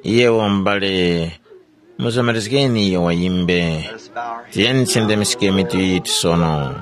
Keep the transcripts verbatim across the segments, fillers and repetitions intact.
Yewo m'bale, muzomerezgeni iyo wayimbe. Tiyeni tisendemiske mitu yitu sono.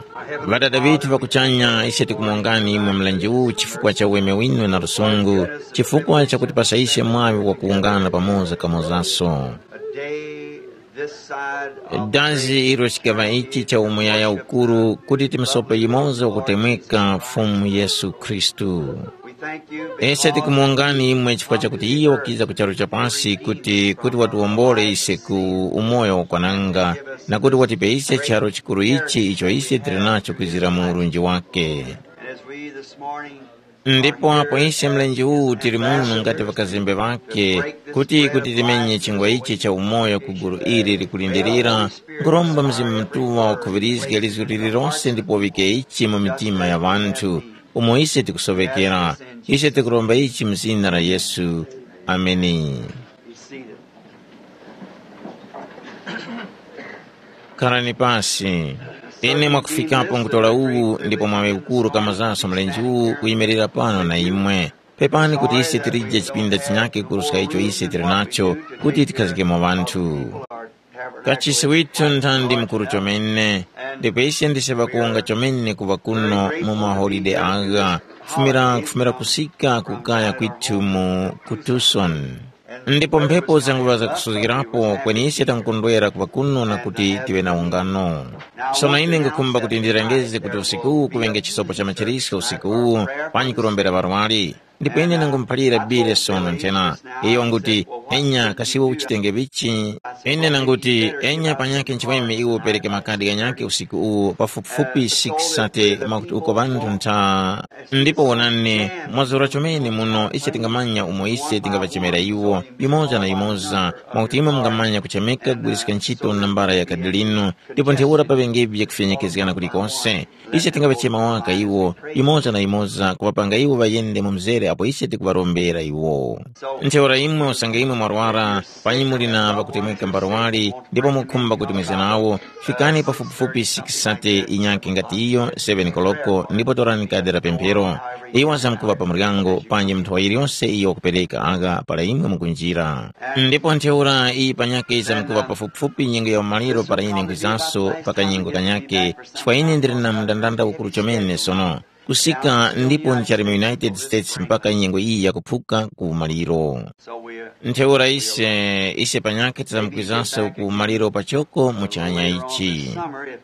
Ŵadada ŵithu ŵa kuchanya, ise tikumongani imwe mlenje uwu chifukwa cha uweme winu na lusungu, chifukwa chakutipasa ise mwaŵi wakuwungana pamoza kamozaso. A day this side of Dazi ilo chikaŵa ichi cha umuyaya ukuru kuti timusope yumoza wakutemweka Fumu Yesu Khristu. We thank you. Ese tikumuwongani imwe chifukwa chakuti iye wakiza ku charu cha pasi kuti kuti watiwombole ise ku umoyo wakwananga, na kuti watipe ise charo chikuru ichi icho ise tili nacho kwizira mu urunji wake. And as we this morning Ndipo apo ise mlenje uwu tili muno ngati ŵakazembe ŵake, kuti kuti timenye chingwa ichi cha umoyo ku gulu ili likulindirira, nkhuromba Mzimu Mutuŵa wakhuŵirizge lizgu lililose ndipo uŵike ichi mu mitima ya ŵanthu, umo ise tikusoŵekera. Ise tikuromba ichi mu zina la Yesu. Ameni. Be seated. Kharani pasi. Ine mwakufikapo nkutora uwu ndipo mwaŵe ukuru kamazaso mlenje uwu kuyimirira pano na imwe. Pepani kuti ise tilije chipinda chinyakhe kuruska icho ise tili nacho kuti tikhazgemo ŵanthu. Kachisi withu nthandi mukuru chomene, ndipo ise ndise ŵakuwonga chomene kuŵa kuno mu maholide agha, kufumira kufumira kusika ku kaya kwithu mu ku Tucson. Ndipo mphepo zanguŵa zakusuzgirapo kweni ise tankondwera kuŵa kuno na kuti tiŵe na ungano. Sono ine ngukhumba kuti ndirengeze kuti usiku uwu kuŵenge chisopo cha machiriso usiku uwu, panyi kurombera ŵarwari. Ndipo ine nangumuphalira bile sono nthena, iyo nguti, enya kasiwe uchitenge vichi? Ine nanguti, enya panyakhe nchiweme iwe upereke makadi ghanyakhe usiku uwu pafupifupi six sate mwakuti uko ŵanthu ntha. Ndipo wonani, mwazura chomene muno ise tingamanya umo ise tingaŵachemera iwo, yumoza na yumoza, mwakuti imwe mungamanya kuchemeka kugwiriska ntchito nambara ya kadi linu, ndipo ntheura paŵengevi vyakufyenyekezgana kulikose. Ise tingaŵachema waka iwo, yumoza na yumoza kuŵapanga iwo ŵayende mu mzere apo ise tikuŵarombera iwo. Ntheura imwe usange imwe mwarwara, panyi muli na ŵakutemweka mbarwali, ndipo mukhumba kuti mwize nawo, fikani pafupifupi six sate inyakhe ngati iyo seven koloko ndipo torani kadi la pemphero. Iwo ŵazamkuŵa pa muryango panji munthu wa yiliyose iyo wakupereka agha para imwe mukunjira. Ndipo ntheura iyi panyakhe yizamkuŵa pafupifupi nyengo ya umaliro para ine nkwizaso pa kanyengo kanyakhe, chifukwa ine ndili na mndandanda ukuru chomene sono. Kusika ndipo ndichali mu United States mpaka nyengo iyi yakuphuka ku maliro. Ntheura ise, ise panyakhe tizamkwizanso ku maliro pachoko mu chanya ichi.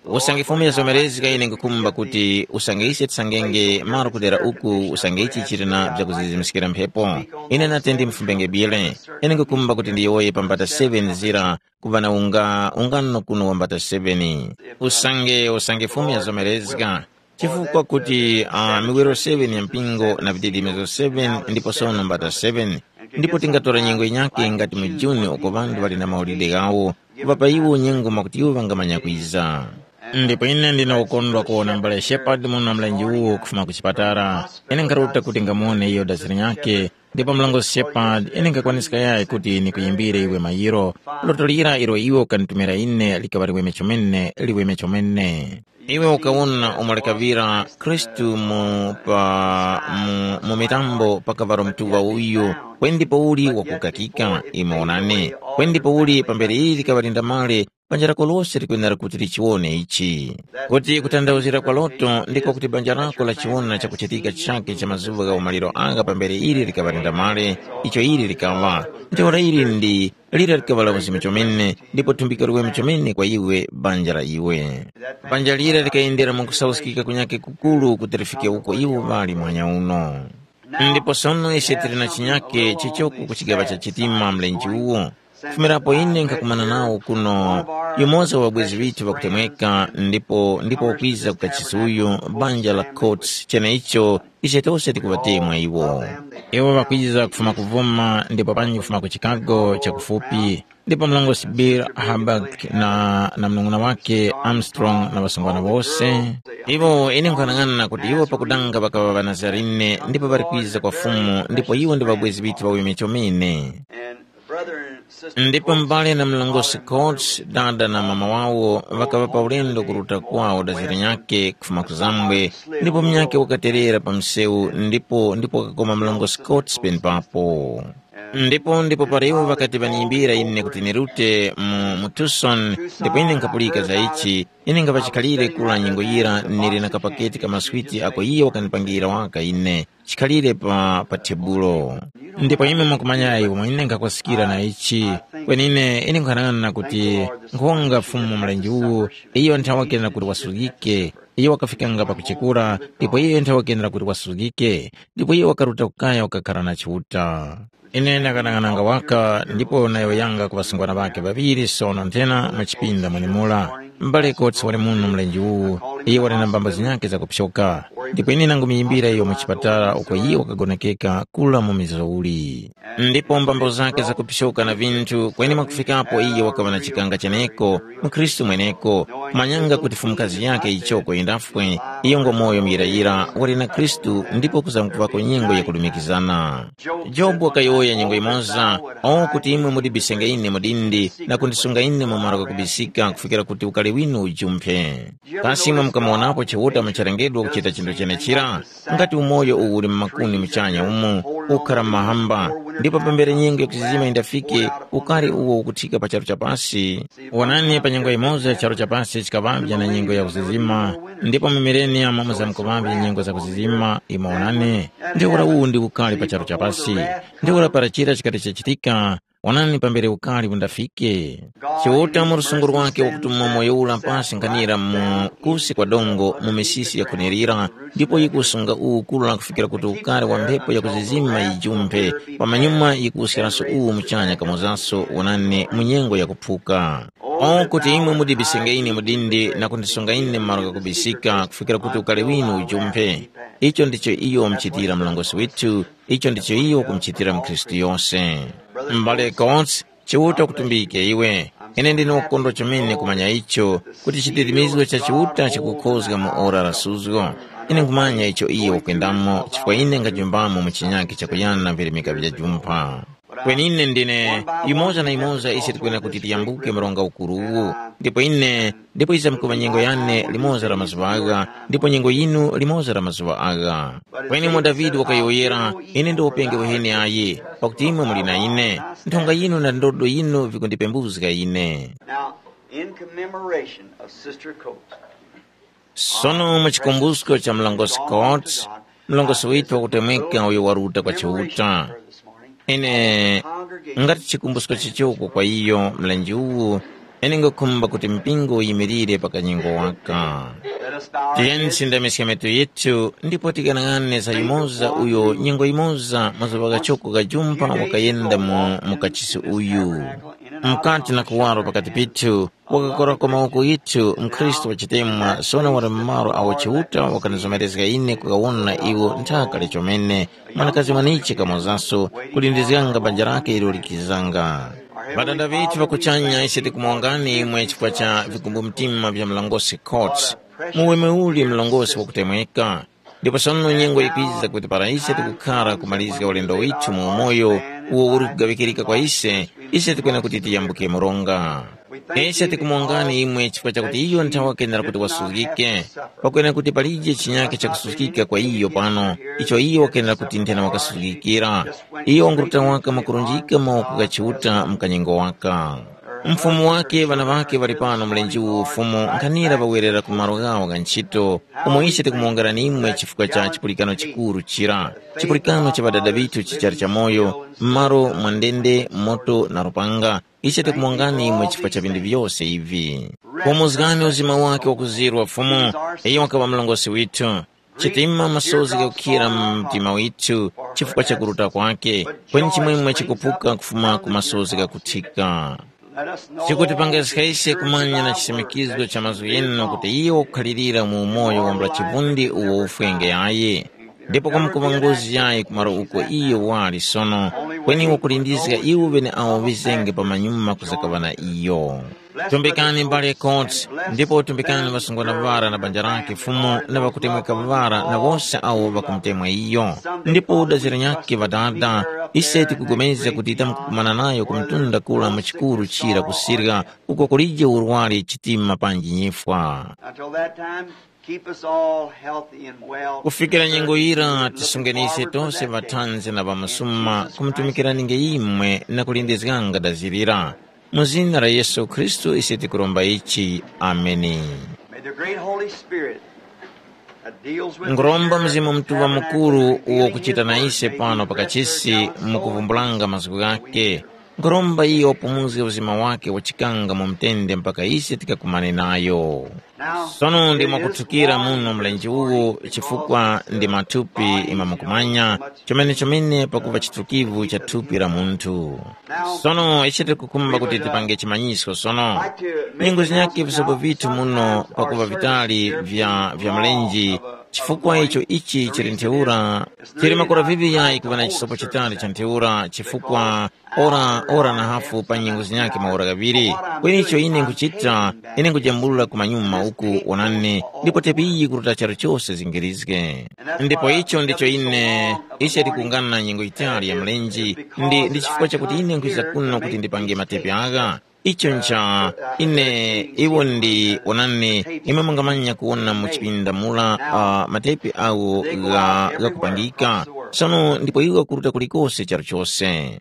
Usange Fumu yazomerezga ine nkukhumba kuti usange ise tisangenge malo kudera uku usange ichi chili na vyakuzizimiskira mphepo. Ine nati ndimfumbenge bile. Ine nkukhumba kuti ndiyowoye pa mbata seven zira kuŵa na unga ungano kuno wa mbata seven. Usange usange Fumu yazomerezga. Chifukwa kuti uh, miwiro seven ya mpingo na vididimizo seven ndipo sono mbata seven, ndipo tingatora nyengo yinyakhe ngati mu Juni uko ŵanthu ŵali na maulide ghawo, kuŵapa iwo nyengo mwakuti iwo ŵangamanya kwiza. Ndipo ine ndine ukondwa kuwona mbale Shepard muno mlenje uwo kufuma ku chipatala. Ine nkharuta kuti ngamuwone iyo daziri nyakhe, ndipo mlongosi Shepard ine nkhakwaniska yayi kuti nikuyimbire iwe mayiro. Loto lira ilo iwe ukanitumira ine likaŵa liweme chomene, liweme chomene. Iwe ukawona umo likaŵira Khristu mu, pa, mu, mu mitambo pakaŵaro mtuŵa uyu, kwendi pouli wakukakika, imwe wonani, kwendi pouli pambere ili likaŵa lindamale, banja lako lose likwenera kuti lichiwone ichi. Kuti kutanthauzira kwa loto ndiko kuti banja lako lachiwona chakuchitika chake cha mazuŵa gha umaliro agha pambere ili likaŵa lindamale, icho ili likaŵa. Ntheura ili ndi lira likaŵa la uzimu chomene, ndipo thumbiko liweme chomene kwa iwe banja la iwe. Banja lira likayendera mwakusauskika kunyakhe kukuru kuti lifike uko iwo ŵali muhanya uno. Ndipo sono ise tili na chinyakhe chichoko ku chigaŵa cha chitima mlenje uwo. Kufumirapo ine nkhakumana nawo kuno, yumoza wa ŵabwezi ŵithu ŵakutemweka, ndipo ndipo wakwiza ku kachisi uyu, banja la Coates, cheneicho ise tose tikuŵatemwa iwo. Iwo ŵakwiza kufuma ku Vuma ndipo panji kufuma ku Chicago chakufupi, ndipo mlongosi Bill Hubbard na, na mnung'una wake Armstrong na ŵasungwana wose. Iwo ine nkhanang'ana kuti iwo pakudanga ŵakaŵa ŵaNazarene ndipo ŵali kwiza kwa Fumu ndipo iwo ndi ŵabwezi ŵithu ŵaweme chomene. Ndipo m'bale na mlongosi Coates, dada na mama wawo, ŵakaŵa pa ulendo kuruta kwawo dazira nyakhe kufuma ku Zambwe, ndipo munyakhe wakaterera pa msewu ndipo ndipo wakakoma mlongosi Coates penepapo. Ndipo ndipo para iwo ŵakati ŵaniyimbira ine kuti nirute mu, mu Tucson, ndipo ine nkhapulika za ichi, ine nkhapa chikhalire kura nyengo yira nili na kapaketi ka maswiti ako iye wakandipangira waka ine, chikhalire pa, pa tebulo. Ndipo imwe mukumanyayi umo ine nkhakoskira na ichi, kweni ine, ine nkhanang'ana kuti nkhonga Fumu mlenje uwu, iyo nthawi wakenera kuti wasuzgike, iyo wakafikanga pakuchekura, ndipo iyo nthawi wakenera kuti wasuzgike, ndipo iyo wakaruta kukaya wakakhara na Chiuta. Ine ndakanang'ananga waka ndipo nayowoyanga ku ŵasungwana ŵakhe ŵaŵiri sono nthena mu chipinda mwenemura. M'bale Kotsi wali muno mlenje uwu, iye wali na mbambo zinyakhe zakupsoka. Ndipo ine nangumiyimbira iyo mu chipatala uko iye wakagonekeka kula mu mizouli. Ndipo mbambo zakhe zakupsoka na vinthu kweni mwakufikapo iye wakaŵa na chikanga cheneko, mkhristu mweneko, kumanyanga kuti fumukazi yakhe ichoko yindafwe, iyo ngwamoyo muyirayira wali na Khristu ndipo kuzamkuvako nyengo yakulumikizana. Jobu wakayowoya nyengo yimoza, o kuti imwe mudibisenge ine mu dindi na kundisunga ine mu malo ghakubisika kufikira kuti ukari winu ujumphe. Kasi imwe mukamuwonapo Chiuta mucharengedwa kuchita chinthu chenechira? Ngati umoyo uwu uli mu makuni muchanya umu, ukhara mu mahamba, ndipo pambere nyengo yakuzizima yindafike, ukari uwo ukuthika pa charu cha pasi? Wonani pa nyengo yimoza charu cha pasi chikaŵavya na nyengo ya kuzizima, ndipo mu mileniyamu muzamkuŵavya nyengo za kuzizima, imwe wonani, ntheura uwu ndi ukari pa charu cha pasi. Ntheura para chira chikati chachitika, wonani pambere ukari undafike. Chiuta mu lusungu lwakhe wakutuma moyo ula pasi nkhanira mu kusi kwa dongo mu misisi yakhonerera, ndipo yikusunga uwu kura kufikira kuti ukari wa mphepo yakuzizima yijumphe, pamanyuma yikuwuskiraso uwu muchanya kamozaso wonani mu nyengo yakuphuka. O kuti imwe mudibisenge ine mu dindi na kundisunga ine mu malo ghakubisika kufikira kuti ukari winu ujumphe. Icho ndicho iyo wamuchitira mlongosi withu, icho ndicho iyo wakumuchitira mkhristu yose. M'bale Coates, Chiuta kutumbike iwe. Ine ndine wakukondwa chomene kumanya icho, kuti chidirimizgo cha Chiuta chikukhozga mu ora la suzgo. Ine nkhumanya icho iyo wakwendamo chifukwa ine ngajumbamo mu chinyakhe chakuyana virimika vya jumpha. Kweni ine ndine, yumoza na yumoza ise tikwena kuti tiyambuke mronga ukuru uwu, ndipo ine, ndipo iza mkuva nyengo yane limoza la mazuŵa agha, ndipo nyengo yinu limoza la mazuŵa agha. Kweni mwa Davide wakayowoyera, ine ndi upenge weheni ayi, pakuti imwe muli na ine, nthonga yinu na ndodo yinu vikundipembuzga ine. Now, in commemoration of Sister Coates, Sono mu chikumbusko cha mlongosi Scott, mlongosi withu wakutemweka uyo waruta kwa Chiuta, ine ngati chikumbusko chichoko kwa iyo mlenje uwu, ine ngakhumba kuti mpingo uyimirire pa kanyengo waka. Tiyeni tisindamiske metu yithu ndipo tikanang'ane za yumoza uyo nyengo yimoza mazuŵa ghachoko gha jumpha wakayenda mu mukachisi uyu. Mkati na kuwaro pakati pithu, wakakorako mawoko yithu mkhristu wachitemwa sono wali mu malo awo Chiuta wakandizomerezga ine kukawona iwo nthaka lichomene, mwanakazi mwaniche kamozaso, kulindizganga banja lake ilo likizanga. Ŵadada ŵithu ŵa kuchanya ise tikumuwongani imwe chifukwa cha vikumbumtima vya mlongosi Coates. Muweme uli mlongosi wakutemweka. Ndipo sono nyengo yikwiza kuti para ise tikukhara kumalizga ulendo withu mu umoyo uwo uli kugaŵikirika kwa ise, ise tikwena kuti tiyambuke mronga. Ise tikumuwongani imwe chifukwa chakuti iyo nthawi wakenera kuti wasuzgike, pakwena kuti palije chinyakhe chakusuzgika kwa iyo pano, icho iyo wakenera kuti nthena wakasuzgikira. Iyo wanguruta waka mwakurunjika mawoko gha Chiuta mu kanyengo waka. Mfumu wake ŵana ŵake ŵali pano mlenje uwu ufumu nkhanira ŵawerera ku malo ghawo gha ntchito, umo ise tikumuwongerani imwe chifukwa cha chipulikano chikuru chira, chipulikano cha ŵadada ŵithu chichali chamoyo, m'malo mwa ndende, moto na lupanga. Ise tikumuwongani imwe chifukwa cha vinthu vyose ivi. Pomuzgani uzima wake wakuzirwa Fumu, iyo wakaŵa mlongosi withu. Chitima masozi ghakukhira mu mtima withu chifukwa cha kuruta kwake, kweni chimwemwe chikuphuka kufuma ku masozi ghakuthika. Chikutipangiska ise kumanya na chisimikizgo cha mazgu ghinu kuti iyo wakukhalirira mu umoyo wambula chivundi uwo ufwenge yayi, ndipo kwamkuŵa ngozi yayi ku malo uko iyo wali sono, kweni wakulindizga iwo ŵeneawo ŵizenge pamanyuma kuzakaŵa na iyo. Tumbikani mbale Koti, ndipo tumbikani ŵasungwana ŵara na banja lakhe Fumu na ŵakutemweka ŵara na wose awo ŵakumutemwa iyo. Ndipo dazira nyakhe Ŵadada, ise tikupulikana kuti tamkukumana nayo ku mtunda kura mu chikuru chira kusirya uko kulije urwari chitima panji nyifwa. Until that time, Keep us all healthy and well. Kufikira nyengo yira, tisungeni ise tonse ŵathanzi na ŵamasuma kumutumikiraninge imwe na kulindizganga dazirira. Mu zina la Yesu Khristu ise tikuromba ichi. Ameni. May the great Holy Spirit that deals with the Nguromba church Mzimu Mutuŵa Mukuru uwo kuchita na ise pano pakachisi mu kuvumbulanga mazgu ghake. Nguromba iyo wapumuzge uzima wake wachikanga mu mtende mpaka ise tikakumane nayo. Sono ndi mwakuthukira muno mlenje uwu, chifukwa ndi mathupi imwe mukumanya, chomene-chomene pakuva chitukivu cha thupi la munthu. Sono ise tikukhumba kuti tipange chimanyisko sono. Nyengo zinyakhe visopo vithu muno pakuva vitali vya, vya mlenje, chifukwa icho ichi chili ntheura, chili makora viŵi yayi kuva na chisopo chitali cha ntheura, chifukwa ora, ora na hafu pa nyengo zinyakhe maora ghaŵiri. Kweni icho ine nkuchita, ine nkujambulula ku manyuma uku, onani, ndipo tepi iyi kuruta charu chose zingirizge. Ndipo icho ndicho ine, ise tikungana na nyengo yitali ya mlenje, ndi, ndi chifukwa chakuti ine nkwiza kuno kuti ndipange matepi agha. Icho ncha, ine, iwo ndi, onani, imwe mungamanya kuwona mu chipinda mula, uh, matepi awo gha, ghakupangika. Sono ndipo iwo kuruta kulikose charu chose.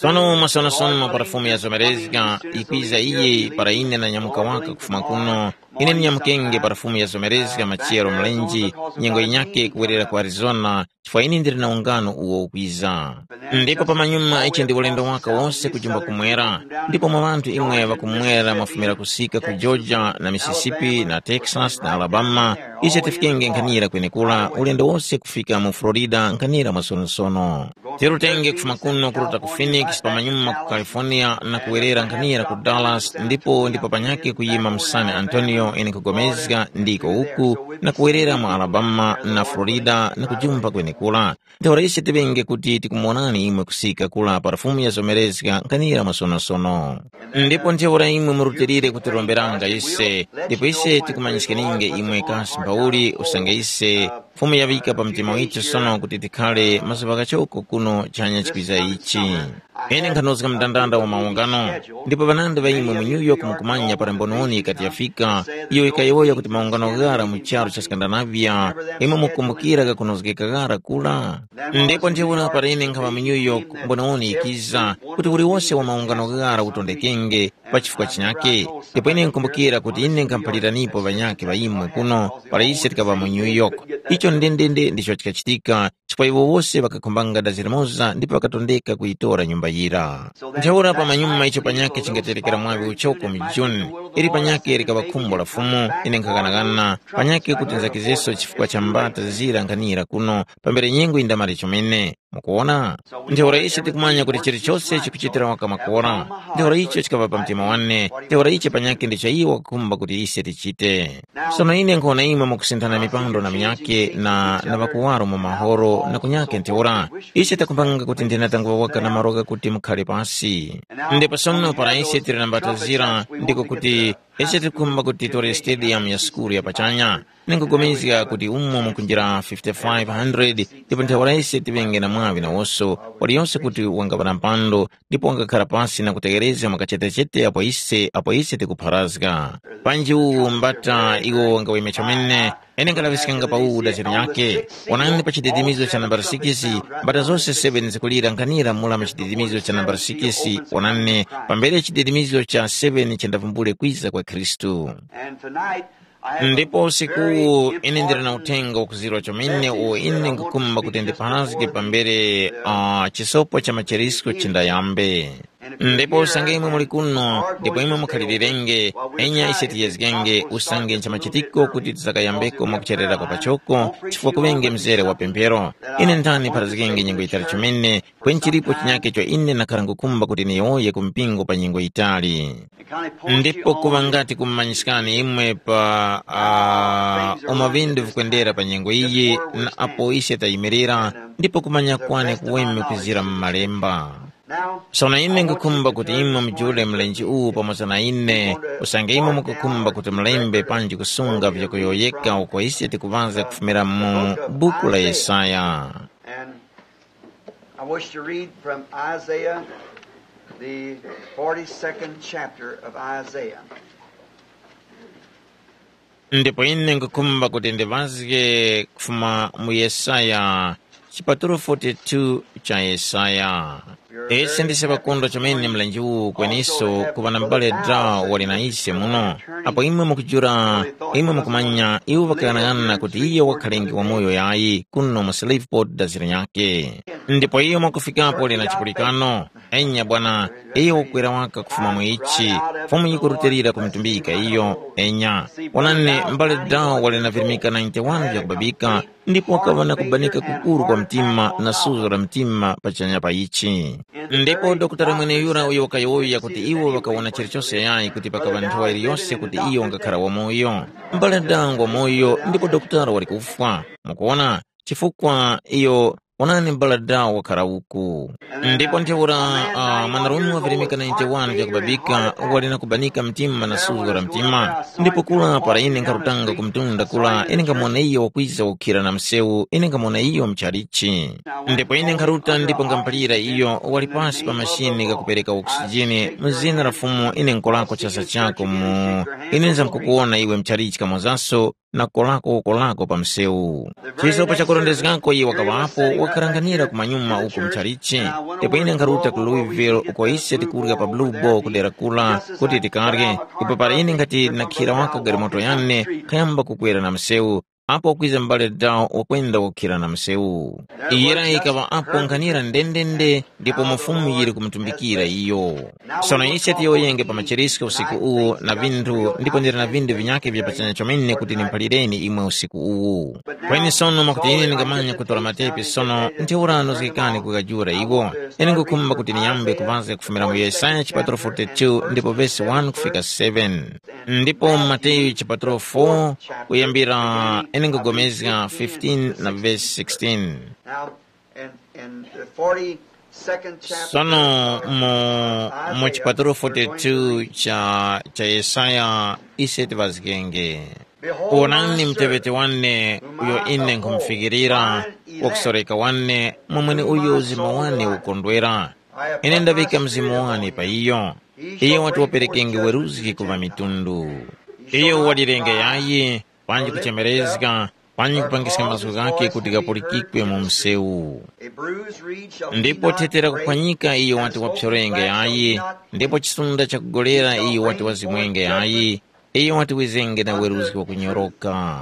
Sono mwasonosono para Fumu yazomerezga, ikwiza iye para ine nanyamuka waka kufuma kuno. Ine ndinyamukenge para Fumu yazomerezga machiyero mlenje, nyengo yinyakhe kuwerera ku Arizona, chifukwa ine ndili na ungano uwo ukwiza. Ndipo pamanyuma ichi ndi ulendo waka wose kujimba kumwera, ndipo mwa ŵanthu imwe ŵakumwera mwafumira kusika ku Georgia na Mississippi na Texas na Alabama, ise tifikenge nkhanira kwenekura, ulendo wose kufika mu Florida nkhanira mwasonosono. Tirutenge kufuma kuno kuruta ku Phoenix, pamanyuma ku California na kuwerera nkhanira ku Dallas, ndipo ndipo panyake kuyima mu San Antonio, ine nkugomezga ndiko uku, na kuwerera mu Alabama na Florida na kujumpa kwenekura. Ntheura ise tiŵenge kuti tikumuwonani imwe kusika kula pa Fumu yazomerezga nkhanira mwasonosono. Ndipo ntheura imwe murutilire kutiromberanga ise, ndipo ise tikumanyiskaninge imwe kasi mphauli usange ise Fumu yaŵika pa mtima withu sono kuti tikhale mazuŵa ghachoko kuno chanya chikwiza ichi. Ine nkhanozga mndandanda wa maungano, ndipo ŵanandi ŵa imwe mu New York mukumanya para mbononi yikati yafika, iyo yikayowoya kuti maungano ghara mu charu cha Skandinavia, imwe mukumbukira ghakunozgeka ghara kura. Ndipo ntheura para ine nkhaŵa mu New York, mbononi yikiza kuti uliwose wa maungano ghara utondekenge pa chifukwa chinyakhe. Ndipo ine nkumbukira kuti ine nkhamuphaliranipo ŵanyakhe ŵa imwe kuno para ise tikaŵa mu New York. Icho ndendende ndicho chikachitika, chifukwa iwo wose ŵakakhumbanga dazi limoza ndipo ŵakatondeka kuyitora nyumba yira. Ntheura pamanyuma icho panyakhe chingaterekera mwaŵi uchoko mu June, ili panyakhe likaŵa khumbo la Fumu, ine nkhaghanaghana panyakhe kuti nzakizeso chifukwa cha mbata zira nkhanira kuno pambere nyengo yindamali chomene. Mukuwona? Ntheura ise tikumanya kuti chilichose chikuchitira waka makora. Ntheura icho chikaŵa pa mtima wane, ntheura ichi panyakhe ndicho iwo wakukhumba kuti ise tichite. Sono ine nkhona imwe mukusinthana mipando na minyakhe na, na ŵakuwaro mu mahoro na kunyakhe ntheura. Ise takumbanga kuti ndinatangwa waka na maroka kuti mukhale pasi. Ndipo sono para ise tili na mbatazira, ndiko kuti ise tikhumba kuti titore stadium ya sukulu ya pachanya. Ndinkupulikana kuti umo mukunjira fifty-five hundred, ndipo ntheura ise tiŵenge na mwaŵi nawoso, waliyose kuti wangaŵa na mpando, ndipo wangakhala pasi na kutegherezga mwakachetechete apo ise, apo ise tikupharazga. Panji uwu mbata iwo wangaweme chomene, ine nkalaŵiskanga pa uwu daziro nyakhe. Onani pa chididimizo cha nambala six, mbata zose seven zikulira nkhanira mula mu chididimizo cha nambala six, onani, pambere chididimizo cha seven chendavumbule kwiza kwa Khristu. And tonight, I have a Ndipo usikuwu very ine ndili na important uthenga wakuzirwa chomene uwo ine nkukhumba kuti ndipharazge pambere uh, chisopo cha macherisko chindayambe. Ndipo usange imwe muli kuno, ndipo imwe mukhalilirenge, enya ise tiyezgenge usange nchamachitikiko kuti tisakayambeko mwakucherera kwa pachoko, chifukwa kuŵenge mzere wa pemphero. Ine nthani pharazgenge nyengo yitali chomene, kweni chilipo chinyake cho ine nakhara nkukhumba kuti niyowoye ku mpingo pa nyengo yitali. Ndipo kuŵa ngati kumumanyiskani imwe pa uh, umo vindu vikwendera pa nyengo iyi na apo ise tayimirira, ndipo kumanya kwane kuweme kwizira mu malemba. Sono ine nkukhumba kuti imwe mujule mlenje uwu pamoza na ine, usange imwe mukukhumba kuti mulembe panji kusunga vyakuyowoyeka uko ise tikuŵazga kufumira mu buku la Yesaya. And I wish to read from Isaiah, the forty-second chapter of Isaiah. Ndipo ine nkhukhumba kuti ndiŵazge kufuma mu Yesaya, chipatulo forty-two cha Yesaya. Ise ndise ŵakondwa chomene mlenje uwu kweniso kuŵa na m'bale Draw wali na ise muno. Apo imwe mukujula, imwe mukumanya iwo ŵakaghanaghanana kuti iyo wakhalenge wamoyo yayi kuno mu Shreveport da zira nyakhe. Ndipo iyo mwakufikapo lina chipulikano. Enya bwana, iyo wakwera waka kufuma mu ichi. Fumu yikurutilira kumtumbika iyo. Enya, wonani, m'bale Draw wali na virimika ninety-one vyakubabika, ndipo wakaŵa na kubanika kukuru kwa mtima na suzo la mtima pachanya pa ichi. Ndipo dokotala mweneyura uyo wakayowoya kuti iwo ŵakawona chilichonse yayi kuti pakaŵa nthowa iliyonse kuti iyo wangakhara wamoyo. M'bale Draw ngwa moyo ndipo dokotala wali kufwa. Mukuwona? Chifukwa iyo, wonani, m'bale Draw wakhara uku. Ndipo ntheura, uh, mwanarume wa virimika ninety-one vyakubabika wali na kubanika mtima na suzo la mtima. Ndipo kula para ine nkharutanga ku mtunda kula, ine ngamona iyo wakwiza kukhira na msewu, ine ngamona iyo mchalichi. Ndipo ine nkharuta ndipo ngamphalira iyo wali pasi pa mashini ghakupereka oksijini. Mu zina la Fumu ine nkolako chasa chako mu, ine nzamkukuwona iwe mchalichi kamozaso na kolako kolako pa msewu. Chisopo chakurondezgako iye wakaŵapo, wakaranganira kumanyuma uko mchalichi. Ndipo ine nkharuta ku Louisville uko ise tikurya pa Blue Ball kudera kula kuti tikarye. Ipo para ine ngati nakhira waka galimoto yane, khayamba kukwera na msewu, apo kwiza m'bale Draw wakwenda wakhira na msewu. Iyera ikaŵa apo nkhanira ndendende, ndipo mufumu yili kumutumbikira iyo. Sono ise tiyowoyenge pa machirisko usiku uwu na vinthu, ndipo ndili na vinthu vinyakhe vya pachanya chomene kuti nimphalireni imwe usiku uwu. Kweni sono mwakuti ine ndingamanya kutora matepi sono, ntheura nozgekani kukajura iwo. Ine ngukhumba kuti niyambe kuŵazga kufumira mu Yesaya chipatulo forty-two ndipo vesi one kufika seven. Ndipo mu Mateyu chipatulo four kuyambira ine ngugomezga fifteen na vesi sixteen. Now, in, in the forty-second chapter, sono mu, mu chipatulo forty-two cha, cha Yesaya ise tivazgenge. Behold, wonani, my mteŵeti wane uyo ine nkhumufikirira, wakusoreka wane, mwamwene uyo mzimu wane ukondwera. Ine ndaŵika mzimu wane pa iyo. Iyo wati waperekenge weruzgi ku ŵamitundu. Iyo walirenge yayi, panji kuchemerezga, panji kupangiska mazgu ghakhe kuti ghapulikikwe mu msewu. Ndipo thete la kuphwanyika iyo wati wapyorenge yayi, ndipo chisunda chakugolera iyo wati wazimwenge yayi, iyo wati wizenge na weruzgi wakunyoroka.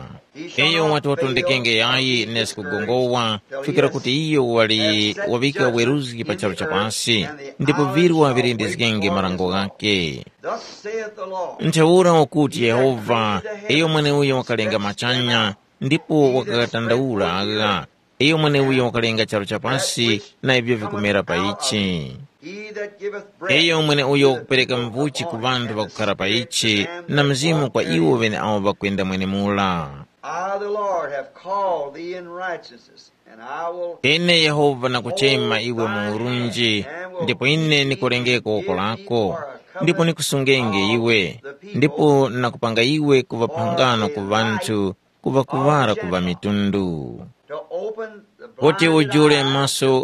Iyo wati watondekenge yayi nesi kugongowa, kufikira kuti iyo wali waŵika weruzgi pa charu cha pasi, ndipo virwa virindizgenge marango ghakhe. Thus saith the Lord. Ntheura ukuti Yehova, iyo mweneuyo wakalenga machanya, ndipo wakaghatandaula agha, iyo mweneuyo wakalenga charu cha pasi na ivyo vikumera pa ichi. He that giveth breath iyo mweneuyo wakupereka mvuchi ku ŵanthu ŵakukhara pa ichi, na mzimu kwa iwo ŵeneawo ŵakwenda mwenemula. I, the Lord, have called thee in righteousness, and I will Ine Yehova nakuchema iwe mu urunji, ndipo ine nikolengeko woko lako, ndipo nikusungenge iwe, ndipo nakupanga iwe kuŵa phangano ku ŵanthu, kuŵa kuŵala ku ŵamitundu. To open the kuti blind ujule eyes, maso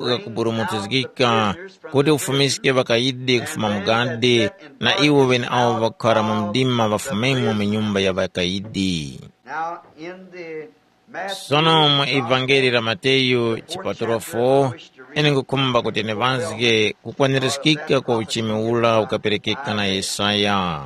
ghakuburumutizgika, kuti ufumiske ŵakayidi kufuma mu gadi, na iwo ŵeneawo ŵakukhara mu mdima ŵafumemo mu nyumba ya ŵakayidi. Now in the Sono mu Evangeli la Mateyu chipatulo four, ine ngukhumba kuti ndiŵazge kukwanirizgika kwa uchimi ura ukaperekeka na Yesaya.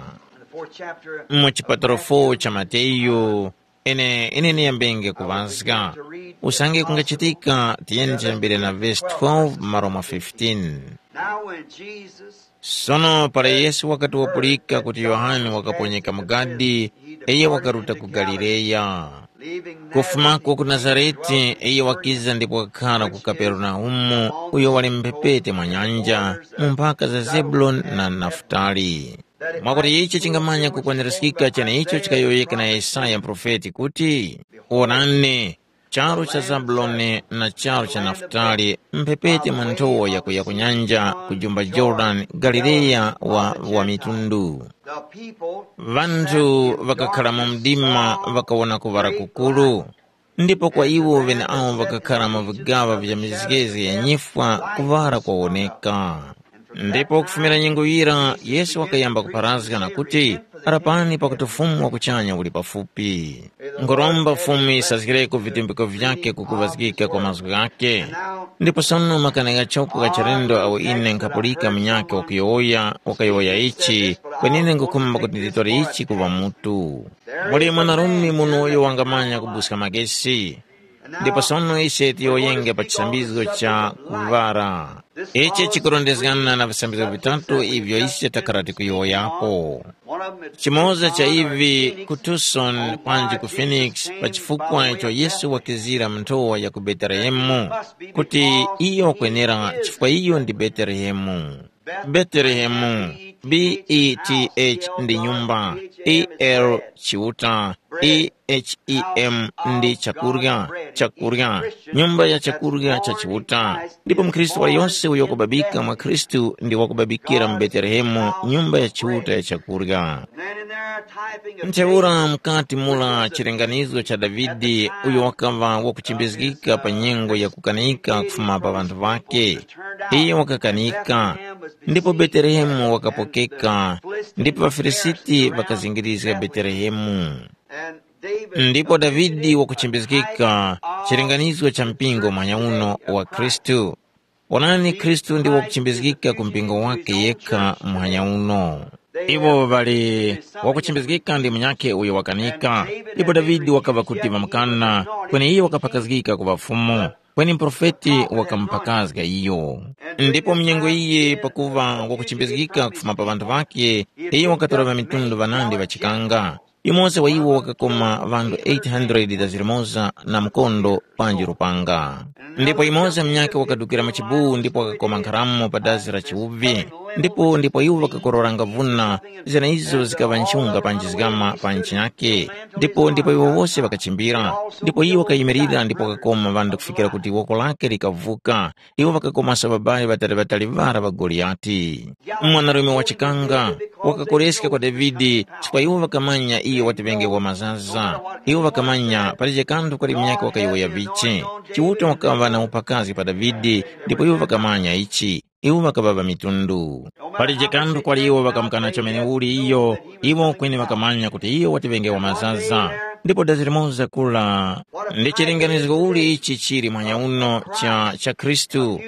Mu chipatulo four cha Mateyu, ine ine niyambenge kuŵazga. Usange kungachitika, tiyeni tiyambire na vesi twelve malo mwa fifteen. Now when Jesus Sono para Yesu wakati wapulika kuti Yohane wakaponyeka mu gadi, iyo wakaruta ku Galileya. Kufumako ku Nazarete, iyo wakiza ndipo wakakhala ku Kaperenaumu, uyo wali mphepete mwa nyanja, mu mphaka za Zebuloni na Nafutali. Mwakuti ichi chingamanya kukwanirizgika cheneicho chikayowoyeka na Yesaya muprofeti kuti, “Wonani, charu cha Zabuloni na charu cha Nafutali, mphepete mwa nthowa yakuya ku nyanja, ku jumba Jorodani, Galileya wa, wa mitundu. Ŵanthu ŵakakhala mu mdima ŵakawona kuŵala kukuru, ndipo kwa iwo ŵeneawo ŵakakhala mu vigaŵa vya mizgezi ya nyifwa kuŵala kwawoneka.” Ndipo kufumira nyengo yira, Yesu wakayamba kupharazga na kuti, Rapani pakuti Fumu wa kuchanya uli pafupi. Nkhuromba Fumu yisazgireko vitumbiko vyake kukuŵazgika kwa mazgu ghake. Ndipo sono makani ghachoko gha chilendo awo ine nkhapulika munyakhe wakuyowoya, wakayowoya ichi, kwenine nkhukhumba kuti nditore ichi kuŵa mutu. Muli mwanarume muno uyo wangamanya kubuska magesi. Ndipo sono ise tiyowoyenge pa chisambizgo cha kuŵara. Ichi chikurondezgana na visambizgo vitatu ivyo ise takhala tikuyowoyapo. Chimoza cha ivi ku Tucson panji ku Phoenix, pa chifukwa icho Yesu wakizira mu nthowa ya ku Betelehemu, kuti iyo wakwenera chifukwa iyo ndi Betelehemu. Betelehemu, B E T H ndi nyumba, E L chiuta, E H E M ndi chakurya, chakurya, nyumba ya chakurya cha Chiuta. Ndipo mkhristu waliyonse uyo wakubabika mwa Khristu ndi wakubabikira mu Betelehemu, nyumba ya Chiuta ya chakurya. Ntheura mukati mula chilinganizo cha Davide, uyo wakaŵa wakuchimbizgika pa nyengo ya kukanika kufuma pa ŵanthu ŵakhe. Iye wakakanika, ndipo Betelehemu wakapokeka, ndipo ŵaFilisiti ŵakazingirizga Betelehemu. Ndipo Davide wakuchimbizgika chilinganizo cha mpingo muhanya uno wa Khristu. Onani, Khristu ndi wakuchimbizgika ku mpingo wake yekha muhanya uno. Iwo ŵali wakuchimbizgika ndi munyakhe uyo wakanika, ndipo Davide wakaŵa kuti ŵamukana, kweni iyo wakaphakazgika kuŵa Fumu, kweni muprofeti wakamuphakazga iyo. Ndipo munyengo iyi pakuŵa wakuchimbizgika kufuma pa ŵanthu ŵakhe, iyo wakatora ŵamitundu ŵanandi ŵachikanga. Yumoza wa iwo wakakoma ŵanthu eight hundred zilimoza na mkondo panji lupanga. Ndipo yumoza munyakhe wakadukira mu chibuwu ndipo wakakoma nkharamo pa dazi la chiwuvi. Ndipo ndipo iwo ŵakakororanga vuna, zeneizo zikaŵa nchunga panji zgama pa ntchinyake. Ndipo ndipo iwo wose ŵakachimbira. Ndipo iwo wakayimirira ndipo wakakoma ŵanthu kufikira kuti woko lake likavuka. Iwo ŵakakomaso ŵabali ŵatali-ŵatali ŵara ŵa Goliyati. Mwanarume wachikanga wakakoreska kwa Davide, chifukwa iwo ŵakamanya iyo wati ŵenge wa mazaza. Iwo ŵakamanya palije kanthu kwali munyakhe wakayowoya vichi. Chiuta wakaŵa na uphakazi pa Davide, ndipo iwo ŵakamanya ichi. Iwo ŵakaŵa ŵamitundu. Palije kanthu kwali iwo ŵakamukana chomene uli iyo, iwo kweni ŵakamanya kuti iyo wati ŵenge wa mazaza. Ndipo dazi limoza kula. Ndi chilinganizgo uli ichi chili mwanya uno cha, cha Khristu,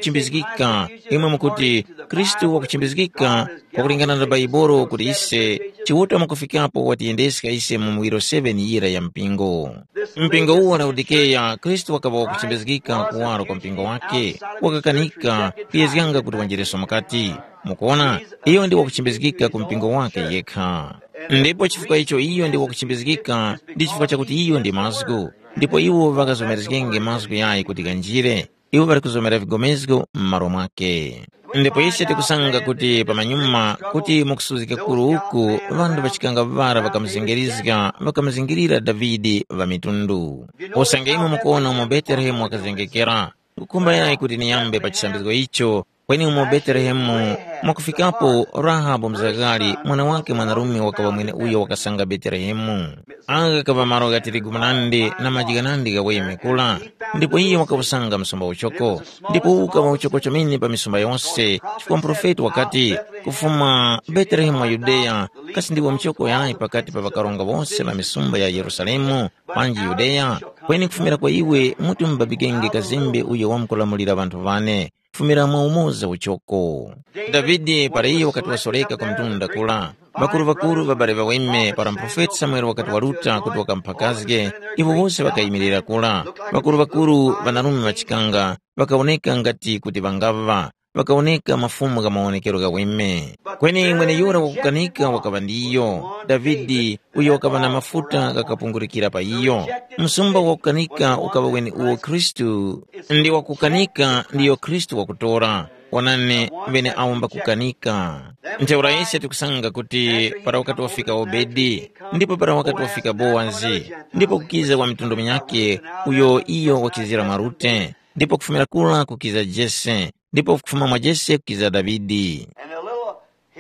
wakuchimbizgika. Imwe mukuti, Khristu wakuchimbizgika, kwakulingana na Baibolo kuti ise, Chiuta mwakufikapo watiyendeska ise mu muwiro seven yira ya mpingo. Mpingo uwu wa Laodikeya, Khristu wakaŵa wakuchimbizgika kuwaro kwa mpingo wake, wakakanika kuyezganga kuti wanjireso mukati. Mukuona, iyo ndi wakuchimbizgika ku mpingo wake yekha. Ndipo chifukwa icho iyo ndi wakuchimbizgika, ndi chifukwa chakuti iyo ndi mazgu. Ndipo iwo ŵakazomerezgenge mazgu yayi kuti ghanjire. Iwo ŵali kuzomera vigomezgo m'malo mwake. Ndipo ise tikusanga kuti pamanyuma kuti mukusuzgika kuru uku, ŵanthu ŵachikanga ŵara ŵakamuzengerizga, ŵakamuzingirira Davide ŵa mitundu. Usange imwe mukuwona umo Betelehemu wakazengekera, nkukhumba yayi kuti niyambe pa chisambizgo icho, kweni umo Betelehemu, mwakufikapo Rahabu mzagari, mwana wake mwanarume wakaŵa mweneuyo wakasanga Betelehemu. Agha kaŵa malo gha tirigu munandi na maji ghanandi ghaweme kula, ndipo iye wakawusanga msumba uchoko. Ndipo uwu ukaŵa uchoko chomene pa misumba yose, chifukwa muprofeti wakati, kufuma Betelehemu wa Yudeya, kasi ndiwo mchoko yayi pakati pa ŵakaronga wose ŵa misumba ya Yerusalemu, panji Yudeya? Kweni kufumira kwa iwe muti mubabikenge kazembe uyo wamkulamulira ŵanthu ŵane, kufumira mwa umoza uchoko. Davide para iyo wakati wasoreka ku mtunda kula, ŵakuru-ŵakuru ŵabale ŵaweme para muprofeti Samuele wakati waruta kuti wakamuphakazge, iwo wose ŵakayimirira kula. Ŵakuru-ŵakuru ŵanarume ŵachikanga ŵakawoneka ngati kuti ŵangaŵa, ŵakawoneka mafumu gha mawonekero ghaweme. Kweni mweneyura wakukanika wakaŵa ndiyo, Davide, uyo wakaŵa na mafuta ghakapungurikira pa iyo. Msumba wakukanika ukaŵa weni uwo Khristu, ndi wakukanika ndiyo Khristu wakutora. Wonani, ŵene awo mbakukanika. Ntheura ise tikusanga kuti para wakati wafika Obedi, ndipo para wakati wafika Bowazi, ndipo kukiza wa mitundu minyakhe, uyo iyo wakizira mwa Rute, ndipo kufumira kura kukiza Jese, ndipo kufuma mwa Jese kukiza Davide.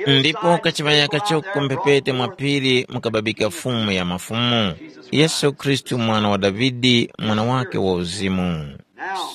Ndipo kachiŵaya kachoko mphepete mwa phiri mukababika Fumu ya mafumu, Yesu Khristu, mwana wa Davide, mwana wake wa uzimu.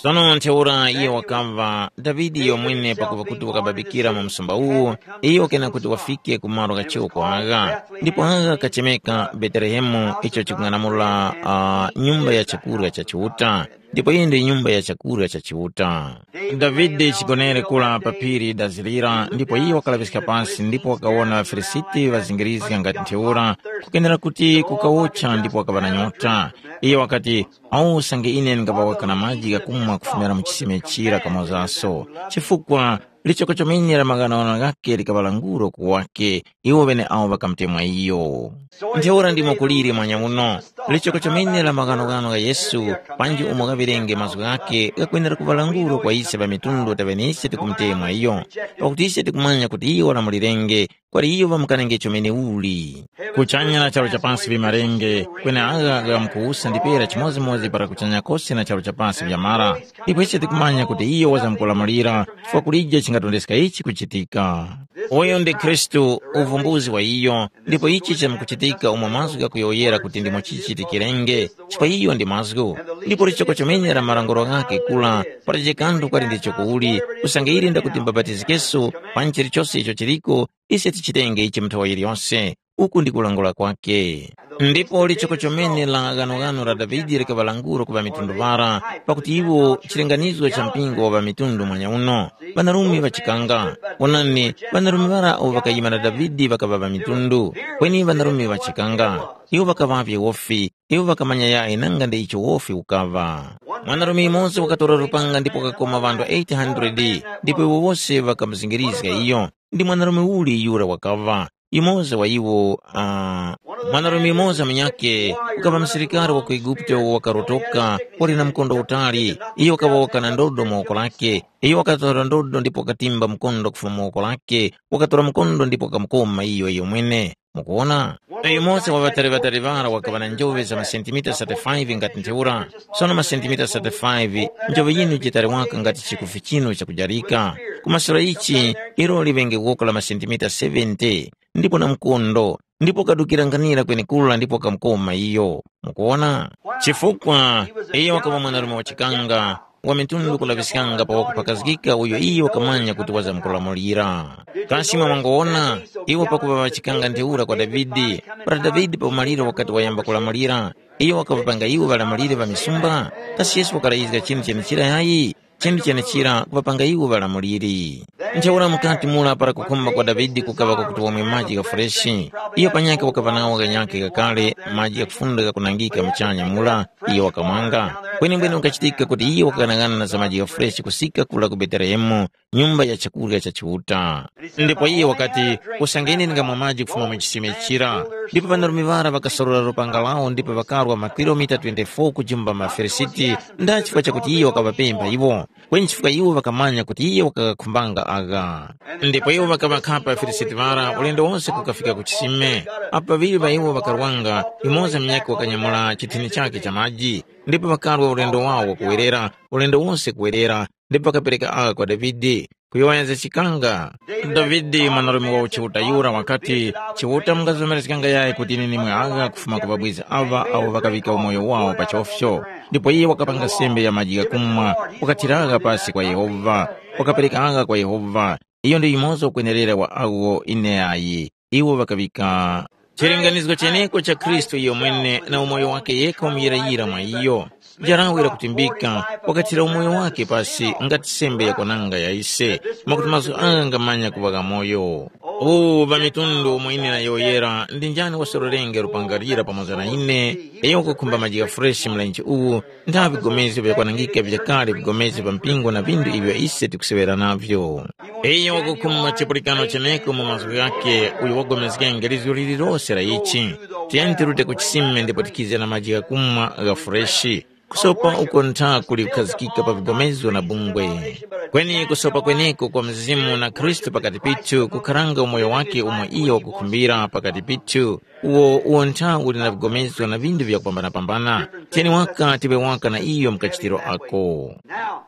Sono ntheura iye wakamva Davide yomwene pakuva kuti wakababikira mu msumba uwu, iyo kena kuti wafike ku malo ghachiwo kuagha, ndipo agha kachemeka Betelehemu, icho chikung'anamula uh, nyumba ya chakurya cha Chiuta, ndipo iyi ndi nyumba ya chakurya cha Chiuta. Davide chigonere kula pa phiri dazilira, ndipo iye wakalaŵiska pasi ndipo wakawona ŵaFilisiti ŵazingirizga ngati ntheura, kukenera kuti kukawotcha ndipo wakaŵa na nyota. Iye wakati, awo usange ine ndingaŵawaka na maji ghakumwa kufumira mu chisime chira kamozaso, chifukwa lichoko chomene la maghanoghano ghake likaŵa languro ku wake, iwo ŵeneawo ŵakamutemwa iyo. Ntheura ndimo kuliri mwanya uno, lichoko chomene la maghanoghano gha Yesu, panji umo ghaŵirenge mazgu ghake ghakwenera kuŵa languro kwa ise ŵa mitundu taŵe nise tikumutemwa iyo, pakuti ise tikumanya kuti iyo walamulirenge, kwali iyo ŵamukanenge chomene uli. Kuchanya na charu cha pasi vimarenge, kweneagha ghamkuwusa ndipera chimodzimodzi para kuchanya kose na charu cha pasi vyamara. Ndipo ise tikumanya kuti iyo wazamkulamulira, chifukwa kulije chingatondeska ichi kuchitika. Uyu ndi Khristu, uvumbuzi wa iyo, ndipo ichi chamkuchitika umo mazgu ghakuyowoyera kuti ndimo chichitikirenge, chifukwa iyo ndi mazgu. Ndipo lichoko chomene la malanguro ghake kula, palibe kanthu kwali ndicho kuuli, usange ili ndakuti mbapatizikeso, panji chilichose icho chiliko, ise tichitenge ichi mu nthowa yiliyose. Uku ndi kulangula kwake. Ndipo lichoko chomene la ghanoghano la Davide likaŵa languro ku ŵamitundu ŵara, pakuti iwo chilinganizo cha mpingo wa ŵamitundu mwanya uno. Ŵanarume ŵachikanga, wonani, ŵanarume ŵara awo ŵakayima na Davide ŵakaŵa ŵamitundu, kweni ŵanarume ŵachikanga. Iwo ŵakaŵavye wofi, iwo ŵakamanya yayi nanga ndi icho wofi ukaŵa. Mwanarume yumoza wakatora lupanga ndipo wakakoma ŵanthu eight hundred, ndipo iwo wose ŵakamuzingirizga iyo. Ndi mwanarume uli yura wakaŵa? Yumoza wa iwo, uh, mwanarume yumoza munyakhe, ukaŵa msilikari wa ku Eguputo wakarotoka, wali na mkondo utali. Iyo wakaŵoka na ndodo mu woko lake. Iyo wakatora ndodo ndipo wakatimba mkondo kufuma mu woko lake, wakatora mkondo ndipo wakamukoma iyo iyo mwene. Mukuwona? Uyu Mose wa ŵatali-ŵatali ŵara wakaŵa na njoŵe za masentimita thirty-five ngati ntheura. Sono masentimita thirty-five, njoŵe yinu jitali waka ngati chikufi chinu chakujarika. Kumasura ichi, ilo liŵenge woko la masentimita seventy, ndipo na mkondo, ndipo kadukira nkhanira kwenekura ndipo kamkoma iyo. Mukuwona? Chifukwa iyo wakaŵa mwanarume wa chikanga, wa mitundu kulaŵiskanga pa wakupakazgika uyo iyo wakamanya kuti wazamkulamulira. Kasi mwa mwangowona, iwo pakuŵa ŵachikanga ntheura kwa Davide, para Davide pa umaliro wakati wayamba kulamulira, iyo wakaŵapanga iwo ŵalamuliri ŵa misumba? Kasi Yesu wakarayizga chinthu chenechira yayi? Chinthu chenechira kuŵapanga iwo ŵalamuliri. Ntheura mukati mura para kukhumba kwa Davide kukaŵa kwakuti wamwe maji gha fureshi, iyo panyakhe wakaŵa nawo ghanyakhe ghakale, maji ghakufunda ghakunangika muchanya mura, iyo wakamwanga. Kwenembwene wakachitika kuti iyo wakaghanagana na za maji gha fureshi kusika kura ku Betelehemu, nyumba ya chakurya cha Chiuta. Ndipo iye wakati, usange ine ndingamwa maji kufuma mu chisime chira. Ndipo ŵanarume ŵara ŵakasorora lupanga lawo ndipo ŵakarwa makilomita twenty-four kujimba maFilisiti, nda chifukwa chakuti iye wakaŵapempha iwo. Kweni chifukwa iwo ŵakamanya kuti iye wakakhumbanga agha. Ndipo iwo ŵakaŵakhapa ŵaFilisiti ŵara ulendo wonse kukafika ku chisime. Apo ŵaŵiri ŵa iwo ŵakarwanga, yumoza munyakhe wakanyamula chithini chakhe cha maji, ndipo ŵakarwa ulendo wawo wakuwerera, ulendo wonse kuwerera, ndipo ŵakapereka agha kwa Davide. Kuyowoya za chikanga, Davide mwanarume wa uchiuta yura wakati, Chiuta mungazomerezganga yayi kuti ine nimwe agha kufuma ku ŵabwizi aŵa awo ŵakaŵika umoyo wawo pa chofcho? Ndipo iye wakapanga sembe ya maji ghakumwa, wakathira agha pasi kwa Yehova, wakapereka agha kwa Yehova. Iyo ndi yumoza ukwenerera wa awo ine ayi. Iwo ŵakaŵika chilinganizo cheneko cha Khristu iyo mwene na umoyo wake yekha umuyirayira mwa iyo. Jarawe lakutimbika, wakathira umoyo wake pasi ngati sembe yakwananga ya ise, mwakuti mazgu agha ngamanya kuŵa ghamoyo. Uwu pa mitundu umo ine nayowoyera, ndi njani wasororenge lupanga lira pamoza na ine? Iyo wakukhumba maji gha freshi mlenje uwu, ntha vigomezgo vyakwanangika vyakale vigomezgo pa mpingo na vindu ivyo ise tikuseŵera navyo. Iyo wakukhumba chipulikano cheneko mu mazgu ghakhe, uyo wagomezgenge lizgo lililose la ichi. Tiyeni tirute ku chisime ndipo tikize na maji ghakumwa gha freshi. Kusopa uko ntha kuli kukhazikika pa vigomezo na bungwe. Kweni kusopa kweneko kwa Mzimu na Khristu pakati pithu kukharanga umoyo wake umo iyo wakukhumbira pakati pithu, uwo uwo ntha uli na vigomezo na vindu vyakupambana-pambana. Tiyeni waka tiŵe waka na iyo mukachitiro ako. Now,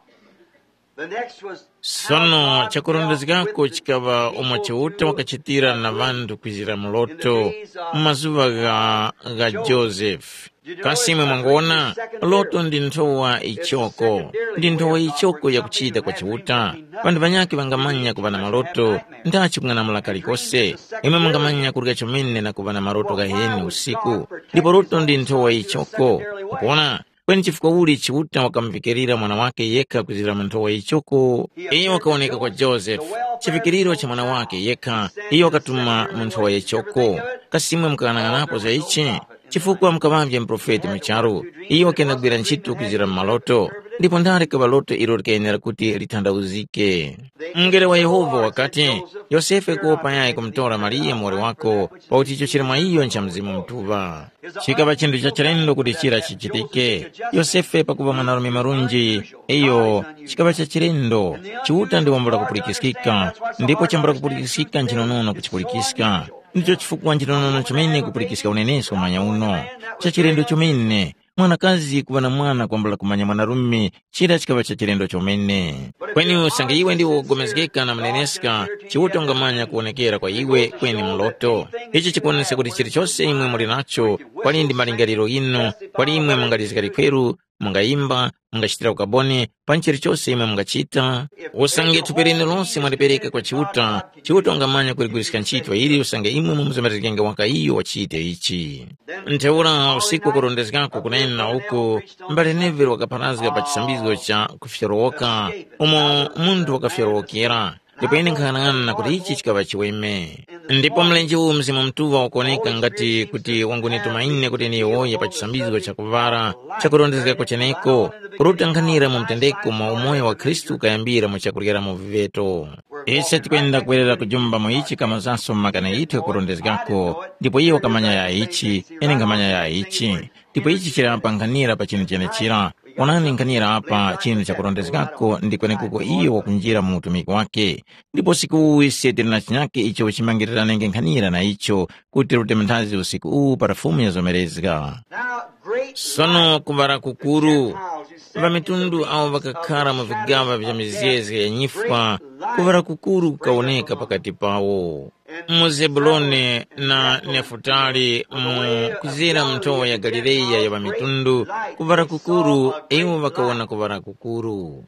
the next was Sono chakurondezgako chikaŵa umo Chiuta wakachitira na ŵanthu kwizira muloto mu mazuŵa gha, gha Josefe. Kasi imwe mwangona, loto ndi nthowa ichoko, ndi nthowa ichoko yakuchita kwa Chiuta. Ŵanthu ŵanyakhe ŵangamanya kuŵa na maloto, ndachi kung'anamula kalikose. Imwe mungamanya kurya chomene na kuŵa na maloto ghaheni usiku, ndipo loto ndi nthowa ichoko. Mukuona? Kweni chifukwa uli Chiuta wakamuvikirira mwana wake yekha kuzira mu nthowa yichoko? Iyo wakawoneka kwa Josefe, chivikiriro cha mwana wake yekha. Iyo wakatuma mu nthowa yichoko. Kasi imwe mukaghanag'anapo za ichi? Chifukwa mukaŵavye muprofeti mu charu, iyo wakenda kugwira ntchito kuzira mu maloto, ndipo ndale kaŵa loto ilo likayenera kuti lithandauzike. Mungelo wa Yehova wakati, Yosefe kuwopa yayi kumutora Mariya muwoli wako, pakuti icho chili mwa iyo ncha Mzimu Mutuŵa. Chikaŵa chinthu cha chilendo kuti chira chichitike. Yosefe pakuŵa mwanarume marunji, iyo chikaŵa cha chilendo. Chiuta ndi wambula kupulikiskika, ndipo chambula kupulikiskika nchinonono kuchipulikiska. Ndicho chifukwa nchinonono chomene kupulikiska unenesko mwanya uno. Cha chilendo chomene, mwanakazi kuŵa na mwana kwambula kumanya mwanarume, chira chikaŵa cha chilendo chomene. Kweni usange iwe ndiwe wogomezgeka na muneneska, Chiuta ungamanya kuwonekera kwa iwe kweni mloto. Ichi chikuwonesa kuti chilichose imwe muli nacho, kwali ndi malingaliro ghinu, kwali imwe mungalizga likweru, mungayimba, mungachitira ukaboni, panji chilichose imwe mungachita. Usange thupi linu lose mwalipereka kwa Chiuta, Chiuta ungamanya kuligwiriska ntchito ili usange imwe mumuzomerezgenge waka iyo wachite ichi. Ntheura usiku wakurondezgako kunena uku, mbale Neville wakapharazga pa chisambizgo cha kufyorowoka, umo munthu wakafyorowokera, ndipo ine nkhanang'ana kuti ichi chikaŵa chiweme. Ndipo mlenje uwu Mzimu Mutuŵa wakuwoneka ngati kuti wangunituma ine kuti ndiyowoye pa chisambizgo cha kuvara, chakurondezgako cheneko, kuti utanghanira mu mtendeko mwa umoyo wa Khristu ukayambira mu chakuryera mu viveto. Ise tikwenda kwerera kujumba mu ichi kamazaso mu makani ghithu ghakurondezgako, ndipo iye wakamanya ya ichi, ine nkhamanya ya ichi. Ndipo ichi chili apa nkhanira pa chinthu chenechira. Onani nkhanira apa chinthu chakurondezgako ndi kwenekuko iyo wakunjira mu utumiki wake. Ndipo siku uwu ise tili na chinyake icho chimangiriranenge nkhanira na icho kuti rute manthazi usiku uwu para Fumu yazomerezga. Now, great Sono kuŵala kukuru, Gentiles, you see, ŵamitundu awo ŵakakhara mu vigaŵa vya mizezge ya nyifwa, kuŵala kukuru kukawoneka pakati pawo. Mu Zebuloni na Nefutali, mu kuzira mu nthowa ya Galileya ya ŵamitundu, kuŵala kukuru, iwo ŵakawona kuŵala kukuru.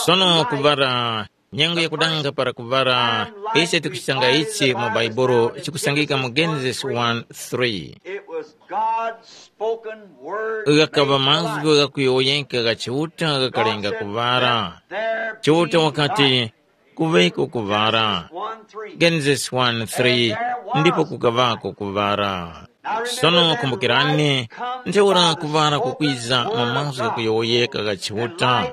Sono kuŵala, nyengo yakudanga para kuŵala, ise tikuchitanga ichi mu Baibulo chikusangika mu Genesis one three. It was God's spoken word. Ghakaŵa mazgu ghakuyowoyeka gha Chiuta ghakalenga kuŵala. Chiuta wakati, kuŵeko kuŵala. Genesis one three, ndipo kukaŵako kuŵala. Sono kumbukirani, ntheura kuŵala kukwiza mu mazgu ghakuyowoyeka gha Chiuta,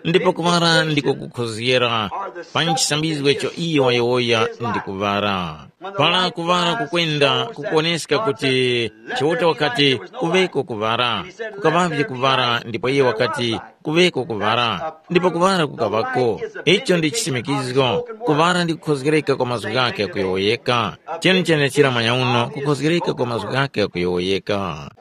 ndipo kuŵala ndiko kukhozgera pa chisambizgo icho iyo wayowoya ndi kuŵala. Para kuŵala kukwenda kukuwoneska kuti Chiuta wakati, kuŵeko kuŵala, kukaŵavye kuŵala ndipo iye wakati, kuŵeko kuŵala, ndipo kuŵala kukaŵako. Icho ndi chisimikizgo, kuŵala ndi kukhozgereka kwa mazgu ghakhe kuyowoyeka. Chenichene chira mwanyauno kukhozgereka kwa mazgu ghakhe kuyowoyeka.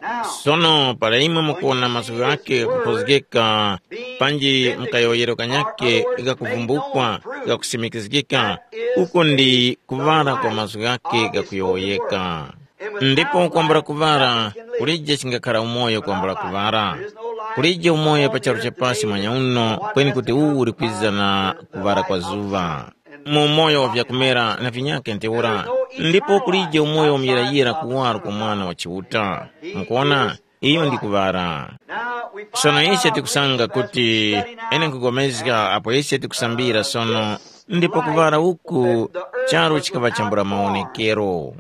Sono para imwe mukuwona mazgu ghakhe kukhozgeka, panji mkayowoyero kanyakhe ghakuvumbukwa, ghakusimikizgika, uko ndi kuŵala kwa mazgu ghakhe ghakuyowoyeka. Ndipo kwambula kuŵala, kulije chingakhara umoyo kwambula kuŵala. Kulije umoyo pa charu cha pasi mwanya uno, kweni kuti uwu uli kwiza na kuŵala kwa zuŵa. Mu umoyo wa vyakumera na vinyakhe ntheura, ndipo kulije umoyo wa muyirayira kuwaro kwa Mwana wa Chiuta. Mukuona, iyo ndi kuŵala. Sono ise tikusanga kuti ene nkugomezga apo ise tikusambira sono, ndipo kuŵala uku charu chikaŵa chambula mawonekero.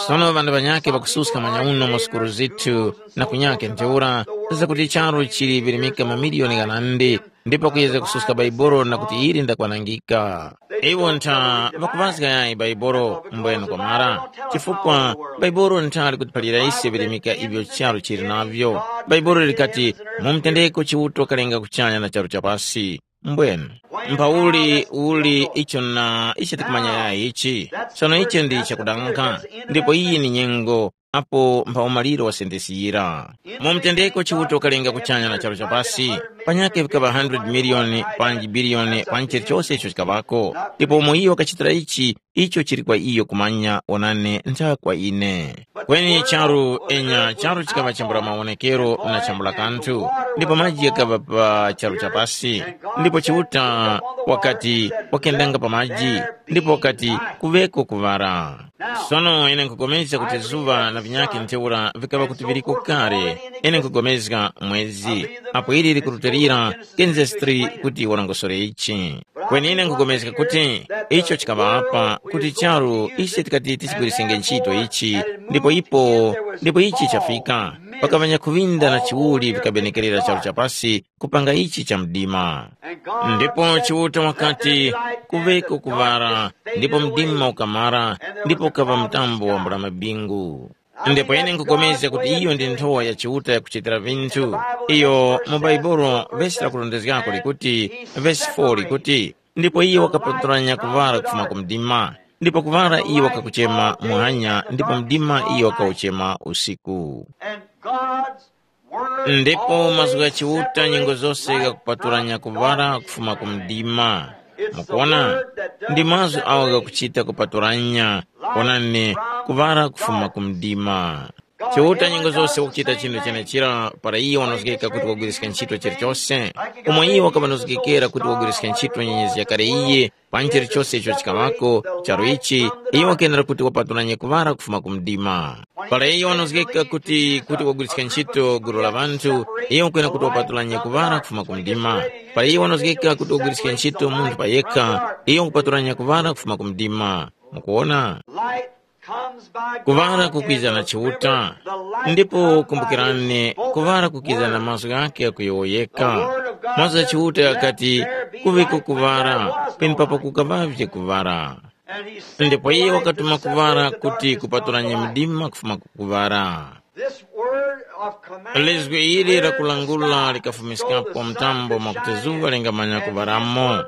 Sono ŵanthu ŵanyakhe ŵakususka manya uno mu sukulu zithu na kunyakhe ntheura, zakuti charu chili virimika mamiliyoni ghanandi, ndipo kuyezga kususka Baibolo na kuti ili ndakwanangika. Iwo ntha ŵakuŵazga yayi Baibolo mbwenu kwamara, chifukwa Baibolo ntha likutiphalira ise virimika ivyo charu chili navyo. Baibolo likati, mu mtendeko Chiuta wakalenga kuchanya na charu cha pasi. Mbwenu, mphauli uli icho na icho tikumanya yayi ichi. Sono icho ndi chakudanga, ndipo iyi ni nyengo apo mpha umaliro wa sentensi yira. Mu mtendeko Chiuta wakalenga kuchanya na charu chapasi, panyakhe vikaŵa hundred miliyoni panji biliyoni panji chilichose icho chikaŵako. Ndipo umo iyo wakachitira ichi, icho chili kwa iyo kumanya, onani, ntha kwa ine. Kweni charu, enya, charu chikaŵa chambula mawonekero na chambula kanthu, ndipo maji ghakaŵa pa charu chapasi. Ndipo Chiuta wakati, wakendanga pa maji, ndipo wakati, kuŵeko kuŵala. Sono ine nkhupulikana kuti zuŵa na vinyakhe ntheura vikaŵa kuti viliko kale, ine nkhupulikana mwezi, apo ili likurutilira, kenze stri kuti warongosore ichi. Kweni ine nkhupulikana kuti icho chikaŵa apa, kuti charu ise tikati tichigwirisenge ntchito ichi, ndipo ipo, ndipo ichi chafika. Pakaŵanya kuŵinda na chiwuli vikabenekerera charu chapasi, kupanga ichi cha mdima. Ndipo Chiuta wakati, kuŵeko kuŵala, ndipo mdima ukamara, ndipo ukaŵa mtambo wa mbula mabingu. Ndipo ine nkupulikana kuti iyo ndi nthowa ya Chiuta yakuchitira vinthu. Iyo mu Baibulo vesi lakurondezgako likuti, vesi four likuti, ndipo iyo wakapatulanya kuŵala kufuma ku mdima, ndipo kuŵala iyo wakakuchema muhanya, ndipo mdima iyo wakauchema usiku. And God's word Ndipo mazgu gha Chiuta nyengo zose ghakupatulanya kuŵala kufuma ku mdima. Mukuona, ndi mazgu awo ghakuchita kupatulanya, onani, kuŵala kufuma ku mdima. Chiuta nyengo zose wakuchita chinthu chenechira para iye wanozgeka kuti wagwiriska ntchito chilichose, umo iye wakaŵanozgekera kuti wagwiriska ntchito nyenyezi yakale iye, pa chilichose icho chikaŵako, charu ichi, iye wakenera kuti wapatulanye kuŵala kufuma ku mdima. Para iyo wanozgeka kuti, kuti wagwiriska ntchito gulu la ŵanthu, iyo wakwena kuti wapatulanye kuŵala kufuma ku mdima. Para iyo wanozgeka kuti wagwiriska ntchito munthu pa yekha, iyo wakupatulanya kuŵala kufuma ku mdima. Mukuona? Light comes by kuŵala God kukwiza na and Chiuta. The light Ndipo comes by kumbukirani, his spoken kuŵala kukiza na word. Mazgu ghake akuyowoyeka. Mazgu gha Chiuta ghakati, kuŵeko kuŵala, penepapo kukaŵavye kuŵala. Ndipo iye wakatuma kuŵala kuti kupatulanya mdima kufuma ku kuŵala. Lizgu ili la kulangula likafumiskapo mtambo mwakuti zuŵa lingamanya kuŵalamo.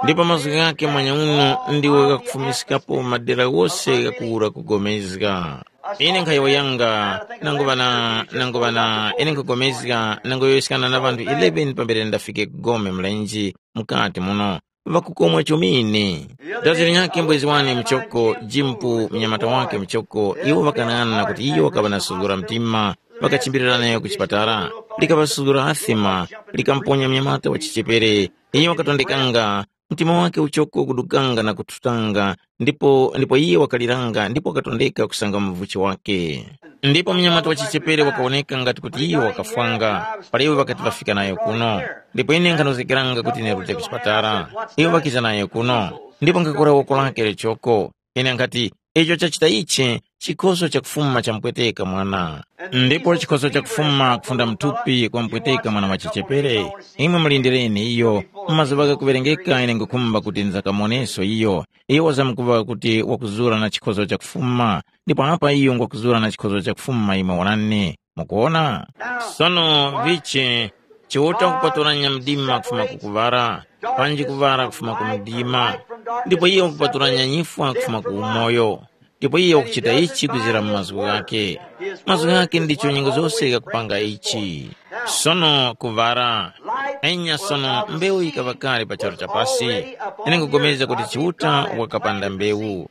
Ndipo mazgu ghake mwanya uno ndiwo ghakufumiskapo madera ghose ghakuwura kugomezga. Ine nkhayowoyanga, nanguŵa na, nanguŵa na, ine nkhugomezga nangoyowoyeskana na ŵanthu eleven pambere ndafike ku gome mlenje mukati muno, ŵakukomwa chomene. Dazi linyakhe mbwezi wane muchoko, Jimpu mnyamata wake muchoko, iwo ŵakanang'ana kuti iyo wakaŵa na suzgura mtima, ŵakachimbilira nayo ku chipatala. Likaŵa suzgura athima, likamponya mnyamata wa chichepere. Iyo wakatondekanga, mtima wake uchoko kudukanga na kuthutanga, ndipo ndipo iye wakaliranga ndipo wakatondeka kusanga muvuchi wake. Ndipo mnyamata wa chichepere wakawoneka ngati kuti iyo wakafwanga, para iwo ŵakati ŵafika nayo kuno. Ndipo ine nkhanozgekeranga kuti ine rute ku chipatala. Iwo ŵakiza nayo kuno, ndipo nkakora woko lake lechoko. Ine nkhati, icho chachita ichi, chikhoso chakufuma champweteka mwana. Ndipo chikhoso chakufuma kufunda mthupi kwampweteka mwana wa chichepere. Imwe mulindireni iyo, mu mazuŵa ghakuŵerengeka ine nkhukhumba kuti nzakamoneso iyo. Iyo wazamkuŵa kuti wakuzura na chikhozo chakufuma, ndipo apa iyo ngwakuzura na chikhozo chakufuma imwe wonani. Mukuwona? Sono vichi, Chiuta wakupatulanya mdima kufuma ku kuŵala, panji kuŵala kufuma ku mdima. Ndipo iyo wakupatulanya nyifwa kufuma ku umoyo. Ndipo iyo wakuchita ichi kwizira mu mazgu ghake. Mazgu ghake ndicho nyengo zose ghakupanga ichi. Sono kuŵala. Enya sono mbewu yikaŵa kale pa charu cha pasi. Ine nkugomeza kuti Chiuta wakapanda mbewu.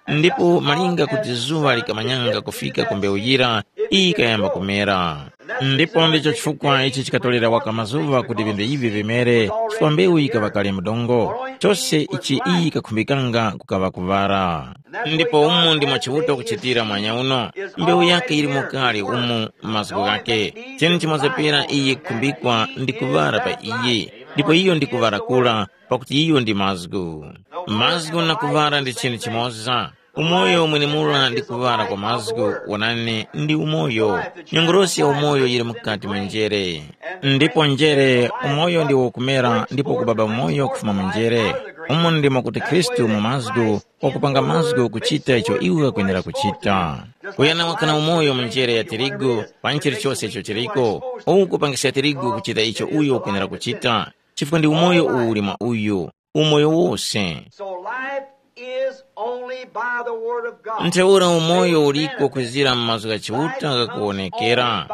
Ndipo malinga kuti zuŵa likamanyanga kufika ku mbewu yira, iyi yikayamba kumera. Ndipo ndicho chifukwa ichi chikatolera waka mazuŵa kuti vinthu ivi vimere, chifukwa mbewu yikaŵa kale mu dongo. Chose ichi iyi yikakhumbikanga kukaŵa kuŵala. Ndipo umu ndimo Chiuta wakuchitira mwanya uno, mbewu yake yilimo kale umu mu mazgu ghake. Chinu chimoza pera iyi yikukhumbikwa ndi kuŵala pa iyi, ndipo iyo ndi kuŵala kura, pakuti iyo ndi mazgu. Mazgu na kuŵala ndi chinthu chimoza. Umoyo mwenemura ndi kuŵala kwa mazgu, wonani, ndi umoyo. Nyongolosi ya umoyo yili mukati mwa njere. Ndipo njere, umoyo ndiwo ukumera ndipo kubaba umoyo kufuma mu njere. Umo ndimo kuti Khristu mu mazgu, wakupanga mazgu kuchita icho iwo ghakwenera kuchita. Kuyana wakana umoyo mu njere ya tirigu, pa chilichose icho chiriko, uwu kupangiska tirigu kuchita icho uyo wakwenera kuchita, chifukwa ndi umoyo uwu uli mwa uyu, umoyo wose. So life is only by the word of God. Ntheura umoyo uliko kwizira mu mazgu gha Chiuta ghakuwonekera.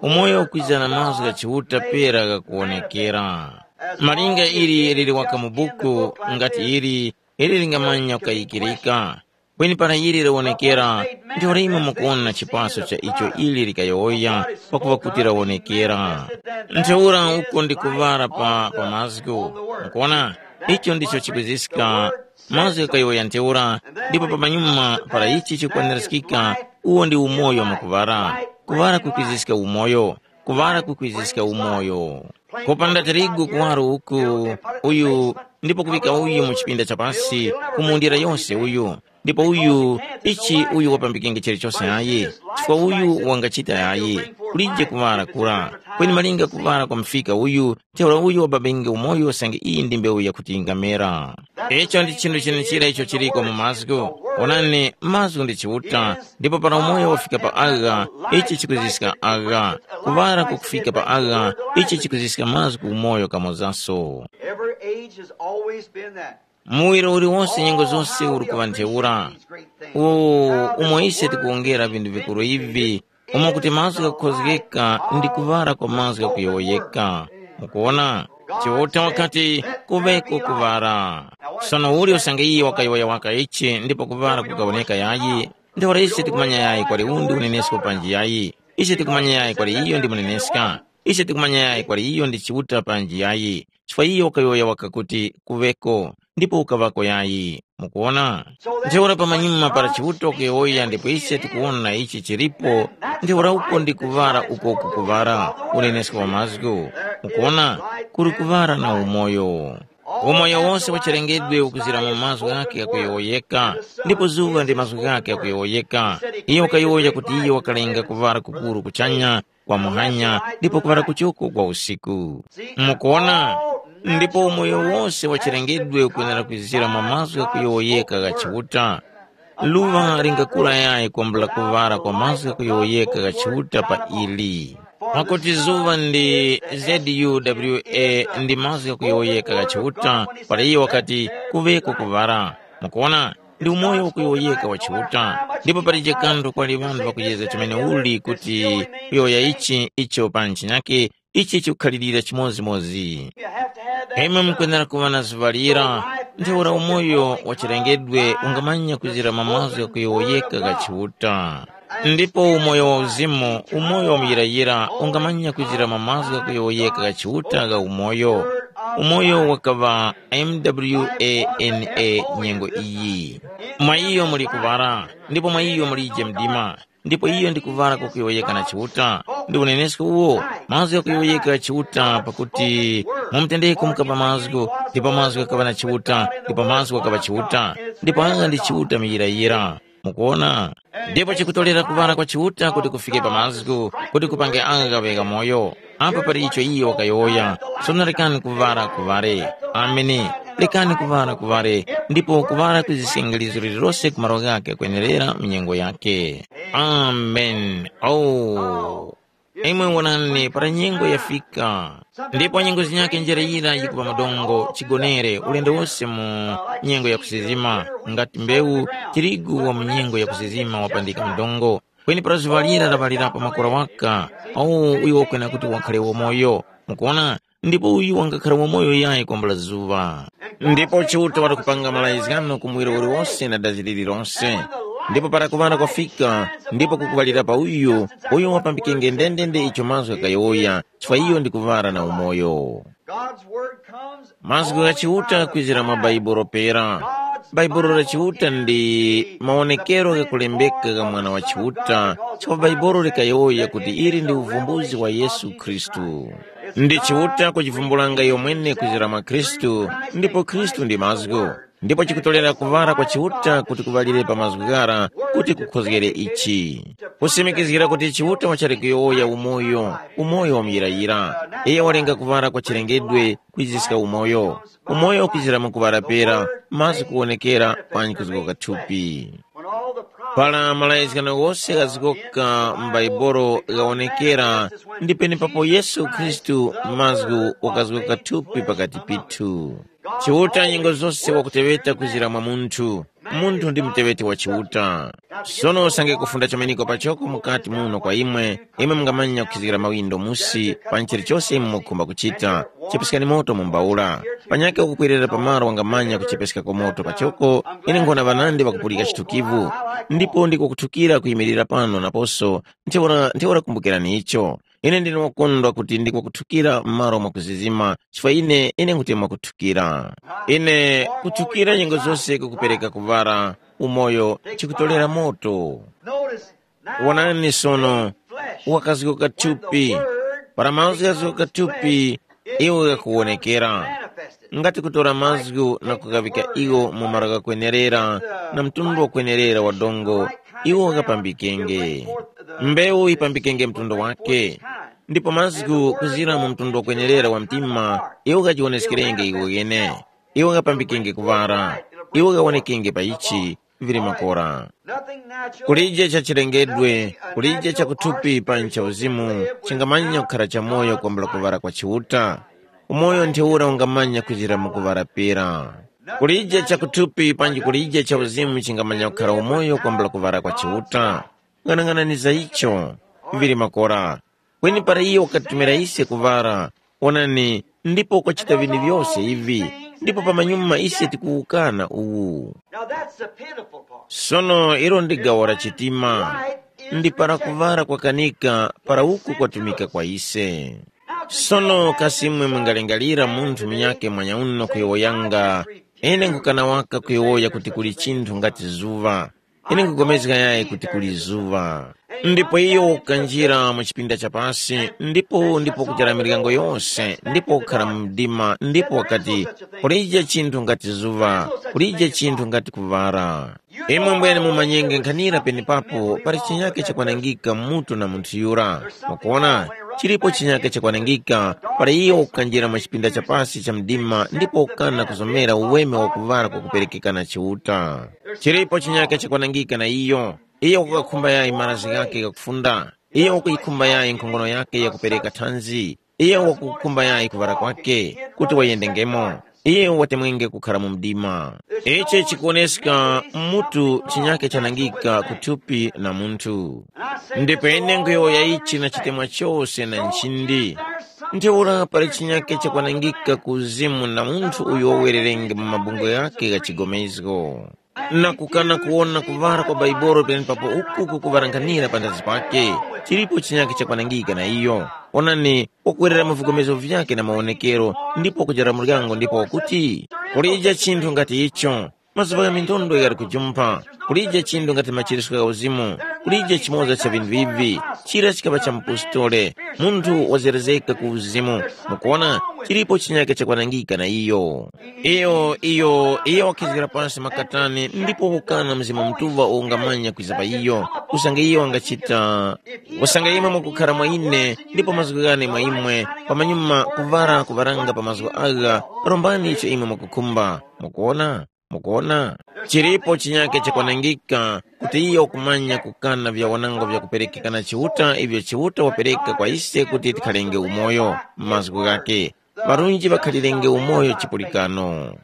Umoyo ukwiza na mazgu gha Chiuta pera ghakuwonekera. Malinga ili lili waka mu buku, ngati ili, ili lingamanya kukayikirika. Kweni para ili lawonekera, ndiho limwe mukuwona chipaso cha icho ili likayowoya, pakuva kuti lawonekera. Ntheura uko ndi kuŵala pa, pa mazgu. Mukuwona, icho ndicho chikwiziska mazgu ghakuyowoya ntheura, ndipo pamanyuma para ichi chikwaniraskika, uwo ndi umoyo mwakuŵala. Kuŵala kukwiziska umoyo, kuŵala kukwiziska umoyo. Kupanda tirigu kuwaro uku, uyu, ndipo kuŵika uyu mu chipinda cha pasi, kumundira yose uyu, ndipo uyu, ichi uyu wapambikenge chilichose ayi, chifukwa uyu wangachita yayi, kulije kuŵala kura. Kweni malinga kuŵala kwa mfika uyu, ntheura uyu wababenge umoyo usange iyi ndi mbewu yakuti yingamera. Icho ndi chinthu chenechira icho chiliko mu mazgu. Onani, mazgu ndi Chiuta, ndipo para umoyo wafika pa agha, ichi chikuziska agha. Kuŵala kukufika pa agha, ichi chikuziska mazgu ku umoyo kamozaso. Every age has always been that. Muwiro uliwonse nyengo zose uli kuŵa ntheura. Uwo umo ise tikuwongera vinthu vikuru ivi, umo kuti mazgu ghakukhozgeka ndi kuŵala kwa mazgu ghakuyowoyeka. Mukuwona? Chiuta wakati, kuŵeko kuŵala. Sono uli usange iye wakayowoya waka ichi ndipo kuŵala kukawoneka yayi, ntheura ise tikumanya yayi kwali undi unenesko panji yayi. Ise tikumanya yayi kwali iyo ndi muneneska. Ise tikumanya yayi kwali iyo ndi Chiuta panji yayi. Chifukwa iyo wakayowoya waka kuti, kuŵeko, ndipo ukaŵako yayi. Mukuwona? Ntheura pamanyuma para Chiuta wakuyowoya ndipo ise tikuwona ichi chilipo, ntheura uko ndi kuŵala uko kukuŵala, unenesko wa mazgu. Mukuwona? Kuli kuŵala na umoyo. Umoyo wose wa chilengedwe ukuzira mu mazgu ghakhe ghakuyowoyeka, ndipo zuŵa ndi mazgu ghakhe ghakuyowoyeka. Iyo wakayowoya kuti iyo wakalenga kuŵala kukuru kuchanya, kwa muhanya, ndipo kuŵala kuchoko kwa usiku. Mukuwona? Ndipo umoyo wose wa chilengedwe ukwenera kwizira mwa mazgu ghakuyowoyeka gha Chiuta. Luŵa lingakura yayi kwambula kuŵala kwa mazgu ghakuyowoyeka gha Chiuta pa ili. Pakuti zuŵa ndi Z U W A ndi mazgu ghakuyowoyeka gha Chiuta, para iyo wakati, kuŵeko kuŵala. Mukuwona? Ndi umoyo ukuyowoyeka wa Chiuta, ndipo palije kanthu kwali ŵanthu ŵakuyezga chomene uli kuti kuyowoya ichi icho pa ntchinyake, ichi chikukhalirira chimodzimodzi. Imwe mukwenera kuŵa na zuŵa lira, ntheura umoyo wa chilengedwe ungamanya kuzira mwa mazgu ghakuyowoyeka gha Chiuta. Ndipo umoyo wa uzimu, umoyo wa muyirayira, ungamanya kuzira mwa mazgu ghakuyowoyeka gha Chiuta gha umoyo. Umoyo wakaŵa M W A N A nyengo iyi. Mwa iyo muli kuŵala, ndipo mwa iyo mulije mdima, ndipo iyo ndi kuŵala kwakuyowoyeka na Chiuta. Ndi unenesko uwo, mazgu ghakuyowoyeka gha Chiuta, pakuti mu mutendeko mukapa mazgu, ndipo mazgu ghakaŵa na Chiuta, ndipo mazgu ghakaŵa Chiuta, ndipo agha ndi Chiuta muyirayira. Mukuwona? Ndipo chikutorera kuŵala kwa Chiuta kuti kufike pa mazgu, kuti kupange agha ghaŵe ghamoyo. Apa pali icho iyo wakayowoya, sono rekani kuŵala kuŵale. Ameni. Rekani kuŵala kuŵale, ndipo kuŵala kwiziska ngalizo lililose ku malo ghakhe kwenerera mu nyengo yakhe. Ameni. Oh. Imwe wonani, para nyengo yafika, ndipo nyengo zinyakhe njere yira yikupa mudongo, chigonere, ulendo wose mu nyengo ya kusizima, ngati mbewu, tirigu wa mu nyengo ya kusizima wapandika mudongo. Kweni para zuŵa lira laŵalira pa makora waka, awo uyo wakwena kuti wakhale wamoyo. Mukuona? Ndipo uyu wangakhala wamoyo yayi kwambula zuŵa. Ndipo Chiuta wati kupanga malayizgano ku muwiro uliwose na dazi lililonse. Ndipo para kuŵala kwafika, ndipo kukuŵalira pa uyu, uyo wapambikenge ndendende icho mazgu ghakayowoya, chifukwa iyo ndi kuŵala na umoyo. God's word comes Mazgu gha Chiuta kwizira mwa Bhaibuli pera. Bhaibuli la Chiuta ndi mawonekero ghakulembeka gha Mwana wa Chiuta, chifukwa Bhaibuli likayowoya kuti ili ndi uvumbuzi wa Yesu Khristu. Ndi Chiuta kujivumbulanga iyo mwene kwizira mwa Khristu, ndipo Khristu ndi mazgu. Ndipo chikutolera kuŵala kwa Chiuta kuti kuŵalire pa mazgu ghara kuti kukhozgere ichi. Kusimikizgira kuti Chiuta wachali kuyowoya umoyo, umoyo wa muyirayira. Iyo walenga kuŵala kwa chilengedwe kwiziska umoyo. Umoyo ukwizira mu kuŵala pera, mazgu kuwonekera panji kuzgoka thupi. Para malayizgano ghose ghazgoka m'Baibulo ghawonekera, ndi penepapo Yesu Khristu mazgu wakazgoka thupi pakati pithu. Chiuta nyengo zose wakuteŵeta kwizira mwa munthu. Munthu ndi muteŵeti wa Chiuta. Sono usange kufunda chomeneko pachoko mukati muno kwa imwe, imwe mungamanya kukhizgira mawindo musi pa chilichose imwe mukhumba kuchita. Chepesekani moto mu mbawula. Panyakhe ukukwerera pamalo wangamanya kuchepeskako moto pachoko. Ine nkhona ŵanandi ŵakupulika chithukivu. Ndipo ndiko kuthukira kuyimirira pano naposo. Ntheura ntheura kumbukirani icho. Ine ndine wakondwa kuti ndiko kuthukira m'malo mwakuzizima, chifukwa ine ine nkuti mwakuthukira. Ine kuthukira nyengo zose kukupereka kuŵala, umoyo chikutolera moto. Notice, now wonani sono, flesh, wakazguka thupi. Para mazgu ghazguka thupi, iwo ghakuwonekera. Ngati kutora mazgu na kughavika iwo mu malo ghakwenerera na mtundu wakwenerera wa dongo, iwo ghapambikenge. Mbewu yipambikenge mtundu wake, ndipo mazgu kuzira mu mtundu wakwenerera wa mtima, iwo ghajiwoneskerenge iwo ghene. Iwo ghapambikenge kuŵara, iwo ghawonekenge pa ichi, vili makora. Kulije cha chilengedwe, kulije cha kuthupi panji cha uzimu, chingamanya kukhara cha moyo kwambula kuŵala kwa Chiuta. Umoyo ntheura ungamanya kuzira mu kuŵala pera. Kulije cha kuthupi panji kulije cha uzimu chingamanya kukhara umoyo kwambula kuŵala kwa Chiuta. Ng'anang'anani za icho, vili makora. Kweni para iyo wakatumira ise kuŵara, onani, ndipo kwachita vini vyose ivi, ndipo pamanyuma ise tikuwukana uwu. Now that's the pitiful part. Sono ilo ndi gawo la chitima. Ndi para kuŵala kwakanika para uku kwatumika kwa ise. Sono kasi imwe mungalingalira munthu munyakhe mwanyauno kuyowoyanga, ine nkukana waka kuyowoya kuti kuli chinthu ngati zuŵa. Ine nkugomezga yayi kuti kuli zuŵa. Ndipo iyo ukanjira mu chipinda cha pasi, ndipo ndipo kuchara miryango yose, ndipo kukhala mu mdima, ndipo wakati, kulije chinthu ngati zuŵa, kulije chinthu ngati kuŵara. Imwe mbwene mumanyenge nkhanira penepapo pali chinyake chakwanangika mutu na munthu yura. Mukuona, chilipo chinyake chakwanangika, pali iyo ukanjira mu chipinda cha pasi cha mdima ndipo ukana kuzomera uweme wakuŵala kwakuperekeka na Chiuta. Chilipo chinyake chakwanangika na iyo. Iyo wakukakhumba yayi marazgi ghakhe ghakufunda. Iyo wakuyikhumba yayi nkhongono yakhe yakupereka thanzi. Iyo wakukhumba yayi kuŵala kwakhe, kuti wayendengemo. Iyo watemwenge kukhara mu mdima. Ichi chikuwoneska mutu chinyake chanangika kuthupi na munthu. Ndipo ine nkhuyowoya ichi na chitemwa chose na nchindi. Ntheura pali chinyake chakwanangika ku uzimu na munthu uyo wawererenge mu mabungwe ghakhe gha chigomezgo. Na kukana kuwona kuŵala kwa Baibolo penepapo uku kukuŵaranganira panthazi pake, chilipo chinyake chakwanangika na iyo. Onani, wakwerera mu vigomezo vyake na mawonekero, ndipo wakujara muryango ndipo wakuti, kulija chinthu ngati icho. Mazuŵa gha mindondo ghali kujumpha, kulije chinthu ngati machirisco gha uzimu, kulije chimoza cha vinthu ivi, chira chikaŵa cha mupostole, munthu wazerezeka ku uzimu. Mukuona, chilipo chinyake chakwanangika na iyo. Iyo iyo iyo wakhizgira pansi makatani ndipo ukana Mzimu Mutuŵa ungamanya kwiza pa iyo, usange iyo wangachita. Usange imwe mukukhara mwa ine ndipo mazgu ghane mwa imwe, pamanyuma kuvara kuvaranga pa mazgu agha, rombani icho imwe mukukhumba. Mukuona? Mukuona? Chilipo chinyake chakwanangika kuti iyo kumanya kukana vyawanango vyakuperekeka na Chiuta ivyo Chiuta wapereka kwa ise kuti tikhalenge umoyo m'mazgu ghake. Ŵarunji ŵakhalirenge umoyo chipulikano.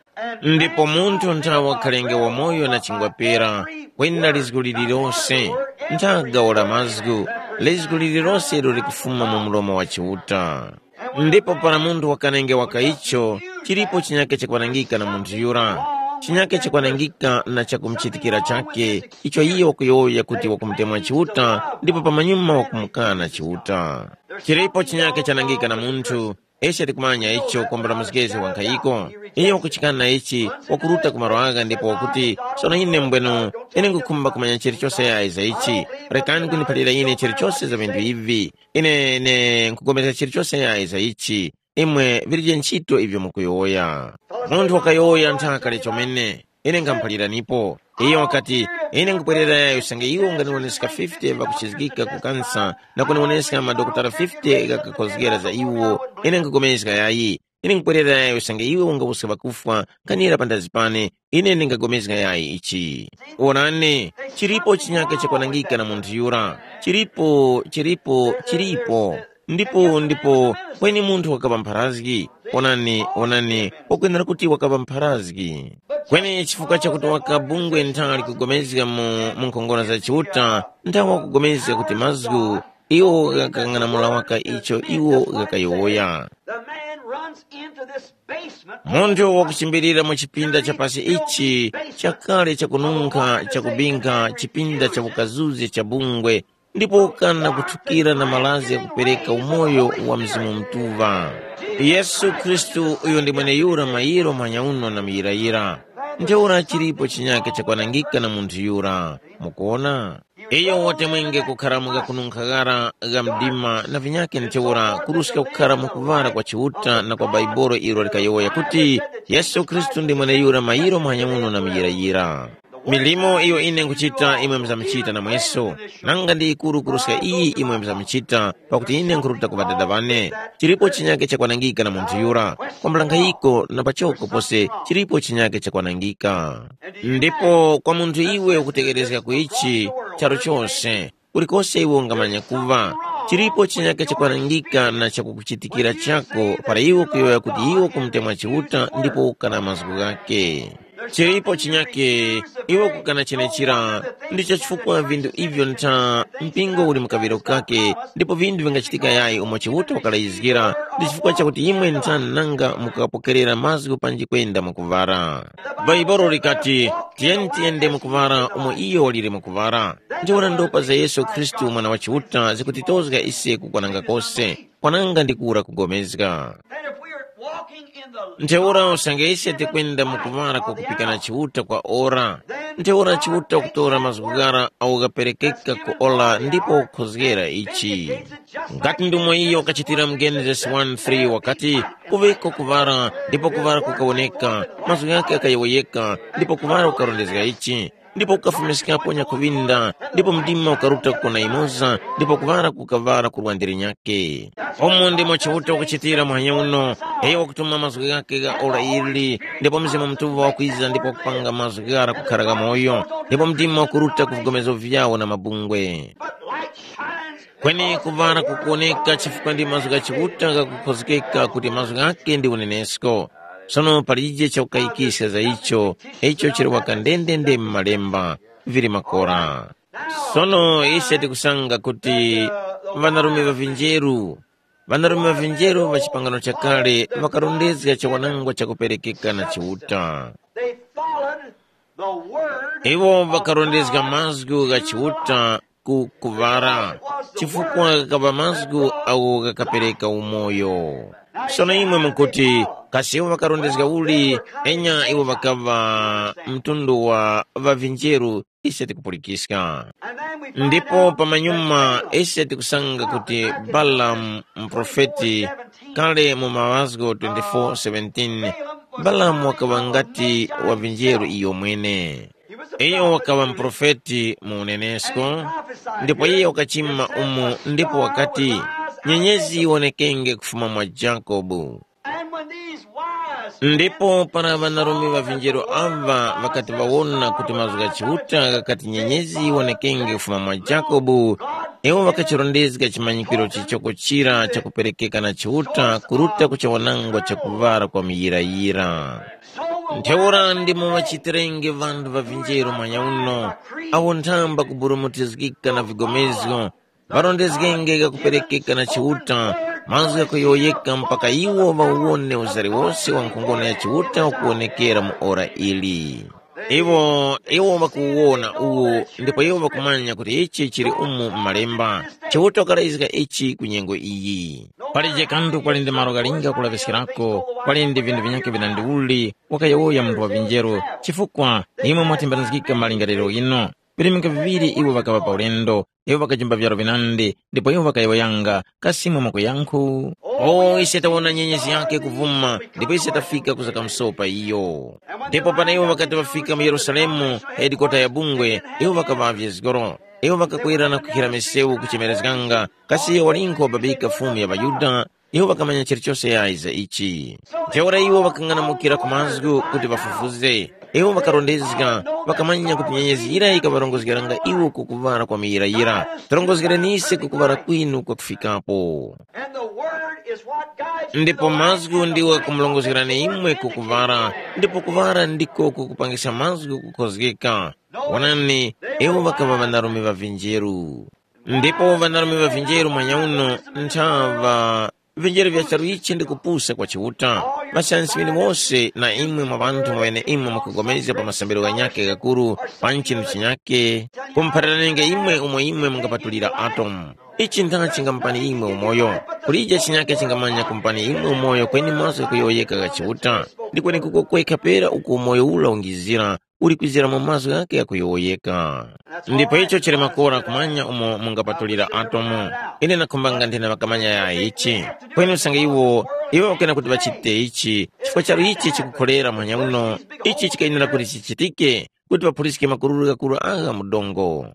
Ndipo munthu nthawe wakhalenge wamoyo na chingwa pera, kwenda lizgu lililose, nthaga ora mazgu, lizgu lililose ilo likufuma mu mlomo wa Chiuta. Ndipo para munthu wakanenge waka icho, chilipo chinyake chakwanangika na munthu yura. Chinyake chakwanangika na chakumuchitikira chake, icho iye wakuyowoya kuti wakumutemwa Chiuta, ndipo pamanyuma wakumukana Chiuta. Chilipo chinyake chanangika na munthu, ise tikumanya icho kwambula muzgezi wa nkhayiko. Iyo wakuchikana ichi, wakuruta ku malo agha ndipo wakuti, sono ine mbwenu, ine ngukhumba kumanya chilichose yayi za ichi. Rekani kuniphalira ine chilichose za vinthu ivi. Ine ine nkhupulikana chilichose yayi za ichi. Imwe vilije ntchito ivyo mukuyowoya. Munthu wakayowoya nthaka chomene. Ine nkhamuphaliranipo. Iyo wakati, ine nkupwerera yayi usange iwo unganiwoneska fifty ŵakuchizgika ku kansa na kuniwoneska madokotala fifty ghakakhozgera za iwo. Ine nkugomezga yayi. Ine nkupwerera yayi usange iwe ungawuska ŵakufwa, nkhanira panthazi pane, ine ndingagomezga yayi ichi. Wonani, chilipo chinyaka chakwanangika na munthu yura. Chilipo, chilipo, chilipo. Ndipo ndipo kweni munthu wakaŵa mpharazgi. Onani, onani, wakwenera kuti wakaŵa mpharazgi. Kweni chifukwa chakuti wakabungwe nthali kugomezga mu, mu nkhongono za Chiuta, nthawe wakugomezga kuti mazgu iwo ghakang'anamula waka icho iwo ghakayowoya. The man runs into this basement. Munthu wakuchimbilira mu chipinda cha pasi ichi chakale chakununkha, chakubinkha, chipinda cha ukazuzi cha bungwe, ndipo ukana kuthukira na malazi yakupereka umoyo wa Mzimu Mutuŵa. Yesu Khristu uyo ndi mweneyura mayiro manyauno na muyirayira. Ntheura chilipo chinyake chakwanangika na munthu yura. Mukuona? Iyo watemwenge kukhara mu ghakununkha ghara gha mdima na vinyakhe ntheura kuruska kukhara mu kuŵala kwa Chiuta na kwa Baibolo ilo likayowoya kuti, Yesu Khristu ndi mweneyura mayiro mwanyamuno na muyirayira. Milimo iyo ine nkhuchita imwe mzamuchita namweso, nanga ndi yikuru kuruska iyi imwe mzamuchita, pakuti ine nkhuruta ku Ŵadada ŵane. Chilipo chinyake chakwanangika na munthu yura, kwambula nkhayiko na pachoko pose chilipo chinyake chakwanangika. Ndipo kwa munthu iwe ukutegherezga ku ichi charu chose, kulikose iwe ungamanya kuŵa, chilipo chinyake chakwanangika na chakukuchitikira chako para iwe ukuyowoya kuti iwe ukumutemwa Chiuta ndipo ukana mazgu ghake. Chilipo chinyake iwe ukukana chenechira, ndicho chifukwa vinthu ivyo ntha mpingo uli mu kaŵiro kake, ndipo vinthu vingachitika yayi umo Chiuta wakalayizgira, ndi chifukwa chakuti imwe ntha nanga mukapokerera mazgu panji kwenda mukuvara. Bhaibuli likati, tiyeni tiyende mukuvara umo iyo walire mukuvara. Ndiona ndopa za Yesu Khristu mwana wa Chiuta zikutitozga ise kukwananga kose, kwananga ndi kura kugomezga. And if we are walking in the Ntheura usange ise tikwenda mukuvara kwakupikana Chiuta kwa ora, ntheura Chiuta kutora mazgu ghara awo ghaperekeka ku ora ndipo kukhozgera ichi. Ngati ndumo iyo kachitira mu Genesis one three wakati, kuŵeko kuvara, ndipo kuvara kukawoneka, mazgu ghake akayowoyeka, ndipo kuvara kukarondezga ichi, ndipo kukafumiskapo nyakhuŵinda, ndipo mdima ukaruta kukona imoza, ndipo kuvara kukavara kurwandire nyake. Umo ndimo Chiuta wakuchitira muhanya uno, iyo wakutuma mazgu ghake gha ora ili, ndipo Mzimu Mutuŵa wakwiza ndipo wakupanga mazgu ghara kukhara ghamoyo, ndipo mdima wakuruta ku vigomezo vyawo na mabungwe. But light shines. Kweni kuvara kukuwoneka chifukwa ndi mazgu gha Chiuta ghakukhozgeka kuti mazgu ghake ndi unenesko. Sono palije chakukayikiska za icho, icho chili waka ndendende mu malemba, vili makora. Sono ise tikusanga kuti ŵanarume ŵa vinjeru, ŵanarume ŵa vinjeru ŵa chipangano chakale ŵakarondezga chawanangwa chakuperekeka na Chiuta. They followed the word. Iwo ŵakarondezga mazgu gha Chiuta ku kuvara, chifukwa ghakaŵa mazgu agho ghakapereka umoyo. Sono imwe mukuti, kasi iwo ŵakarondezga uli? Enya iwo ŵakaŵa mtundu wa ŵavinjeru ise tikupulikiska. Ndipo pamanyuma ise tikusanga kuti Balamu muprofeti, kale mu Maŵazgo twenty-four seventeen, Balamu wakaŵa ngati wa vinjeru iyo mwene. Iyo wakaŵa muprofeti mu unenesko, ndipo iye wakachima umu ndipo wakati, nyenyezi yiwonekenge kufuma mwa Jakobu. Ndipo para ŵanarume ŵa vinjero ava ŵakati ŵawona kuti mazgu gha Chiuta ghakati nyenyezi yiwonekenge kufuma mwa Jakobu, iwo ŵakachirondezga chimanyikiro chichoko chira chakuperekeka na Chiuta kuruta ku chawanangwa chakuŵala kwa muyirayira. Ntheura ndimo ŵachitirenge ŵanthu ŵa vinjero mwanyauno, awo nthamba kuburumutizgika na vigomezgo, ŵarondezgenge ghakuperekeka na Chiuta, mazgu ghakuyowoyeka mpaka iwo ŵawone uzari wose wa nkhongono ya Chiuta ukuwonekera mu ora ili. Iwo, iwo ŵakuwona uwu, ndipo iwo ŵakumanya kuti ichi chili umu m'Malemba. Chiuta wakalazga ichi ku nyengo iyi. Palije kanthu kwali ndi malo ghalinga kulaŵiskirako, kwali ndi vinthu vinyakhe vinandiuli, wakayowoya munthu wa vinjero, chifukwa imwe mwatembanizgika malingaliro ghinu. Virimika viŵiri iwo ŵakaŵa pa ulendo, iwo ŵakajimba vyaro vinandi, ndipo iwo ŵakayowoyanga, kasi imwe mwakuyankhu? O, ise tawona nyenyezi yakhe kuvuma, ndipo ise tafika kuza kamusopa iyo. Ndipo para iwo ŵakati ŵafika mu Yerusalemu, hedikota ya bungwe, iwo ŵakaŵavye zgoro. Iwo ŵakakwera na kukhira misewu kuchemerezganga, kasi iyo walinkho wababika Fumu ya ŵaYuda? Iwo ŵakamanya chilichose yayi za ichi. Ntheura iwo ŵakang'anamukira ku mazgu kuti ŵafufuze. Iwo ŵakarondezga, ŵakamanya kuti nyenyezi yira yikaŵarongozgeranga iwo ku kuŵala kwa muyirayira. Torongozgereni ise ku kuŵala kwinu kwakufikapo. And the word is what guides you to Ndipo the light mazgu and the ndiwo light kumulongozgerani opens the imwe ku kuŵala, ndipo kuŵala ndiko kukupangisha mazgu kukhozgeka. Wonani, iwo ŵakaŵa ŵanarume ŵa vinjeru. Ndipo ŵanarume ŵa vinjeru mwanyauno nthaŵa vinjeru vya charu ichi ndi kupusa kwa Chiuta. Ŵasansi ŵeneŵose na imwe mwa ŵanthu mweneimwe mwakupulikana pa masambiro ghanyakhe ghakuru, pa nchinu chinyakhe, kumupharanenge imwe umo imwe mungapatulira atomu. Ichi ntha chingamupani imwe umoyo? Kulije chinyakhe chingamanya kumupani imwe umoyo kweni mazgu ghakuyowoyeka gha Chiuta? Ndi kwenekuko kwekha pera uko umoyo ura ungizira, uli kwizira mu mazgu ghakhe ghakuyowoyeka. Ndipo icho chili makora kumanya umo mungapatulira atomu. Ine nakhumbanga nthena ŵakamanya ya ichi. Kweni usange iwo, iwo ŵakena kuti ŵachite ichi, chifukwa charu ichi chikukhorera mwanya uno, ichi chikayenera kuti chichitike, kuti ŵaphuliske makururu ghakuru agha mu dongo,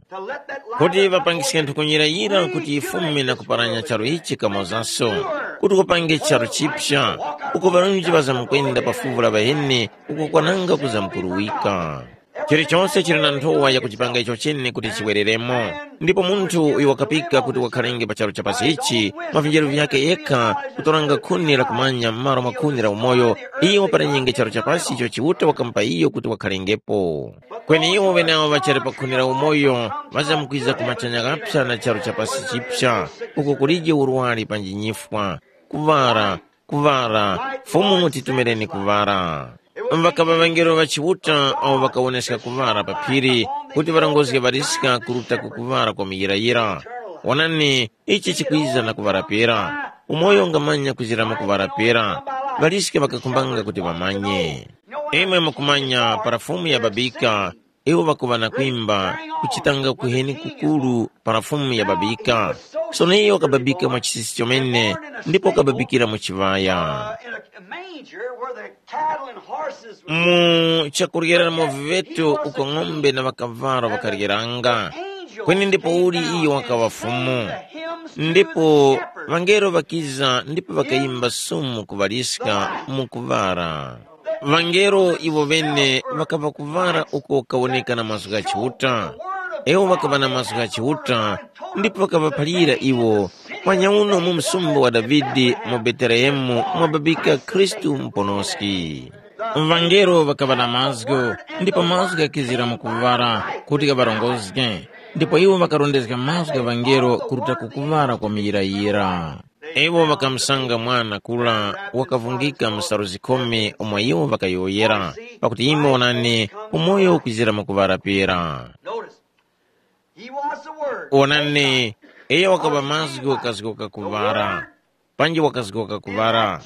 kuti ŵapangiske nthukunyira yira kuti yifume na kuparanya charu ichi kamozaso, kuti kupange charu chipya, uko ŵarunji ŵazamkwenda pa fuvu la ŵaheni, uko kwananga kuzamkuruwika. Chilichonse chili na nthowa yakuchipanga icho chene kuti chiwereremo. Ndipo munthu uyo wakapika kuti wakhalenge pa charu cha pasi ichi, mwa vinjeru vyakhe yekha, kutoranga khuni la kumanya m'malo mwa khuni la umoyo, iyo waparanyenge charu cha pasi icho Chiuta wakamupa iyo kuti wakhalengepo. Kweni iwo ŵeneawo ŵachali pa khuni la umoyo, ŵazamkwiza ku machanya ghapsa na charu cha pasi chipsa, uko kulije urwari panji nyifwa, kuŵara, kuŵara, Fumu titumireni kuŵara. Ŵakaŵa ŵangelo ŵa Chiuta awo ŵakawoneska kuŵara pa phiri, kuti ŵarongozge ŵaliska kuruta ku kuŵara kwa muyirayira. Wonani, ichi chikwiza na kuŵara pera. Umoyo ungamanya kuzira mu kuŵara pera. Ŵaliska ŵakakhumbanga kuti ŵamanye. Imwe mukumanya para Fumu yababika, iwo ŵakuŵa na kwimba, kuchitanga kuheni kukuru para Fumu yababika. Sono iyo wakababika mwa chisisi chomene, ndipo wakababikira mu chiŵaya. In a manger where the cattle and horses were. Mu chakuryeramo viŵeto uko ng'ombe na ŵakavalo ŵakaryeranga. Kweni ndipo uli iyo wakaŵa Fumu. Ndipo ŵangelo ŵakiza ndipo ŵakayimba sumu kuŵaliska mu kuŵala. Ŵangelo iwo ŵene ŵakaŵa kuŵala uko kawoneka na mazgu gha Chiuta. Iwo ŵakaŵa na mazgu gha Chiuta, ndipo ŵakaŵaphalira iwo, mwanya uno mu msumba wa Davide mu Betelehemu mwababika Khristu Muponoski. Ŵangelo ŵakaŵa na mazgu, ndipo mazgu ghakizira mu kuŵala kuti ghaŵarongozge, ndipo iwo ŵakarondezga mazgu gha ŵangelo kuruta ku kuŵala kwa muyirayira. Iwo ŵakamusanga mwana kura wakavungika msalu zikhumi umo iwo ŵakayowoyera, pakuti imwe wonani, umoyo ukwizira mwakuŵara pera. Notice, he was the word. Wonani, iyo wakaŵa mazgu kazgoka kuŵara, panji wakazgoka kuŵara.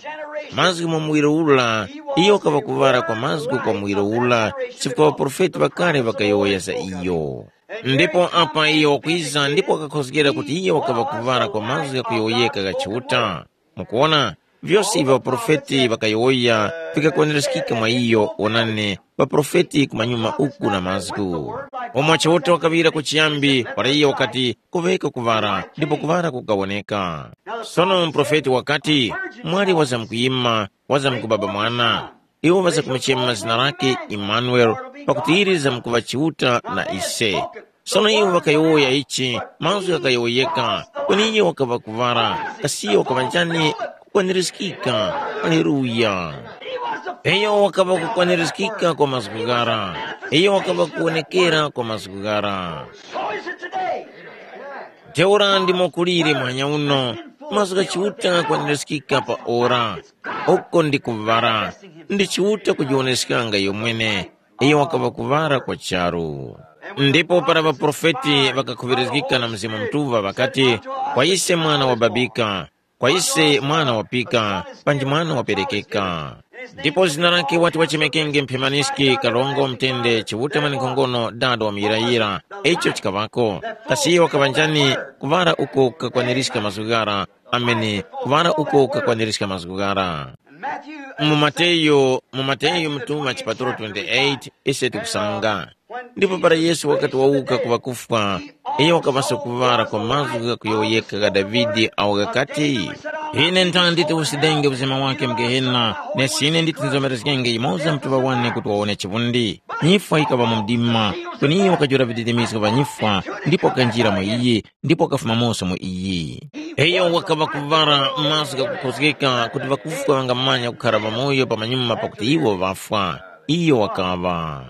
Mazgu mwa muwiro ura, iyo wakaŵa kuŵara kwa mazgu kwa muwiro ura, chifukwa ŵaprofeti ŵakale ŵakayowoya za iyo. Ndipo apa iyo wakwiza ndipo wakakhozgera kuti iye wakaŵa kuŵala kwa mazgu ghakuyowoyeka gha Chiuta. Mukuwona, vyose ivyo ŵaprofeti ŵakayowoya vikakwanirizgika mwa iyo. Wonani, ŵaprofeti kumanyuma uku na mazgu. Omwe Chiuta wakaŵira kuchiyambi para iye wakati, kuŵeka kuŵala, ndipo kuŵala kukawoneka. Sono muprofeti wakati, mwali wazamkuyima, wazamkubaba mwana. Iwo ŵazakumuchema zina lake Imanuele, pakuti ili lizamkuŵa Chiuta na ise. Sono iwo ŵakayowoya ichi, mazgu ghakayowoyeka, kweni iyo wakaŵa kuŵala, kasi iyo wakaŵa njani? Kukwanirizgika. Aleluya! Iyo wakaŵa kukwanirizgika kwa mazgu ghara. Iyo wakaŵa kuwonekera kwa mazgu ghara. So is it today. Ntheura ndimo kuliri mwanya uno, mazgu gha Chiuta kwanirizgika pa ora. Uko ndi kuŵala, ndi Chiuta kujiwoneskanga yomwene, iyo wakaŵa kuŵala kwa charu. Ndipo para ŵaprofeti ŵakakhuŵirizgika na Mzimu Mutuŵa ŵakati, kwa ise mwana wababika, kwa ise mwana wapika, panji mwana waperekeka. Ndipo zina lake wati wachemekenge mphemaniski kalongo mtende Chiuta mwanenkhongono dada wa muyirayira. Icho chikaŵako. Kasi iyo wakaŵa njani? Kuŵala uko kakwanirizga mazgu ghara. Amene. Kuŵala uko kakwanirizga mazgu ghara. Mu Mateyu, mu Mateyu mutuŵa chipatulo twenty-eight, ise tikusanga. Ndipo para Yesu wakati wawuka ku ŵakufwa, iyo wakaŵaso kuŵala kwa mazgu ghakuyowoyeka gha Davide awo ghakati, Ine nthandi tiwusidenge uzima wake mu Gehena, nesi ine nditi nzomerezgenge yumoza mutuŵa wane kuti wawone chivundi. Nyifwa yikaŵa mu mdima, kweni iyo wakajula viditimizgo vya nyifwa, ndipo wakanjira mu iyi, ndipo wakafuma moso mu iyi. Iyo wakaŵa kuvara mazgu ghakukhozgeka kuti ŵakufwa ŵangamanya kukhara ŵamoyo pamanyuma pakuti iwo ŵafwa. Iyo wakaŵa.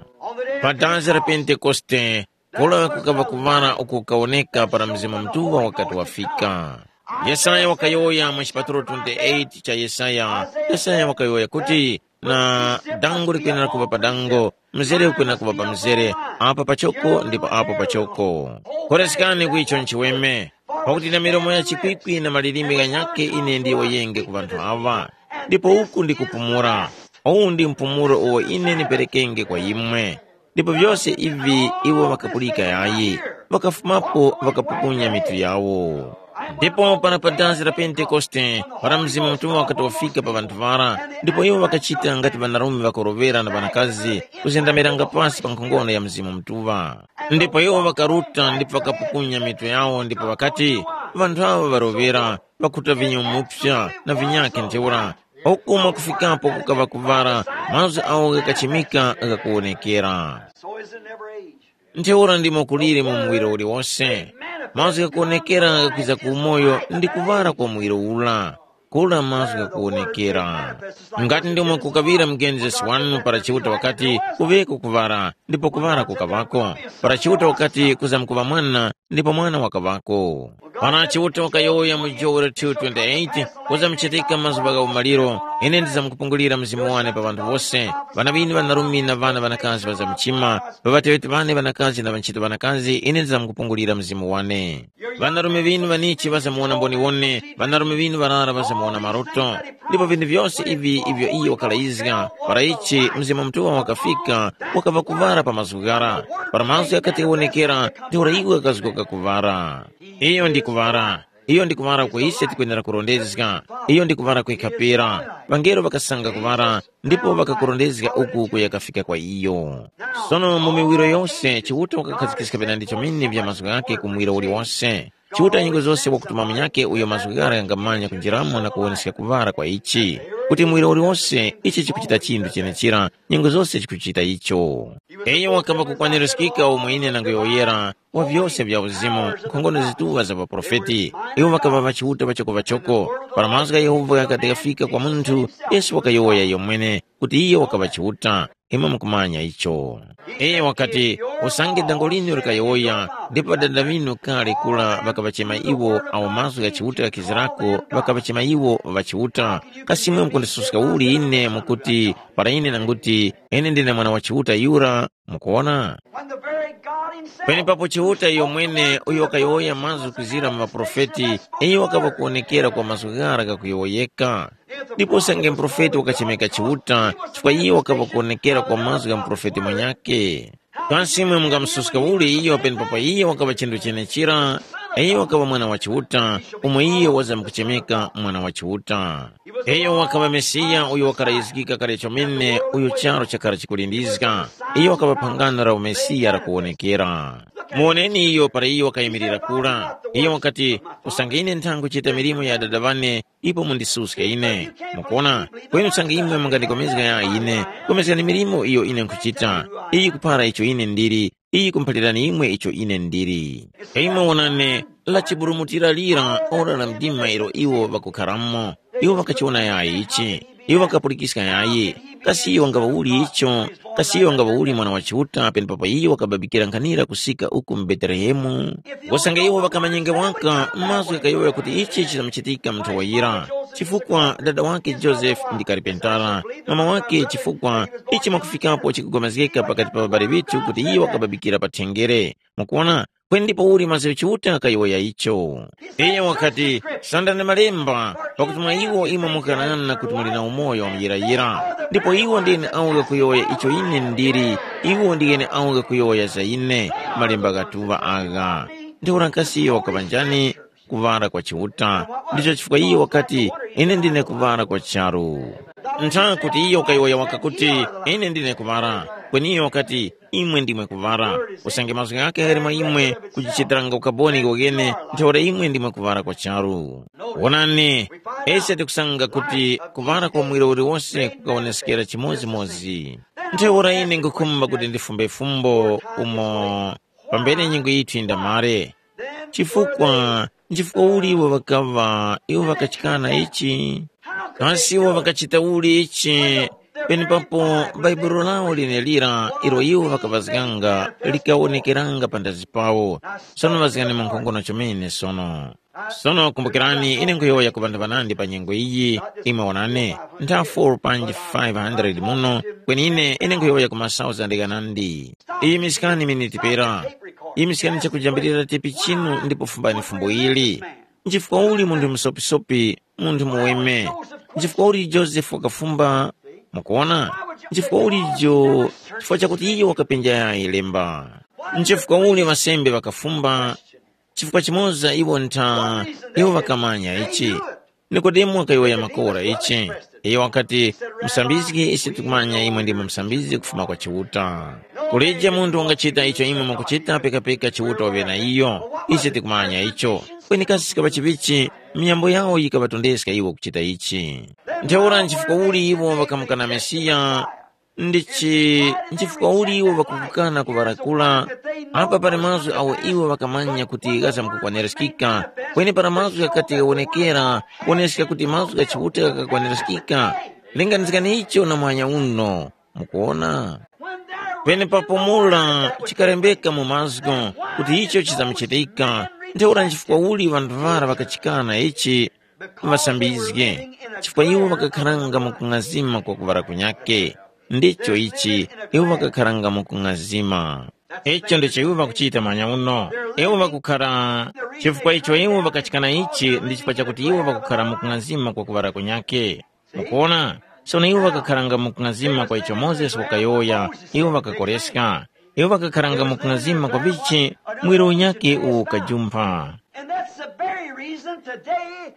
Pa dazi la Pentekoste, kura kukaŵa kuvara uko kukawoneka para Mzimu Mutuŵa wakati wafika. Yesaya wakayowoya mu chipatulo twenty-eight cha Yesaya, Yesaya wakayowoya kuti, na dango likwenera kuŵa pa dango, mzere ukwenera kuŵa pa mzere, apa pachoko ndipo apo pachoko. Koresekani ku icho nchiweme, pakuti na milomo ya chikwikwi na malilime ghanyakhe ine ndiyowoyenge ku ŵanthu aŵa. Ndipo uku ndi kupumula. Uwu ndi mpumulo uwo ine ndiperekenge kwa imwe. Ndipo vyose ivi iwo ŵakapulika yayi, ŵakafumapo ŵakapukunya mitu yawo. Ndipo para pa dazi la Pentekoste, para Mzimu Mutuŵa wakati wafika pa ŵanthu ŵara, ndipo iwo ŵakachita ngati ŵanarume ŵakuroŵera na ŵanakazi, kuzendamiranga pasi pa nkhongono ya Mzimu Mutuŵa. Ndipo iwo ŵakaruta ndipo ŵakapukunya mitu yawo ndipo ŵakati, ŵanthu aŵa ŵaroŵera, ŵakhuta vinyo mupsa na vinyakhe ntheura, uku mwakufikapo kukaŵa kuvara, mazgu awo ghakachimika ghakuwonekera. So is it in every age. Ntheura ndimo kuliri mu muwiro uliwose. Mazgu ghakuwonekera ghakwiza ku umoyo ndi kuvara kwa muwiro ura. Kura mazgu ghakuwonekera. Ngati ndimo kukaŵira mu Genesis wanu para Chiuta wakati, kuŵeko kuvara, ndipo kuvara kukaŵako. Para Chiuta wakati, kuzamkuŵa mwana, ndipo mwana wakaŵako. Para Chiuta wakayowoya mu Joel two twenty-eight, kuzamuchitika mazuŵa gha umaliro, ine ndizamkupungulira Mzimu wane pa ŵanthu wose. Ŵana ŵinu ŵanarume na ŵana ŵanakazi ŵazamuchima, pa ŵateŵeti ŵane ŵanakazi na ŵanchito ŵanakazi, ine ndizamkupungulira Mzimu wane. Ŵanarume ŵinu ŵanichi ŵazamuwona mboniwone, ŵanarume ŵinu ŵarara ŵazamuwona maroto. Ndipo vinthu vyose ivi ivyo iyo wakalayizga, para ichi Mzimu Mutuŵa wakafika, wakaŵa kuvara pa mazgu ghara. Para mazgu ghakati ghawonekera, ntheura iwo ghakazgoka kuvara. Iyo ndi kuvara. Iyo ndi kuvara uko ise tikwenera kurondezga. Iyo ndi kuvara kwekha pera. Ŵangelo ŵakasanga kuvara, ndipo ŵakakurondezga uku kuya kafika kwa iyo. Sono mu miwiro yose, Chiuta wakakhazikiska vinandi chomene vya mazgu ghakhe ku muwiro uliwose. Chiuta nyengo zose wakutuma munyakhe uyo mazgu ghara ghangamanya kunjiramo na kuwoneska kuvara kwa ichi, kuti muwiro uliwose ichi chikuchita chinthu chenechira, nyengo zose chikuchita icho. Iyo wakamba kukwanirizgika umo ine nanguyowoyera, wa vyose vya uzimu, nkhongono zituŵa za ŵaprofeti. Iwo ŵakaŵa ŵachiuta ŵachoko-ŵachoko. Para mazgu gha Yehova ghakati ghafika kwa munthu, Yesu wakayowoya iyomwene kuti iyo wakaŵa Chiuta. Imwe mukumanya icho. Iyo wakati, usange dango linu likayowoya, ndipo ŵadada ŵinu kale kura ŵakaŵachema iwo awo mazgu gha Chiuta ghakizirako, ŵakaŵachema iwo ŵachiuta. Kasi imwe mukundisuska uli ine mukuti, para ine nanguti, ine ndine mwana wa Chiuta yura? Mukuwona? When the very God himself Penepapo Chiuta iyo mwene uyo wakayowoya mazgu kuzira mu maprofeti, iyo wakaŵa kuwonekera kwa mazgu ghara ghakuyowoyeka. Ndipo usange muprofeti wakachemeka Chiuta, chifukwa iyo wakaŵa kuwonekera kwa mazgu gha muprofeti mwenyakhe. Kasi imwe mungamususka uli iyo penepapo iyo wakaŵa chinthu chenechira? Iyo wakaŵa mwana wa Chiuta, umo iyo wazamkuchemeka mwana wa Chiuta. Iyo wakaŵa Mesiya uyo wakarayizgika kale chomene uyo charu chakara chikulindizga. Iyo wakaŵa phangano la uMesiya lakuwonekera. Muwoneni iyo para iyo wakayimirira kura. Iyo wakati, usange ine nthangu chita milimo ya Dada wane, ipo mundisuske ine. Mukuona, kweni usange imwe mungandikomezga ya ine, komezgani milimo iyo ine nkhuchita. Iyi kuphara icho ine ndili, iyi kumphalirani imwe icho ine ndili. Imwe wonani, la chiburumutira lira ora la mdima ilo iwo ŵakukharamo. Iwo ŵakachiwona yayi ichi. Iwo ŵakapulikiska yayi. Kasi iyo wangaŵa uli icho? Kasi iyo wangaŵa uli mwana wa Chiuta penepapo iyo wakababikira nkhanira kusika uku mu Betelehemu? Wasanga iwo ŵakamanyenge waka mazgu ghayowoya kuti ichi chizamuchitika mu nthowa yira. Chifukwa dada wake Josefe ndi karipentala, mama wake chifukwa ichi mwakufikapo chikugomezgeka pakati pa ŵabali ŵithu kuti iye wakababikira pa thengere. Mukuona, kweni ndipo uli mazgu Chiuta kayowoya icho. Iyo wakati, sandani malemba, pakuti mwa iwo imwe mukanana kuti muli na umoyo wa muyirayira. Ndipo iwo ndi ene awo ghakuyowoya icho ine ndili, iwo ndi ene awo ghakuyowoya za ine, malemba ghatuŵa agha. Ntheura kasi iyo wakaŵa njani? Kuŵala kwa Chiuta. Ndicho chifukwa iyo wakati, ine ndine kuŵala kwa charu. Ntha kuti iyo kayowoya waka kuti, ine ndine kuŵala, kweni iyo wakati, imwe ndimwe kuŵala. Usange mazgu ghakhe ghali mwa imwe kujichitiranga ukaboni kokene, ntheura imwe ndimwe kuŵala kwa charu. Wonani, ise tikusanga kuti kuŵala kwa muwiri uliwose kukawoneskera chimodzimodzi. Ntheura ine nkhukhumba kuti ndifumbe fumbo umo pambere nyengo yithu yindamare. Chifukwa nchifukwa uli iwo ŵakaŵa iwo ŵakachikana ichi? Kasi iwo ŵakachita uli ichi? Penepapo Bhaibuli lawo lenelira ilo iwo ŵakaŵazganga likawonekeranga panthazi pawo. Sono ŵazgani mu nkhongono chomene sono. Sono kumbukirani, ine nkhuyowoya ku ŵanthu ŵanandi pa nyengo iyi, imwe wonani, ntha four panji five hundred muno, kweni ine ine nkhuyowoya ku masauzande ghanandi. Yimiskani miniti pera. Yimiskani chakujambirira tepi chinu ndipo fumbani fumbo ili. Nchifukwa uli munthu musopisopi, munthu muweme? Nchifukwa uli Josefe wakafumba? Mukuona? Nchifukwa uli jo? Chifukwa chakuti iyo wakapenja yayi lemba. Nchifukwa uli ŵasembe ŵakafumba? Chifukwa chimoza iwo ntha, iwo ŵakamanya ichi. Nikodemo wakayowoya makora ichi. Iyo wakati, musambizgi, ise tikumanya imwe ndimwe musambizgi kufuma kwa Chiuta. Kulije munthu wangachita icho imwe mwakuchita pekapeka Chiuta waŵe na iyo. Ise tikumanya icho. Kweni kasi chikaŵa chivichi, miyambo yawo yikaŵatondeska iwo kuchita ichi. Ntheura nchifukwa uli iwo ŵakamukana Mesiya? Ndichi nchifukwa uli iwo ŵakukana kuŵarakula? Apa pali mazgu awo iwo ŵakamanya kuti ghazamkukwanirizgika, kweni para mazgu ghakati ghawonekera, kuwoneska kuti mazgu gha Chiuta ghakakwanirizgika. Linganizgani icho na muhanya uno. Mukuwona? Penepapo mura chikalembeka mu mazgu kuti icho chizamuchitika, ntheura nchifukwa uli ŵanthu ŵara ŵakachikana ichi ŵasambizge, chifukwa iwo ŵakakharanga mu kung'azima kwa kuŵala kunyakhe. Ndicho ichi, iwo ŵakakharanga mu kung'azima. Icho ndicho iwo ŵakuchita manya uno. Iwo ŵakukhara, chifukwa icho iwo ŵakachikana ichi ndi chifukwa chakuti iwo ŵakukhara mu kung'azima kwa kuŵala kunyakhe. Mukuona? Sono iwo ŵakakharanga mu kung'azima kwa icho Mozesi wakayowoya, iwo ŵakakoreska. Iwo ŵakakharanga mu kung'azima kwa vichi, mwiro unyakhe uwo ukajumpha. And that's the very reason today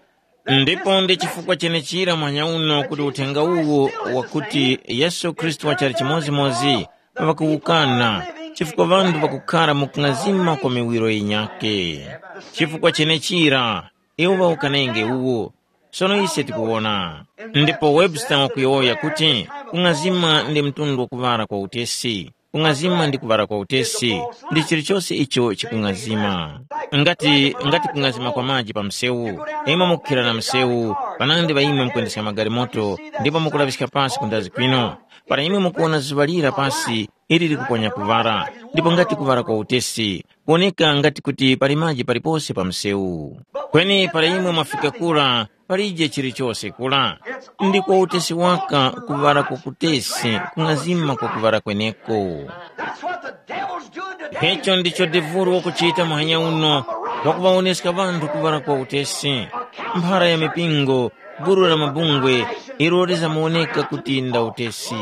that Ndipo this ndi chifukwa message chenechira mwanya uno kuti uthenga uwu wakuti Yesu Khristu wachali chimodzimodzi ŵakuwukana, chifukwa ŵanthu ŵakukhara mu kung'azima kwa miwiro yinyakhe. Chifukwa chenechira iwo ŵawukanenge uwu. Sono ise tikuwona. Ndipo Webster wakuyowoya kuti kung'azima ndi mtundu wakuŵala kwa utesi. Kung'azima ndi kuŵala kwa utesi ndi chilichose icho chikung'azima. Ngati ngati kung'azima kwa maji pa msewu, imwe mukukhira na msewu, panandi pa imwe mukwendeska magalimoto, ndipo mukulaŵiska pasi ku ndazi kwinu. Para imwe mukuwona zuŵa lira pasi ili likuponya kuŵala, ndipo ngati kuŵala kwa utesi, kuwoneka ngati kuti pali maji palipose pa msewu. Kweni para imwe mwafika kura, palije chilichose kura. Ndi kwa utesi waka kuŵala kwa kutesi, kung'azima kwa kuŵala kweneko. That's what the devil's doing today. Icho ndicho devulu wakuchita muhanya uno, wakuŵawoneska ŵanthu kuŵala kwa utesi. Mphara ya mipingo, gulu la mabungwe, ilo lizamuwoneka kuti nda utesi.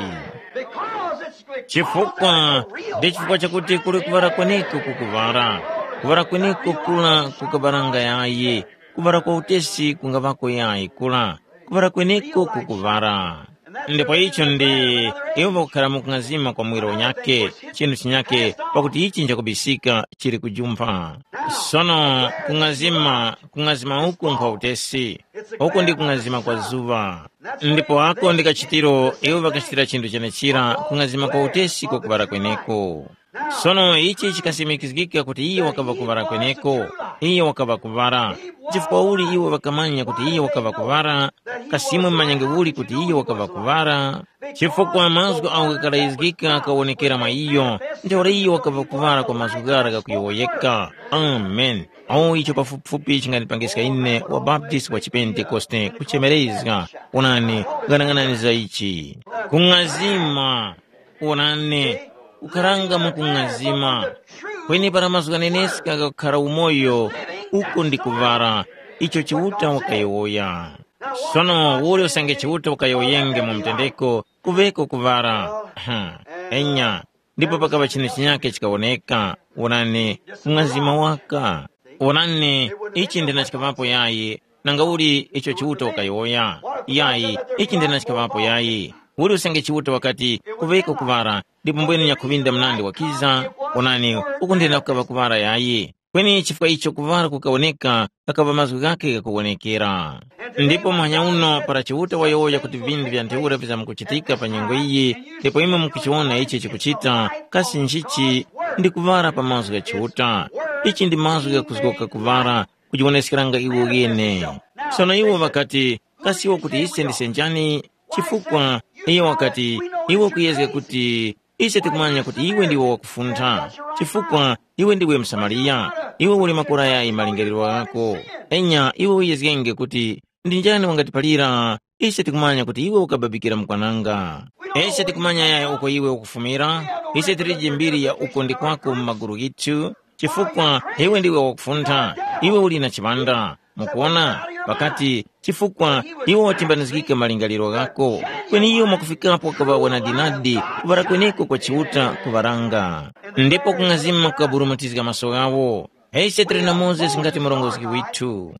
Because it's Chifukwa ndi chifukwa chakuti kuli kuŵala kweneko kukuŵala. Kuŵala kweneko kula kukabaranga yayi. Kuŵala kwa utesi kungaŵako yayi kula. Kuŵala kweneko kukuŵala. Ndipo icho ndi iwo pakukhara mu kung'azima kwa mwiro unyake, chinthu chinyake, pakuti ichi nchakubisika chili kujumpha. Sono kung'azima, kung'azima uku nkwa utesi, uku ndi kung'azima kwa zuŵa. Ndipo ako ndi kachitiro iwo ŵakachitira chinthu chenechira kung'azima kwa utesi kwa kuŵala kweneko. Sono ichi chikasimikizgika kuti iye wakaŵa kuŵala kweneko, iye wakaŵa kuŵala. Chifukwa uli iwo ŵakamanya kuti iye wakaŵa kuŵala, kasimwe mumanyenge uli kuti iye wakaŵa kuŵala, chifukwa mazgu agho ghakarayizgika ghakawonekera mwa iyo, ntheura iye wakaŵa kuŵala kwa mazgu ghara ghakuyowoyeka. Amen. Awo icho pafupifupi chingandipangiska ine wa Baptist wa Chipentekoste kuchemerezga. Onani, ghanaghanani za ichi. Kung'azima. Onani, kukharanga mu kung'azima. Kweni para mazgu ghaneneska ghakukhara umoyo, uko ndi kuŵala, icho Chiuta wakayowoya. Sono uli usange Chiuta wakayowoyenge mu mtendeko, kuŵeko kuŵala. Ha, enya, ndipo pakaŵa chinthu chinyake chikawoneka. Wonani, mng'azima waka. Wonani, ichi ndina chikaŵapo yayi, nanga uli icho Chiuta wakayowoya. Yayi, ichi ndina chikaŵapo yayi. Uli usange Chiuta wakati, kuveka kuŵala, ndipo mbwene nyakhuŵinda mnandi wakiza, onani, ukunthena kukaŵa kuŵala yayi. Kweni chifukwa icho kuŵala kukawoneka, ghakaŵa mazgu ghakhe ghakuwonekera. Ndipo muhanya uno para Chiuta wayowoya kuti vinthu vya ntheura vizamkuchitika pa nyengo iyi, ndipo imwe mukuchiwona ichi chikuchita, kasi nchichi ndi kuŵala pa mazgu gha Chiuta? Ichi ndi mazgu ghakuzgoka kuŵala, kujiwoneskeranga iwo ghene. Sono iwo ŵakati, kasi iwo kuti ise ndise njani? Chifukwa iye wakati, iwe ukuyezga kuti ise tikumanya kuti iwe ndiwe wakufuntha, chifukwa iwe ndiwe msamariya, iwe uli makora yayi malingaliro ghako. Enya iwe uyezgenge kuti ndi njani wangatiphalira? Ise tikumanya kuti iwe ukababikira mukwananga. Ise tikumanya yayi uko iwe ukufumira. Ise tilije mbiri ya uko ndi kwako mu maguru ghithu, chifukwa iwe ndiwe wakufuntha, iwe uli na chiŵanda. Mukuona, pakati chifukwa iwo watimbanizgika malingaliro ghako. Kweni iwo mwakufikapo wakaŵawa nadinadi kuŵala kweneko kwa Chiuta kuŵaranga. Ndipo kung'azima kukaburumutizga maso ghawo. Ise tili na Mozesi ngati murongozgi withu.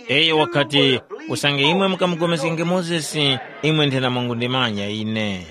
Iyo wakati, usange imwe mukamugomezgenge Mozesi, imwe nthena mwangundimanya ine.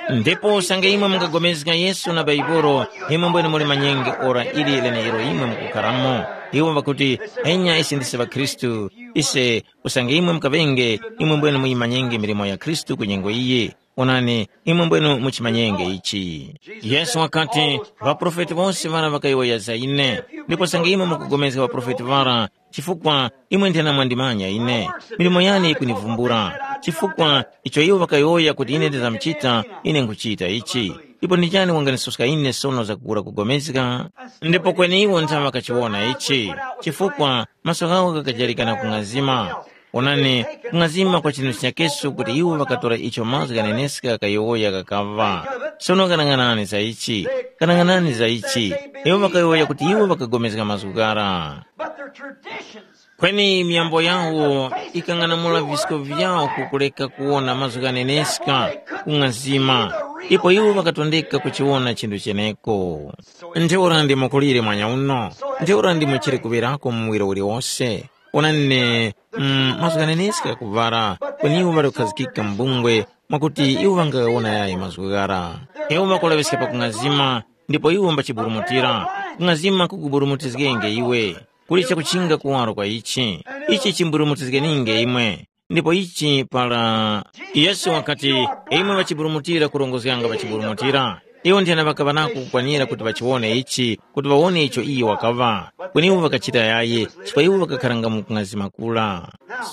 Ndipo usange imwe mungapulikana Yesu na Baibolo, imwe mbwene muli manyenge ora ili lenelo imwe mukukharamo. Iwo ŵakuti, enya ise ndise ŵakhristu, ise usange imwe mukaŵenge, imwe mbwene muyimanyenge milimo ya Khristu ku nyengo iyi. Onani, imwe mbwene muchimanyenge ichi. Yesu wakati, ŵaprofeti wose ŵara ŵakayowoya za ine, ndipo usange imwe mukupulikana ŵaprofeti ŵara, chifukwa imwe nthena mwandimanya ine, milimo yane yikunivumbula, chifukwa icho iwo ŵakayowoya kuti ine ndizamchita, ine nkhuchita ichi. Ipo ndi njani wanganisuska ine sono zakukura kupulikana? Ndipo kweni iwo ntha ŵakachiwona ichi, chifukwa maso ghawo ghakajarika na kung'azima. Onani, kung'azima kwa chinthu chinyakeso kuti iwo ŵakatora icho mazgu ghaneneska ghayowoya ghakaŵa. Sono ghanang'anani za ichi, ghanang'anani za ichi. Iwo ŵakayowoya kuti iwo ŵakapulikana mazgu ghara. But their traditions Kweni myambo yawo ikang'anamula visko vyawo kukuleka kuwona mazgu ghaneneska kung'azima, ipo iwo ŵakatondeka kuchiwona chinthu cheneko. Ntheura ndi mukulire mwanya uno, ntheura ndi muchire kuŵerako muwiro uliwose. Onani, mm, mazgu ghaneneska ghakuvwara, kweni iwo ŵali kukhazikika m'bungwe, mwakuti iwo ŵangawona yayi mazgu ghara. Iwo ŵakulaŵiska pakung'azima, ndipo iwo mbachiburumutira. Kung'azima kukuburumutizgenge iwe. Kuli chakuchinga kuwaro kwa ichi. Ichi chimburumutizgeninge imwe. Ndipo ichi para Yesu wakati, imwe ŵachiburumutira kurongozganga ŵachiburumutira. Iwo nthena ŵakaŵa nako kukwanira kuti ŵachiwone ichi, kuti ŵawone icho iyo wakaŵa. Kweni iwo ŵakachita yayi, chifukwa iwo ŵakakharanga mu kung'azima kura.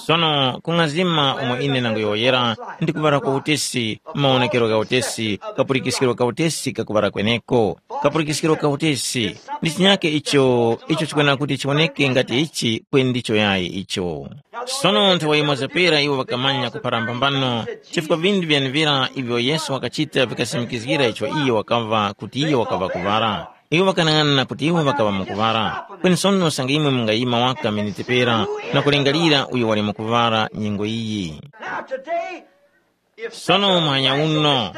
Sono kung'azima umo ine nanguyowoyera ndi kuŵala kwa utesi, mawonekero gha utesi, kapulikiskiro ka utesi kakuŵala kweneko. Kapulikiskiro ka utesi ndi chinyake icho icho chikwenera kuti chiwoneke ngati ichi kweni ndicho yayi icho. Sono nthawi yimoza pera iwo ŵakamanya kuphara mphambano chifukwa vinthu vyenevira ivyo Yesu wakachita vikasimikizgira icho iyo wakaŵa kuti iyo wakaŵa kuŵala. Iwo ŵakanang'ana kuti iwo ŵakaŵa mukuŵala. Kweni sono usange imwe mungayima waka miniti pera na kulingalira uyo wali mukuŵala nyengo iyi. Now today, if Sono muhanya uno,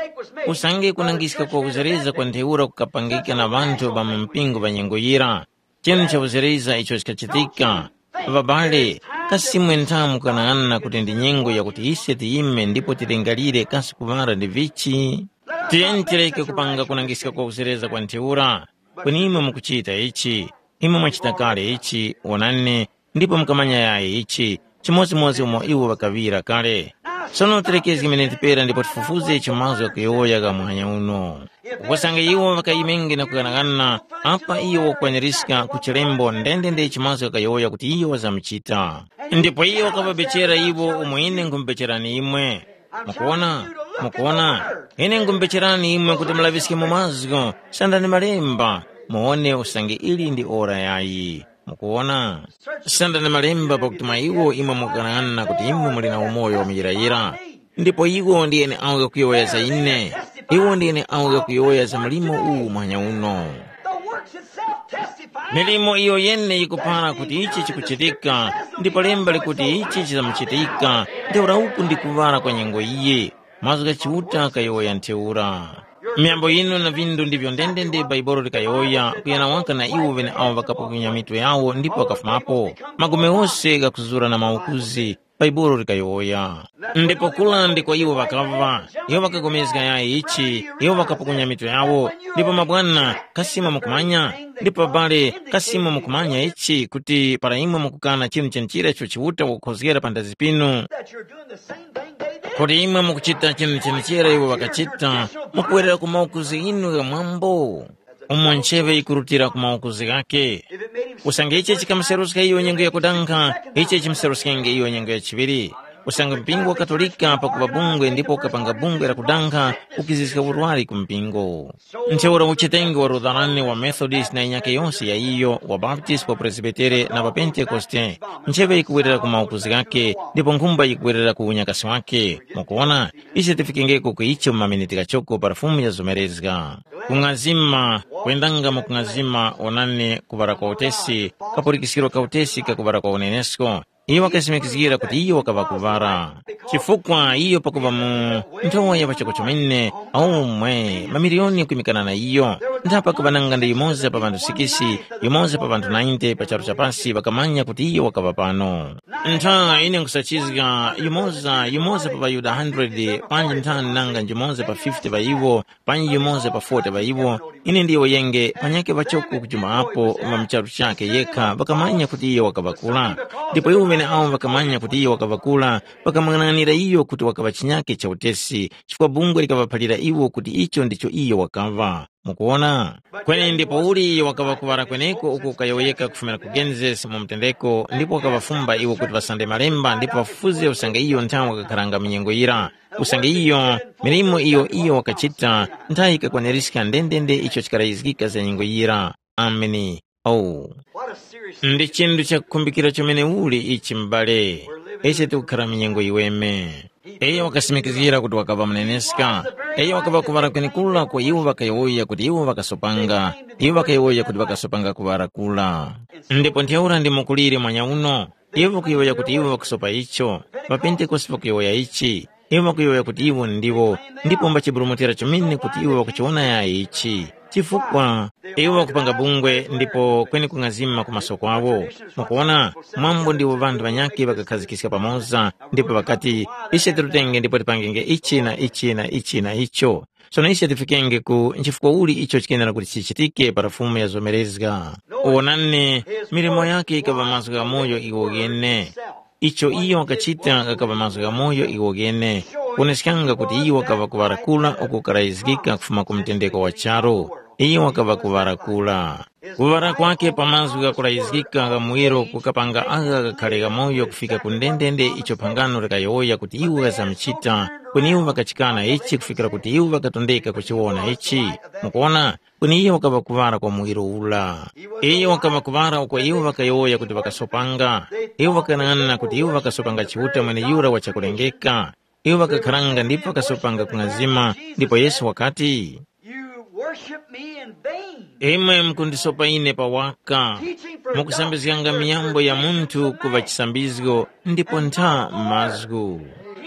usange kunangiska kwa kuzereza kwa ntheura kukapangika na ŵanthu ŵa mu mpingo ŵa nyengo yira, chinu cha kuzereza icho chikachitika. Ŵabale, kasi imwe nthamu mukanang'ana kuti ndi nyengo yakuti ise tiyime ndipo tilingalire kasi kuŵala ndi vichi? Tiyeni tireke kupanga kunangiska kwa kuzereza kwa ntheura, kweni imwe mukuchita ichi. Imwe mwachita kale ichi, wonani, ndipo mukamanya yayi ichi, chimodzimodzi umo iwo ŵakaŵira kale. Sono tirekezge miniti pera ndipo tifufuze icho mazgu ghakuyowoya gha muhanya uno. Usange iwo ŵakayimenge na kughanagana, apa iyo wakukwaniska ku chilembo ndendende icho mazgu ghakuyowoya kuti iyo wazamuchita. Ndipo iyo wakaŵabechera iwo umo ine nkhumbechera imwe. Mukuwona? Mukuwona? Ine nkhumbecherani imwe kuti mulaŵiske mu mazgu, sandani malemba, muwone usange ili ndi ora yayi. Mukuwona? Sandani malemba pakuti mwa iwo imwe mukughanaghana kuti imwe muli na umoyo wamuyirayira. Ndipo iwo ndi ene awo ghakuyowoya za ine. Iwo ndi ene awo ghakuyowoya za mlimo uwu muhanya uno. The works itself testify. Milimo iyo yene yikupara kuti ichi chikuchitika, ndipo lemba likuti ichi chizamuchitika, ntheura uku ndi kuŵala kwa nyengo iyi. Mazgu gha Chiuta ghayowoya ntheura. Myambo yinu na vindu ndivyo ndendende Bhaibuli likayowoya kuyana waka na iwo ŵeneawo ŵakapukunya mitwe yawo ndipo ŵakafumapo. Magome ghose ghakuzura na mawukuzi, Bhaibuli likayowoya. Ndipo kula ndiko iwo ŵakaŵa, iwo ŵakagomezga yayi ichi, iwo ŵakapukunya mitu yawo, ndipo mabwana, kasi imwe mukumanya? Ndipo abale, kasi imwe mukumanya ichi, kuti para imwe mukukana chinu chenechira icho Chiuta wakukhozgera pa ndazi pinu, kuti imwe mukuchita chinu chenechera iwo ŵakachita, mukuwerera ku maukuzi inu gha mwambo, umo ncheŵe yikurutira ku maukuzi ghakhe. Usange ichi chikamuseruska iyo nyengo yakudanga, ichi chimuseruskenge iyo nyengo ya chiŵiri. Usange mpingo wa Katolika pakuŵa bungwe ndipo ukapanga bungwe la kudanga, ukiziska urwari ku mpingo. Ntheura uchitenge wa Lutherani, wa Methodist na yinyakhe yose ya iyo, wa Baptist, wa Presbitere na wa Pentekoste, ncheŵe yikuwerera ku maukuzi ghakhe, ndipo nkhumba yikuwerera ku unyakasi wakhe. Mukuwona, ise tifikengeko ku icho mu maminiti ghachoko pa Fumu yazomerezga. Kung'azima, kwendanga mu kung'azima, onani, kuŵala kwa utesi, kapulikiskiro ka utesi kakuŵala kwa unenesko. Iyo wakasimikizgira kuti iyo wakaŵa kuŵala. Chifukwa iyo pakuŵa mu nthowa ya pachoko chomene, aumwe mamiliyoni kwimikana na iyo, ntha pakuŵa nanga ndi yumoza pa ŵanthu sikisi, yumoza pa ŵanthu nainte pa charu cha pasi ŵakamanya kuti iyo wakaŵa pano. Ntha ine nkhusachizga yumoza yumoza pa ŵaYuda hundred, panji nthani nanga njumoza pa fifty ŵa iwo, panji yumoza pa forty ŵa iwo, ine ndiyo yenge panyakhe ŵachoko kujuma apo ŵa mu charu chakhe yekha ŵakamanya kuti iyo wakaŵa kula. Ndipo iwo ŵeneawo ŵakamanya kuti iyo wakaŵa kula, ŵakamwang'ananira iyo kuti wakaŵa chinyakhe cha utesi, chifukwa bungwe likaŵaphalira iwo kuti icho ndicho iyo wakaŵa. Mukuwona? Kweni ndipouli iyo wakaŵa kuŵala kweneko uko kukayowoyeka kufumira ku Genesis mu mtendeko, ndipo wakaŵafumba iwo kuti ŵasande malemba ndipo ŵafufuze usange iyo nthawe wakakharanga mu nyengo yira. Usange iyo, milimo iyo iyo wakachita, nthayi yikakwanirizga ndendende icho chikarayizgika za nyengo yira. Ameni. Oh, ndi chinthu chakukhumbikira chomeneuli ichi m'bale. Ise tikukhara mu nyengo yiweme. Iyo wakasimikizgira kuti wakaŵa muneneska. Iyo wakaŵa kuŵala kwenekura kwa iwo ŵakayowoya kuti iwo ŵakasopanga. Iwo ŵakayowoya kuti ŵakasopanga kuŵala kura. Ndipo ntheura ndi mukulire mwanya uno. Iwo ŵakuyowoya kuti iwo ŵakusopa icho. Ŵapentekoste ŵakuyowoya ichi. Iwo ŵakuyowoya kuti iwo ndiwo, ndipo mbachiburumutira chomene kuti iwo ŵakuchiwona yayi ichi. Chifukwa iwo ŵakupanga bungwe ndipo kweni kung'azima ku maso kwawo. Mukuwona, mwambo ndiwo ŵanthu ŵanyakhe ŵakakhazikiska pamoza, ndipo ŵakati, ise tirutenge ndipo tipangenge ichi na ichi na ichi na icho. Sono ise tifikenge ku nchifukwa uli icho chikenera kuti chichitike para Fumu yazomerezga. Wonani, milimo yakhe yikaŵa mazgu gha moyo iwo ghene. Icho iyo wakachita ghakaŵa mazgu gha moyo iwo ghene, kuwoneskanga kuti iyo wakaŵa kuŵala kura uko kukarayizgika kufuma ku mtendeko wa charu. Iyo wakaŵa kuŵala kura. Kuŵala kwakhe pa mazgu ghakurayizgika gha muwiro kukapanga agha ghakhare ghamoyo kufika ku ndendende icho phangano likayowoya kuti iwo ŵazamuchita, kweni iwo ŵakachikana ichi kufikira kuti iwo ŵakatondeka kuchiwona ichi. Mukuwona, kweni iyo wakaŵa kuŵala kwa muwiro ura. Iyo wakaŵa kuŵala uko iwo ŵakayowoya kuti ŵakasopanga. Iwo ŵakanang'ana kuti iwo ŵakasopanga Chiuta mweneyura wa chakulengeka. Iwo ŵakakharanga ndipo ŵakasopanga kung'azima, ndipo Yesu wakati, You worship me in vain. Imwe mukundisopa ine pawaka, mukusambizganga miyambo ya munthu kuŵa chisambizgo ndipo ntha mazgu.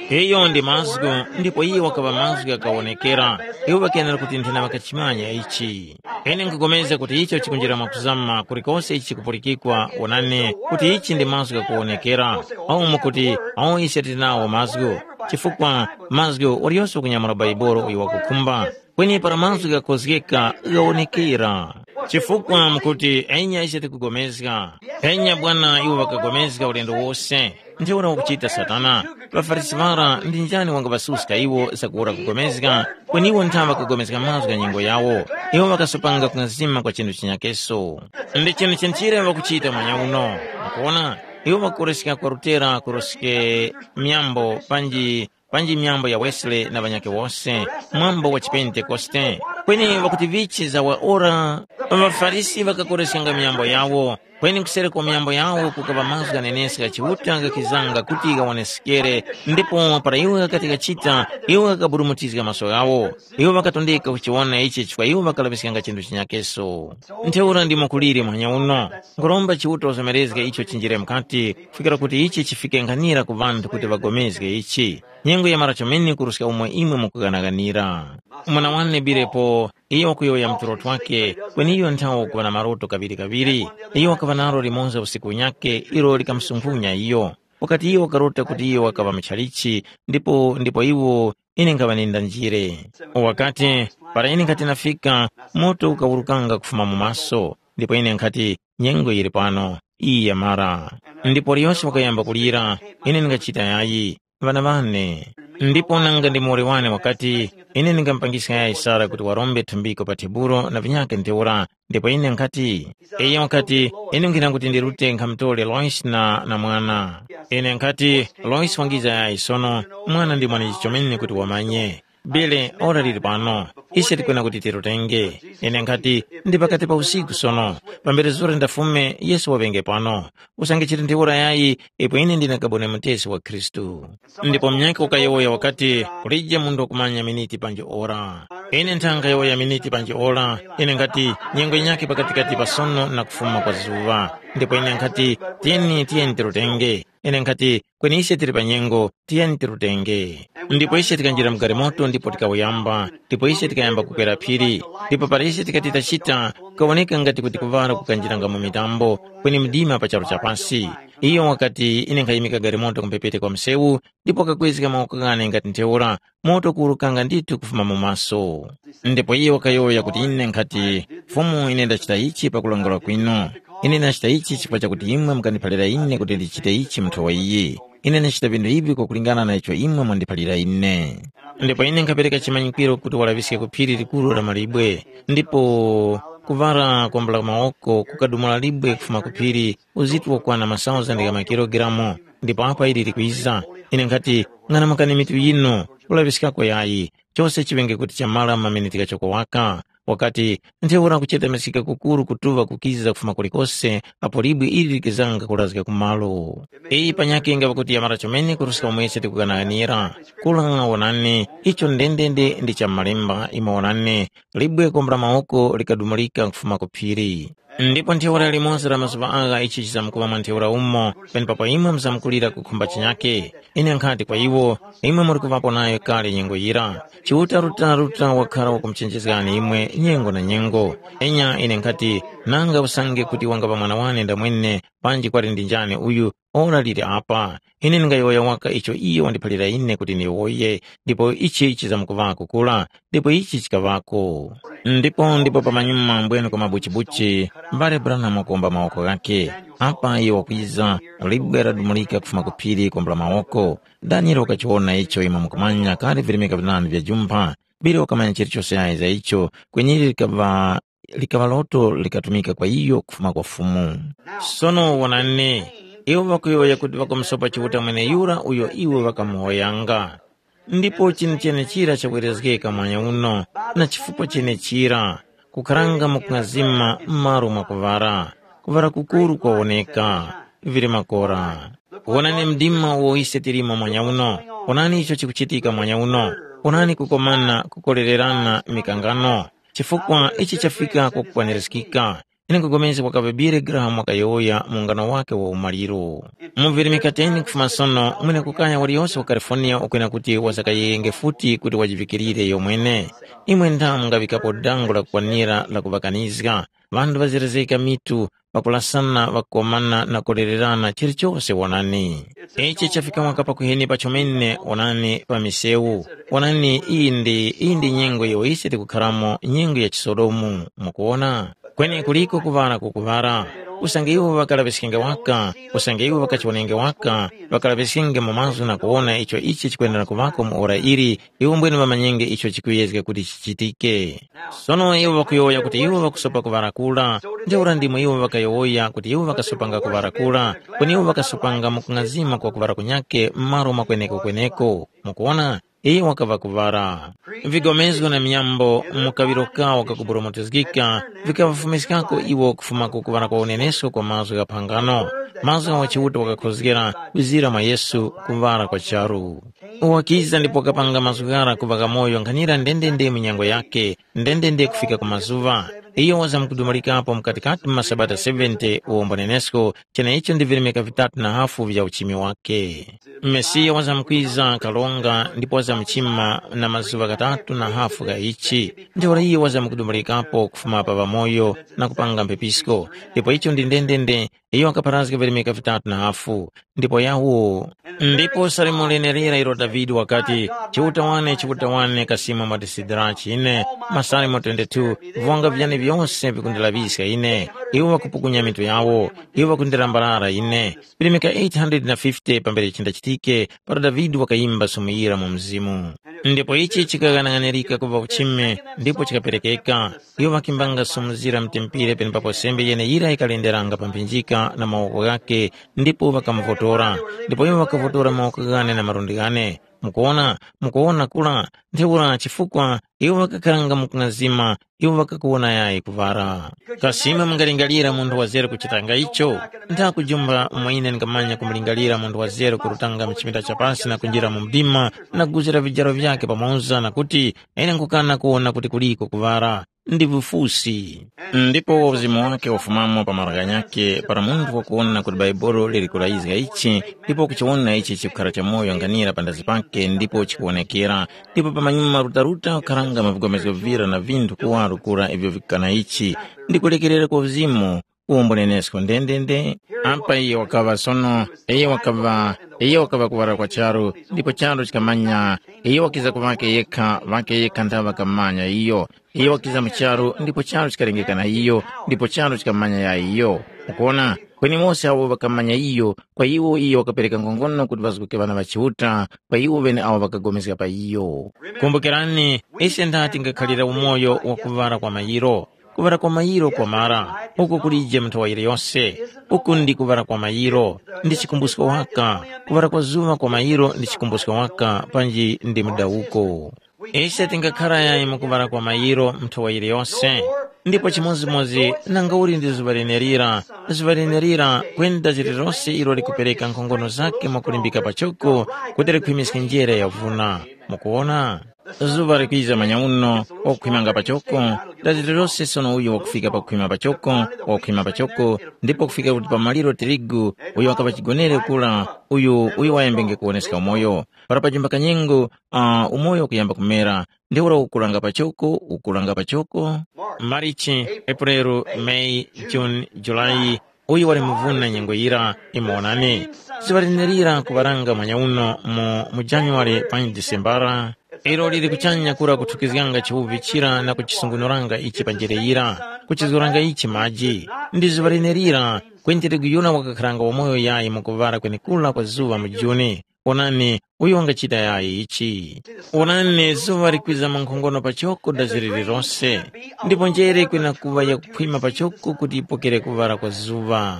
Iyo ndi mazgu, ndipo iye wakaŵa mazgu ghakawonekera. Iwo ŵakenera kuti nthena ŵakachimanya ichi. Ine nkupulikana kuti icho chikunjira mwakuzama kulikose ichi chikupulikikwa, wonani, kuti ichi ndi mazgu ghakuwonekera. Awu mukuti, awo ise tili nawo mazgu, chifukwa mazgu waliyose wakunyamula Baibuli uyo wakukhumba. Kweni para mazgu ghakozgeka ghawonekera. Chifukwa mukuti, enya ise tikugomezga. Enya bwana iwo ŵakagomezga ulendo wose. Ntheura wakuchita Satana. །ܦaFarisi ŵara ndi njani wangaŵasuska iwo zakuwura kugomezga? Kweni iwo ntha ŵakagomezga mazgu gha nyengo yawo. Iwo ŵakasopanga kung'azima kwa chinthu chinyakeso. Ndi chinthu chinchire ŵakuchita mwanya uno. Mukuwona? Iwo ŵakukoreska kwa Lutera kuroske myambo panji panji myambo ya Wesley na ŵanyakhe wose, mwambo wa chipentekoste. Kweni ŵakuti vichi za wa ora, ŵaFarisi ŵakakoreskanga myambo yawo, kweni kuseri kwa myambo yawo kukaŵa mazgu ghaneneska gha Chiuta ghakizanga kuti ghawoneskere, ndipo para iwo ghakati ghachita, iwo ghakaburumutizga maso ghawo. Iwo ŵakatondeka kuchiwona ichi chifukwa iwo ŵakalaŵiskanga chinthu chinyakeso. Ntheura ndimo kuliri mwanya uno, nkhuromba Chiuta uzomerezge icho chinjire mukati, kufikira kuti ichi chifike nkhanira ku ŵanthu kuti ŵagomezge ichi. Nyengo yamara chomene kuruska umo imwe mukughanaganira. Mwana wane Bilepo, iyo wakuyowoya mu tulo twakhe, kweni iyo nthawe wakuŵa na maroto kaŵirikaŵiri. Iyo wakaŵa nalo limonse usiku unyakhe, ilo likamusunkhunya iyo. wakati iyo wakarota kuti iyo wakaŵa muchalichi, ndipo ndipo iwo ine nkhaŵa nenda njire. Wakati, para ine nkhati nafika, moto ukawurukanga kufuma mu maso, ndipo ine nkhati, nyengo yili pano, iyi yamara. Ndipo liyose wakayamba kulira, ine ndingachita yayi, ŵana ŵane. Ndipo nanga ndi muwoli wane wakati, ine ndingamupangiska yayi Sara kuti warombe thumbiko pa tebulo na vinyakhe ntheura, ndipo ine nkhati, iyo wakati, ine nkhina kuti ndirute nkhamutore Lois na, na mwana. Ine nkhati, Lois wangiza yayi sono, mwana ndi mwanechi chomene kuti wamanye. Bile, ora liri pano, ise tikwena kuti tirutenge. Ine nkhati, ndi pakati pa usiku sono, pambere zura ndafume, Yesu waŵenge pano. Usange chili ndi ora yayi, ipo ine ndine kabone mutesi wa Khristu. Ndipo munyakhe wakayowoya wakati, kulije munthu wakumanya miniti panji ora. Ine nthanga yowoya miniti panji ora, ine nkhati, nyengo yinyakhe pakatikati pa sono na kufuma kwa zuŵa. Ndipo ine nkhati, tiyeni, tiyeni tirutenge. Ine nkhati, kweni ise tili pa nyengo, tiyeni tirutenge. Ndipo ise tikanjira mu galimoto ndipo tikawuyamba, ndipo ise tikayamba kukwera phiri. Ndipo para ise tikati tachita, kukawoneka ngati kuti kuŵala kukanjiranga mu mitambo, kweni mdima pa charu cha pasi. Iyo wakati, ine nkhayimika galimoto kumphepete kwa msewu, ndipo wakakwezga mawoko ghane ngati ntheura, moto kuwurukanga ndithu kufuma mu maso. Ndipo iye wakayowoya kuti ine nkhati, Fumu, ine ndachita ichi pakulongola kwinu. Ine ndachita ichi chifukwa chakuti imwe mukandiphalira ine kuti ndichite ichi mu nthowa iyi. Ine ndachita vinthu ivi kwakulingana na icho imwe mwandiphalira ine. Ndipo ine nkhapereka chimanyikwiro kuti walaŵiske ku phiri likuru la malibwe, ndipo kuvara kwambula mawoko kukadumula libwe kufuma ku phiri, uzitu wokwana masauzandi gha makilogalamu, ndipo apa ili likwiza. Ine nkhati, ng'anamukani mitu yinu, kulaŵiskako yayi, chose chiŵenge kuti chamara maminiti ghachoko waka. Wakati, ntheura kuchetamiskika kukuru kutuŵa kukiza kufuma kulikose apo libwe ili likizanga kulazga ku malo. Iyi panyakhe ngaŵa kuti yamara chomene kuruska umo ise tikughanaghanira. Kula wonani, icho ndendende ndi cha m'malemba, imo wonani, libwe kombora mawoko likadumulika kufuma ku phiri. Ndipo ntheura limoza la mazuŵa agha ichi chizamkuŵa mwa ntheura umo, penepapo imwe muzamkulira kukhumba chinyake. Ine nkhati kwa iwo, imwe muri kuŵapo nayo kale nyengo yira. Chiuta Ruta Ruta wakhara wakumuchenjezgani imwe nyengo na nyengo. Enya ine nkhati, nanga usange kuti wangaŵa mwana wane ndamwene, panji kwali ndi njani uyu ora liri apa? Ine ndingayowoya waka icho iyo wandiphalira ine kuti ndiyowoye, ndipo ichi chizamkuŵako kura, ndipo ichi chikaŵako. Ndipo ndipo pamanyuma mbwene kwa mabuchibuchi, mbale Branham wakomba mawoko ghakhe. Apa iyo wakwiza, libwe ladumulika kufuma ku phiri kombula mawoko. Daniele wakachiwona icho imwe mukumanya kale virimika vinandi vya jumpha, Bili wakamanya chilichose ayi za icho, kweni ili likaŵa likaŵa loto likatumika kwa iyo kufuma kwa Fumu. Sono wonani, iwo ŵakuyowoya kuti ŵakamusopa Chiuta mweneyura uyo iwo ŵakamuhoyanga. Ndipo chinthu chenechira chakwerezgeka mwanya uno, na chifukwa chenechira, kukharanga mukung'azima m'malo mwa kuŵala, kuŵala kukuru kwawoneka, vili makora. Wonani mdima uwo ise tilimo mwanya uno, wonani icho chikuchitika mwanya uno, wonani kukomana kukolererana mikangano, chifukwa ichi chafika kwakukwanirizgika. Ine nkupulikana kwakaŵa Billy Graham wakayowoya mu ungano wakhe wa umaliro. Muviri mikateni kufuma sono, mwene kukaya waliyose wa California ukwena kuti wazakayeyenge futi kuti wajivikirire yomwene. Imwe ntha mungaŵikapo dango lakukwanira la kuŵakanizga. Ŵanthu ŵazerezgeka mitu, ŵakulasana, ŵakukomana na kulererana chilichose wonani. Ichi chafika mwaka pakuheni pachomene wonani pa misewu. Wonani iyi ndi iyi ndi nyengo iyo ise tikukharamo nyengo ya chisodomu, mukuwona? Kweni kuliko kuŵala kukuŵala. Usange iwo ŵakalaŵiskenge waka, usange iwo ŵakachiwonenge waka, ŵakalaŵiskenge mu mazgu na kuwona icho ichi chikwendera kuŵako mu ora ili, iwo mbwene ŵamanyenge icho chikuyezga kuti chichitike. Sono iwo ŵakuyowoya kuti iwo ŵakusopa kuŵala kura, ntheura ndimo iwo ŵakayowoya kuti iwo ŵakasopanga kuŵala kura, kweni iwo ŵakasopanga mukung'azima kwa kuŵala kunyakhe m'malo mwa kweneko-kweneko. Mukuwona? Iwo wakaŵa kuŵala. Vigomezgo na minyambo mu kaŵiro kawo kakuburumutizgika vikaŵafumiskako iwo kufuma ku kuŵala kwa unenesko kwa mazgu gha phangano, mazgu agho Chiuta wakakhozgera kwizira mwa Yesu kuŵala kwa charu. Wakiza ndipo wakapanga mazgu ghara kuŵa ghamoyo nkhanira ndendende mu nyengo yakhe, ndendende kufika ku mazuŵa. Iyo wazamkudumulikapo mukatikati mu masabata seventy uwombo nenesko, cheneicho ndi virimika vitatu na hafu vya uchimi wakhe. Mesiya wazamkwiza kalonga ndipo wazamuchima na mazuŵa ghatatu na hafu gha ichi. Ntheura iyo wazamkudumulikapo kufuma pa ŵamoyo na kupanga mphepisko. Ndipo icho ndi ndendende Iyo wakapharazga virimika vitatu na hafu, ndipo yawo. Ndipo salimo lenerera ilo Davide wakati, Chiuta wane, Chiuta wane, kasima mwa tisidirachi ine, masalimo twenty-two, viwanga vyane vyose vikundilaŵiska ine, iwo ŵakupukunya mitu yawo, iwo ŵakundilambalala ine. Virimika eight hundred na fifty pambere chindachitike, para Davide wakayimba sumu yira mu mzimu. Ndipo ichi chikaghanaghanirika kuva uchime, ndipo chikaperekeka. Iwo ŵakimbanga sumu zira mtempere penepapo sembe yeneyira yikalenderanga pa mphinjika na mawoko ghakhe, ndipo ŵakamuvotora. Ndipo iwo ŵakavotora mawoko ghane na malundi ghane. Mukuwona, mukuwona kura, ntheura chifukwa iwo ŵakakharanga mu kung'azima, iwo ŵakakuwona yayi kuŵara. Kasima mungalingalira munthu wazere kuchitanga icho? Nthakujumba umo ine ndingamanya kumulingalira munthu wazere kurutanga mu chipinda cha pasi na kunjira mu mdima, na kuzira vijaro vyakhe pamoza na kuti, ine nkukana kuwona kuti kuliko kuŵara. Ndi vifusi. Ndipo uzimu wake ufumamo pa malo ghanyakhe para munthu wakuwona kuti Bhaibuli liri kulayizga ichi, ndipo kuchiwona ichi chikukhara chamoyo nganira pandazi pake ndipo chikuwonekera, ndipo pamanyuma rutaruta ukharanga mavigomezo vira na vinthu kuwaro kura ivyo vikana ichi, ndi kulekerera kwa uzimu, uwombonenesko ndendende. Apa iye wakaŵa sono, iye wakaŵa, iye wakaŵa kuwara kwa charu, ndipo charu chikamanya, iye wakiza ku ŵake yekha, ŵake yekha nthawe ŵakamanya iyo. Iyo wakiza mu charu, ndipo charu chikalengeka na iyo, ndipo charu chikamanya ya iyo. Mukuona, kweni wose awo ŵakamanya iyo, kwa iwo iyo wakapereka nkhongono kuti ŵazguke ŵana ŵa Chiuta, kwa iwo ŵene awo ŵakagomezga pa iyo. Kumbukirani, ise ndati ngakhalira umoyo wa kuŵala kwa mayiro. Kuŵala kwa mayiro kwamara, uko kulije muthawa yose. Uku ndi kuŵala kwa mayiro, ndi chikumbusko waka. Kuŵala kwa zuŵa kwa mayiro ndi chikumbusko waka, panji ndi mudawuko. Ise tingakhara yayi mu kuŵala kwa mayiro nthowa yiliyose, ndipo chimodzimodzi nanga uli ndi zuŵa lenerira, zuŵa lenerira kwenda zilirose ilo likupereka nkhongono zakhe mwakulimbika pachoko kuti likhwimiske njere yavuna. Mukuwona? Zuŵa likwiza manyauno, wakukhwimanga pachoko, da zilirose sono uyo wakufika pakukhwima pachoko, wakukhwima pachoko, ndipo kufika kuti pa maliro tirigu uyo wakaŵa chigonere kura, uyu uyo wayambenge kuwoneska umoyo. Para pajimba kanyengo, uh, umoyo ukuyamba kumera, ntheura ukuranga pachoko, ukuranga pachoko. Marichi, Epureru, Meyi, Juni, Julayi, uyu wali muvuna nyengo yira, imonani. Siŵalinirira kuŵaranga mwanya uno mu, mu Januwale panyi Disembara. Ilo lili kuchanya kura kuthukizganga chiwuvi chira na kuchisungunuranga ichi pa njere yira, kuchizgoranga ichi maji. Ndi zuŵa linerira, kweni tirigu yura wakakharanga wamoyo yayi mu kuŵala kwenekura kwa zuŵa mu Juni. Onani, uyo wangachita yayi ichi. Onani, zuŵa likwiza mankhongono pachoko da ziliri lose, ndipo njere kwina kuŵa yakukhwima pachoko kuti yipokere kuŵala kwa zuŵa.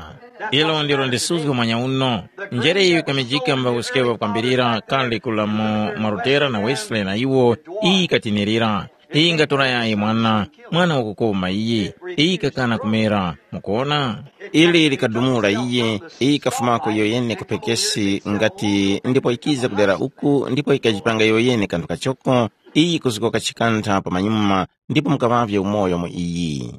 Ilo ndilo ndisuzgo mwanya uno. Njere iyo yikamijika mba uskepa kwambirira kale kula mu Marutera na Wesley na iwo, iyi yikatinirira. Iyi ingatora yayi mwana, mwana wakukoma iyi, iyi ikakana kumera, mukuona? Ili likadumula iye, iyi ikafumako iyo yene ku phekesi ngati ndipo ikiza kudera uku ndipo ikajipanga iyo yene kanthu kachoko, iyi ikuzgoka chikantha pamanyuma ndipo mukaŵavye umoyo mu iyi.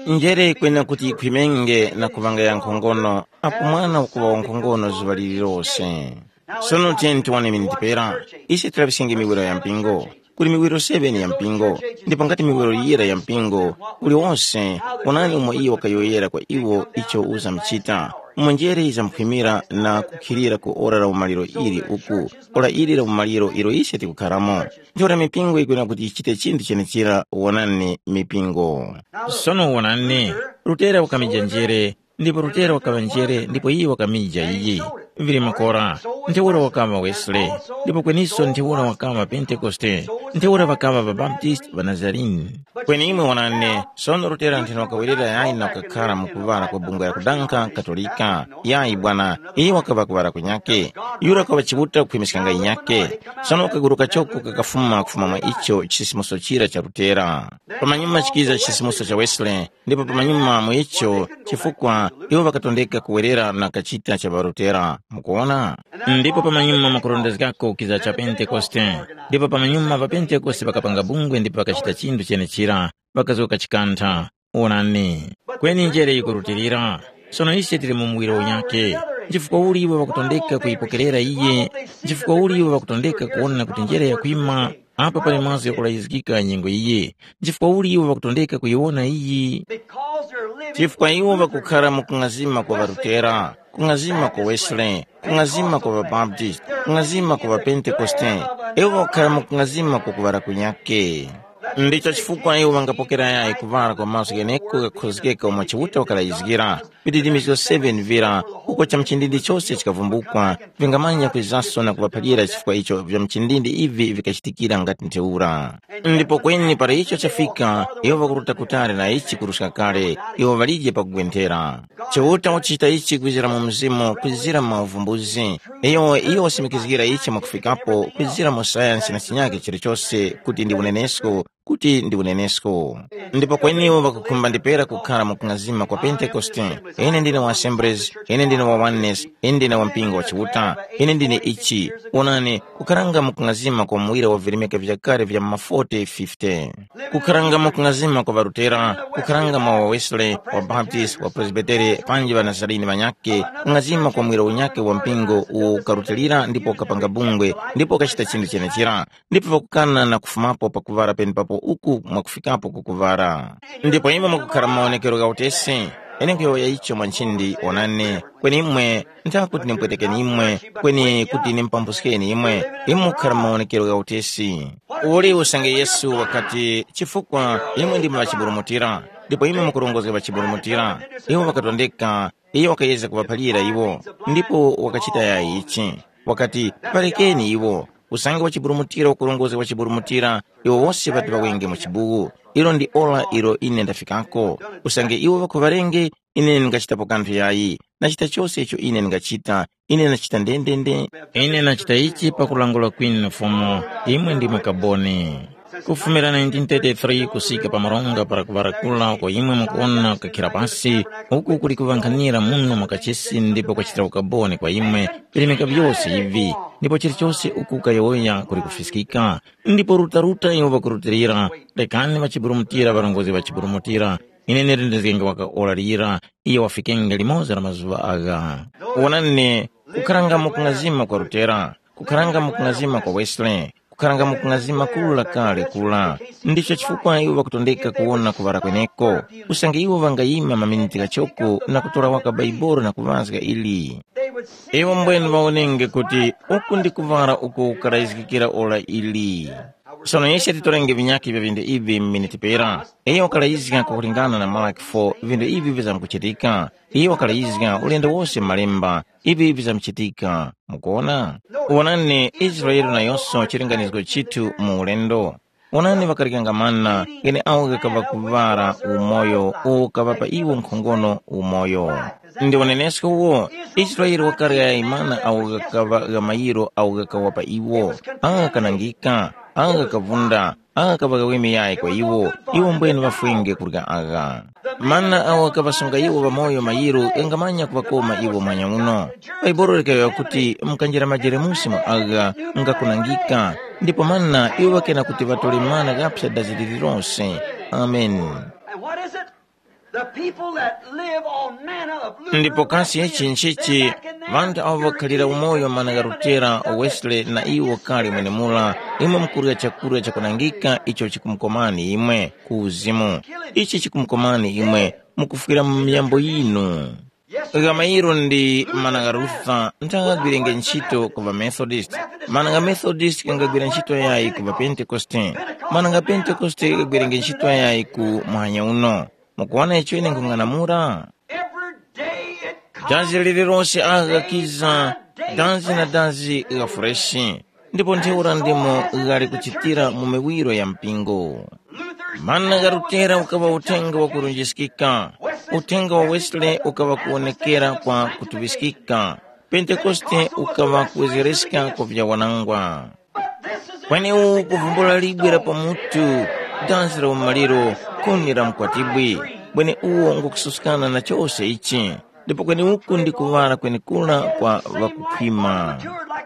Njere kwena kuti yikhwimenge na kuŵanga yankhongono, apo mwana ukuŵa wankhongono zuŵa lililose. Sono tiyeni tiwone miniti pera, ise tilaŵiskenge miwiro ya mpingo. Kuli miwiro seven ya mpingo, ndipo ngati miwiro yira ya mpingo, uliwonse, onani umo iyo wakayowoyera kwa iwo icho uzamuchita. Umo njere yizamkhwimira na kukhilira ku ora la umaliro ili uku, ora ili la umaliro ilo ise tikukharamo. Ntheura mipingo yikwena kuti yichite chinthu chenechera, wonani mipingo. Sono wonani, Lutera wakamija njere, ndipo Lutera wakaŵa njere ndipo iye wakamija iyi. Vili makora, ntheura wakaŵa Wesley, ndipo kweniso ntheura wakaŵa Pentekoste, ntheura ŵakaŵa ŵaBaptisti ŵa Nazarene. Kweni imwe wonani, sono Lutera ntheno wakawerera yayi na kukakhara mu kuŵala kwa bungwe la kudankha Katolika. Yayi bwana, iye wakaŵa kuŵala kunyakhe. Yura wakaŵa Chiuta kukhwimiskanga inyakhe. Sono wakaguruka choko kakafuma kufuma mwa icho chisisimuso chira cha Lutera. Pamanyuma chikiza chisisimuso cha Wesley, ndipo pamanyuma mu icho chifukwa iwo ŵakatondeka kuwerera na kachita cha ŵaRutera. Mukuwona? Ndipo pamanyuma mwakurondezgako kiza cha Pentekoste. Ndipo pamanyuma ŵaPentekoste ŵakapanga bungwe ndipo ŵakachita chinthu chenechira, ŵakazgoka chikantha. Wonani, kweni njere yikurutilira. Sono ise tili mu muwiro unyakhe. Nchifukwa uli iwo ŵakutondeka kuyipokerera iye? Nchifukwa uli iwo ŵakutondeka kuwona kuti njere yakwima? Apa pali mazgu ghakulayizgika nyengo iyi. Nchifukwa uli iwo ŵakutondeka kuyiwona iyi? Chifukwa iwo ŵakukhara mu kung'azima kwa ŵarutera, kung'azima kwa Wesley, kung'azima kwa ŵabaptist, kung'azima kwa ŵapentekoste. Iwo ŵakukhara mu kung'azima kwa kuŵala kunyake. Ndicho chifukwa iwo ŵangapokera yayi kuŵala kwa mazgu gheneko ghakukhozgeka umo Chiuta wakalayizgira. Vididimizgo seven vira, uko chamuchindindi chose chikavumbukwa, vingamanya kwizaso na kuŵaphalira chifukwa icho vya muchindindi ivi vikachitikira ngati ntheura. Ndipo kweni para icho chafika, iwo ŵakuruta kutali na ichi kuruska kale, iwo ŵalije pakugwenthera. Chiuta wakuchita ichi kwizira mu mzimu, kwizira mu uvumbuzi. Iyo, iyo wasimikizgira ichi mwakufikapo, kwizira mu sayansi na chinyake chilichose kuti ndi unenesko, kuti ndi unenesko. Ndipo kweni iwo ŵakukhumba ndipera kukhara mu kung'azima kwa Pentekoste. Ine ndine wa Assemblies, ine ndine wa Oneness, ine ndine wa mpingo wa Chiuta, ine ndine ichi. Onani, kukharanga mu kung'azima kwa muwira wa virimika vyakale vya ma forty fifty. Kukharanga mu kung'azima kwa ŵaRutera, kukharanga mwa wa Wesley, wa Baptist, wa Presbytere, panji ŵa Nazarene ŵanyakhe, kung'azima kwa muwira unyakhe wa mpingo uwo ukarutilira ndipo ukapanga bungwe, ndipo ukachita chinthu chenechera. Ndipo ŵakukana na kufumapo pakuŵala penepapo uku mwakufikapo ku kuŵala. Ndipo imwe mukukhara mu mawonekero gha utesi, ine nkhuyowoya icho mwa nchindi, wonani, kweni imwe ntha kuti nimpwetekeni imwe, kweni kuti nimpambuskeni imwe, imwe mukukhara mu mawonekero gha utesi. Uli usange Yesu wakati, chifukwa imwe ndimwe ŵachiburumutira, ndipo imwe mukurongozga ŵachiburumutira, iwo ŵakatondeka, iyo wakayezga kuŵaphalira iwo, ndipo wakachita yayi ichi. Wakati, parekeni iwo, usange wachiburumutira ukurongozga wachiburumutira, iwo wose ŵati ŵawenge mu chibuwu. Ilo ndi ora ilo ine ndafikako. Usange iwo ŵakhuŵarenge, ine ndingachitapo kanthu yayi. Nachita chose icho ine ndingachita, ine ndachita ndendende. Ine ndachita ichi pakulangula kwinu na Fumu, imwe ndimwe kaboni. Kufumira nineteen thirty-three kusika pa maronga para kuŵarakula uko imwe mukuwona kukakhira pasi, uku kuli kuŵankhanira muno mwa kachisi ndipo kwachitira ukaboni kwa imwe, virimika vyose ivi, ndipo chilichose uku kayowoya kuli kufiskika. Ndipo rutaruta iwo ŵakurutilira, rekani ŵachiburumutira ŵarongozge ŵachiburumutira, ine ndirendezgenge waka ora lira, iyo wafikenge limoza la mazuŵa agha. Wonani, kukharanga mu kung'azima kwa Rutera, kukharanga mu kung'azima kwa Wesley, kukharanga mu kung'azima kura kale kura. Ndicho chifukwa iwo ŵakutondeka kuwona kuŵala kweneko, usange iwo ŵangayima maminiti ghachoko na kutora waka Baibuli na kuŵazga ili. Iwo mbwene ŵawonenge kuti uku ndi kuŵala uko kukarayizgikira ora ili. Sono ise titorenge vinyakhe vya vindu ivi mu miniti pera. Iyo wakalayizga kwakulingana na Malaki four vindu ivi vizamkuchitika. Iyo wakalayizga ulendo wose mu Malemba, ivi vizamkuchitika. Mukuona? Wonani, Israele nayonso chilinganizgo chithu mu ulendo. Wonani, ŵakaryanga mana gheneagho ghakaŵa kuŵala umoyo uwo ukaŵapa iwo nkhongono umoyo. Ndi unenesko uwo, Israele wakarya mana agho ghakaŵa gha mayiro agho ghakawapa iwo, agha ghakanangika, agha ghakavunda, agha ghakaŵa ghaweme yayi kwa iwo, iwo mbwene ŵafwenge kurya agha. Mana agho ghakaŵasunga iwo ŵamoyo mayiro ghangamanya kuŵakoma iwo mwanya uno. Bhaibuli likayowoya kuti mukanjira majeremusi mwa agha ngakunangika, ndipo mana iwo ŵakena kuti ŵatore mana ghaphya dazi lililose. Amen. And what is it? The people that live on manna of Luther, ndipo kasi ichi nchichi? Ŵanthu awo ŵakhalira umoyo mana gha Lutera, Wesley na iwo kale mwenemura, imwe mukurya chakurya chakunangika icho chikumukomani imwe ku uzimu. Ichi chikumukomani imwe mukufwira mu miyambo yinu. Gha mayiro ndi mana gha Luther nthagagwirenge ntchito ku ŵaMethodist. Mana gha Methodist ghangagwira ntchito yayi ku ŵaPentekoste. Mana gha Pentekoste ghagwirenge ntchito yayi ku muhanya uno. Mukuwona icho ine nkhung'anamula? Every day it comes. Dazi lililose agha ghakiza, dazi na dazi gha freshi. Ndipo ntheura ndimo ghali kuchitira mu miwiro ya mpingo. Mana gha Lutera ukaŵa uthenga wakurunjiskika, uthenga wa Wesley ukaŵa kuwonekera kwa kutuŵiskika, Pentekoste ukaŵa kuwezereska kwa vyawanangwa. Kweni uwu kuvumbula libwe la pamutu, dansi la umaliro, khuni la mkwatibwi, kweni uwo ngukususkana na chose ichi. Ndipo kweni uku ndi kuŵala kwenekura kwa ŵakukhwima.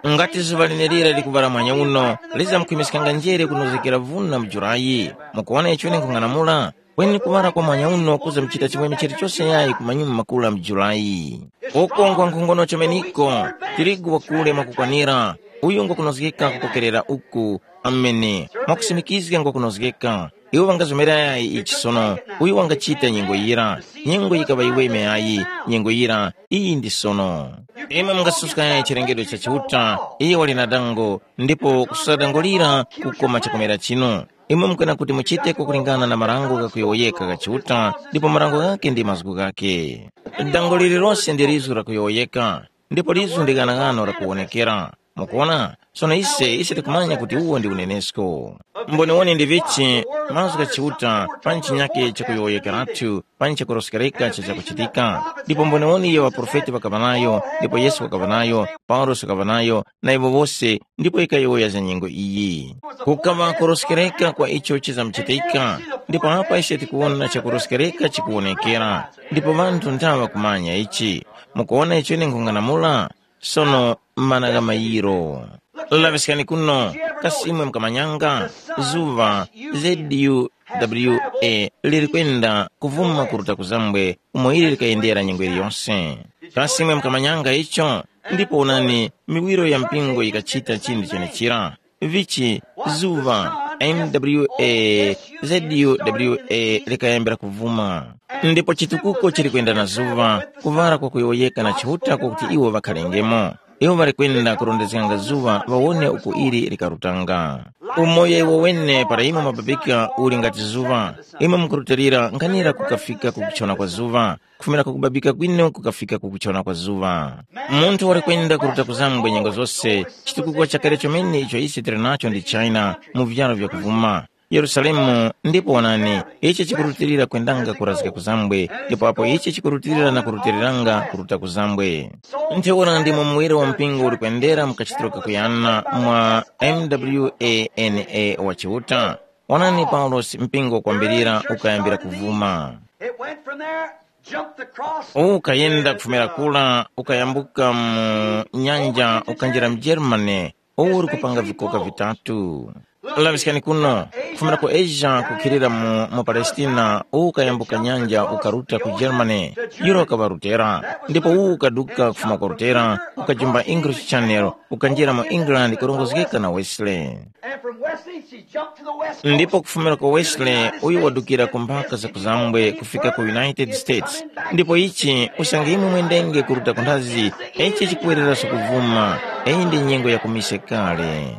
Ngati zuŵa lenerira likuŵala mwanya uno, lizamkhwimiskanga njere kunozgekera vuna mu Julayi. Mukuwona icho ine nkhung'anamula? Kweni kuŵala kwa mwanya uno kuzamuchita chimwemwe chilichose yayi ku manyuma makuru a mu Julayi. Uko ngwa nkhongono chemeniko, tirigu wakule mwakukwanira, Uyu ngwakunozgeka kupokerera uku. Amene. Mwakusimikizga ngwakunozgeka. Iwo ŵangazomerayi ichi sono. Uyu wangachita nyengo yira. Nyengo yikaŵa yiweme ayi. Nyengo yira iyi ndi sono. Imwe mungasuskayi chilengedwe cha Chiuta. Iye wali na dango. Ndipo kusada dango lira kukoma chakomera chinu. Imwe mukwena kuti muchiteko kulingana na marango ghakuyowoyeka gha Chiuta, ndipo marango ghake ndi mazgu ghake. Dango lililose ndi lizu lakuyowoyeka, ndipo lizu ndi ghanaghano lakuwonekera. Mukuona? Sono ise ise tikumanya kuti uwo ndi unenesko. Mboniwoni ndi vichi, mazgu gha Chiuta pa chinyake chakuyowoyekeratu, pa chakuroskereka cha chakuchitika. Ndipo mboniwoni iyo ŵaprofeti ŵakaŵa nayo, ndipo Yesu wakaŵa nayo, Paulosi wakaŵa nayo, na iwo wose, ndipo ikayowoya za nyengo iyi. Kukaŵa kuroskereka kwa icho chizamuchitika, ndipo apa ise tikuwona chakuroskereka chikuwonekera, ndipo ŵanthu nthawa kumanya ichi. Mukuwona icho ine nkhung'anamula? Sono mana gha mayiro. Laŵiskani kuno, kasi imwe mukamanyanga? Zuŵa, Z U W A, liri kwenda kuvuma kuruta kuzambwe umo ili likayendera nyengo iliyose. Kasi imwe mukamanyanga icho? Ndipo onani, miwiro ya mpingo yikachita chinthu chenechira. Vichi, zuŵa, M W A, Z U W A likayambira kuvuma. Ndipo chitukuko chili kwenda na zuŵa, kuŵala kwakuyowoyeka na Chiuta kwakuti iwo ŵakhalengemo. Iwo ŵali kwenda kurondezganga zuŵa ŵawone uko ili likarutanga. Umoyo iwo wene para imwe mababika uli ngati zuŵa, imwe mukurutilira nkhanira kukafika ku kuchona kwa zuŵa, kufumira ku kubabika kwinu kukafika ku kuchona kwa zuŵa. Munthu wali kwenda kuruta kuzambwe nyengo zose, chitukuko chakale chomene icho ise tili nacho ndi China mu vyaro vyakuvuma. Yerusalemu, ndipo onani, ichi chikurutilira kwendanga kurazika kuzambwe, ndipo apo ichi chikurutilira na kurutiliranga kuruta kuzambwe. Ntheura ndimo muwere wa mpingo uli kwendera mu kachitiro kakuyana mwa M W A N A wa Chiuta. Onani Paulosi mpingo wakwambirira ukayambira kuvuma. It went from there, jumped across. Ukayenda kufumira kula, ukayambuka mu nyanja, ukanjira mu Germany, uwu uri kupanga vikoka vitatu. Laŵiskani kuno, kufumira ku Asia kukhilira mu, mu Palestina, uwu ukayambuka nyanja ukaruta ku Germany, yura ukaŵa Rutera, ndipo uwu ukaduka kufuma ku Rutera, ukajumba English Channel, ukanjira mu England kurongozgeka na Wesley. And from Wesley, she jumped to the West Coast. Ndipo kufumira ku Wesley, uyu wadukira ku mphaka za kuzambwe kufika ku United States. Ndipo ichi usange imwe mwendenge kuruta ku nthazi, ichi chikuwereraso kuvuma, iyi ndi nyengo ya kumise kale.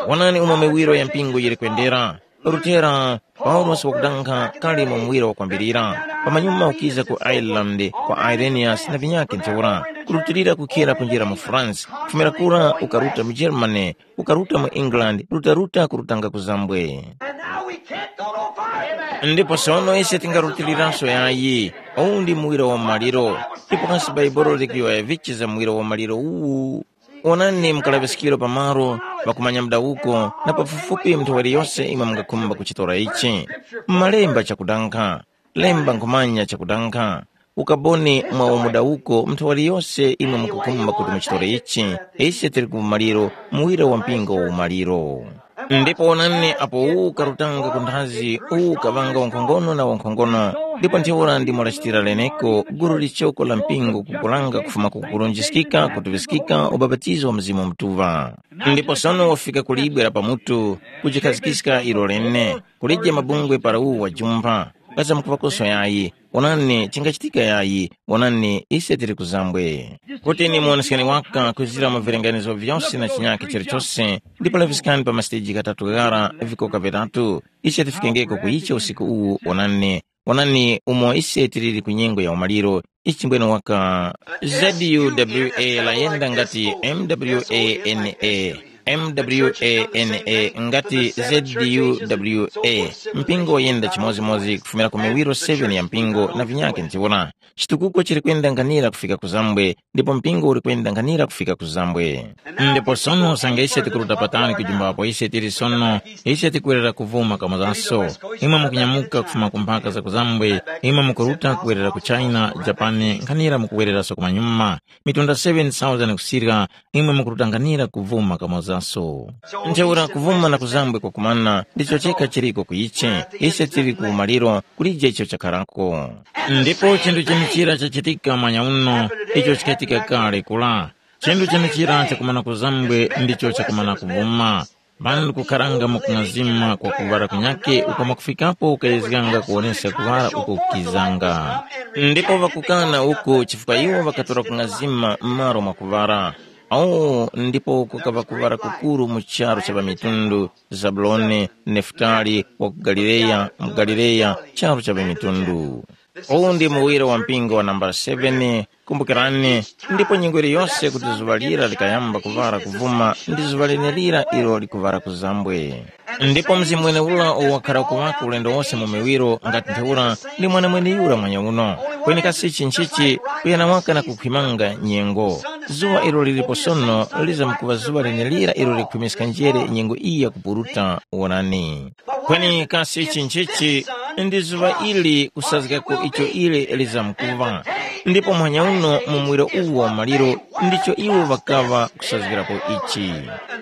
Wonani umo miwiro ya mpingo yiri kwendera. Lutera, Paulosi wakudankha kali mu muwiro wakwambirira. Pamanyuma ukiza ku Ireland kwa Irenaeus na vinyakhe ntheura, kurutilira kukhera kunjira mu France, kufumira kura ukaruta mu Germany, ukaruta mu England, rutaruta kurutanga kuzambwe. And now we can't go no farther. Ndipo sono ise tingarutiliranso yayi. Uwu ndi muwiro wa maliro. Ndipo kasi Baibolo likuyowoya vichi za muwiro wa maliro uwu? Onani mukalaŵiskiro pamalo pakumanya mudawuko, na pafupifupi munthu waliyose imwe mungakhumba kuchitora ichi. Mumalemba chakudankha, lemba nkhumanya chakudankha. Ukaboni mwa umudawuko munthu waliyose imwe mukukhumba kuti muchitore ichi, ise tili ku umaliro, muwiro wa mpingo wa umaliro. Ndipo onani apo uwu ukarutanga ku nthazi, uwu ukaŵanga wankhongono na wankhongono, ndipo ntheura ndimo lachitira leneko gulu lichoko la mpingo kukulanga kufuma ku kulunjiskika kutuŵiskika ubapatizo wa Mzimu Mutuŵa. Ndipo sono wafika ku libwe la pamutu, kujikhazgiska ilo lene, kulije mabungwe para uwu wajumpha, kaza mukuŵakoso yayi, onani chingachitika yayi, onani ise tili kuzambwe. Kuti ni muwoneskani waka kwizira mu vilenganizo vyose na chinyakhe chilichose, ndipo laŵiskani pa masiteji ghatatu ghara vikoka vitatu, ise tifikengeko ku icho usiku uwu, onani, onani umo ise tiliri ku nyengo ya umaliro, ichi mbwene waka Z U W A layenda ngati M W A N A, M W A N A ngati Z U W A, mpingo wayenda chimozimozi kufumira ku miwiro seven ya mpingo na vinyakhe ntheura. Chitukuko chili kwenda nkhanira kufika ku zambwe, ndipo mpingo uli kwenda nkhanira kufika ku zambwe. Ndipo sono usange ise tikuruta patali kujumbapo ise tili sono, ise tikwerera kuvuma kamozaso. Imwe mukunyamuka kufuma ku mphaka za ku zambwe, imwe mukuruta kuwerera ku China, Japani, nkhanira mukuwereraso kumanyuma. Mitunda seven thousand kusirika, imwe mukuruta nkhanira kuvuma kamozaso. Ntheura kuvuma na ku zambwe kwakumana, ndicho chekha chiriko ku ichi. Ise tili ku umaliro, kulije icho chakharako. Ndipo chinthu chenichira chachitika mwanya uno, icho chikachitika kale kula. Chinthu chenechira chakumana kuzambwe ndicho chakumana kuvuma. Vana ndikukharanga mu kung'azima kwa kuŵala kunyakhe uko mwakufikapo ukayezganga kuwoneska kuŵala uko kukizanga. Ndipo ŵakukana uko chifukwa iwo ŵakatora kung'azima m'malo mwa kuŵala. Awo ndipo kukaŵa kuŵala kukuru mu charu cha ŵamitundu, Zabuloni, Nefutali, wa ku Galileya, mu Galileya, charu cha ŵamitundu. Uwu ndi muwiro wa mpingo wa nambala seven. Kumbukirani, ndipo nyengo yiliyose kuti zuŵa lira likayamba kuŵala kuvuma ndi zuŵa lenelira ilo likuŵala kuzambwe. Ndipo mzimu wenewura uwo wakhara kuŵako ulendo wose mu miwiro ngati ntheura ndi mwenemwene yura mwanyauno. Kweni kasi ichi nchichi kuyana waka na kukhwimanga nyengo. Zuŵa ilo lilipo sono lizamkuŵa zuŵa lenelira ilo likhwimiska njere nyengo iyi yakupuruta. Wonani. Kweni kasi ichi nchichi ndi zuŵa ili kusazgako icho ili lizamkuŵa. Ndipo muhanya uno mu muwiro uwu wa maliro ndicho iwo ŵakaŵa kusazgirapo ichi.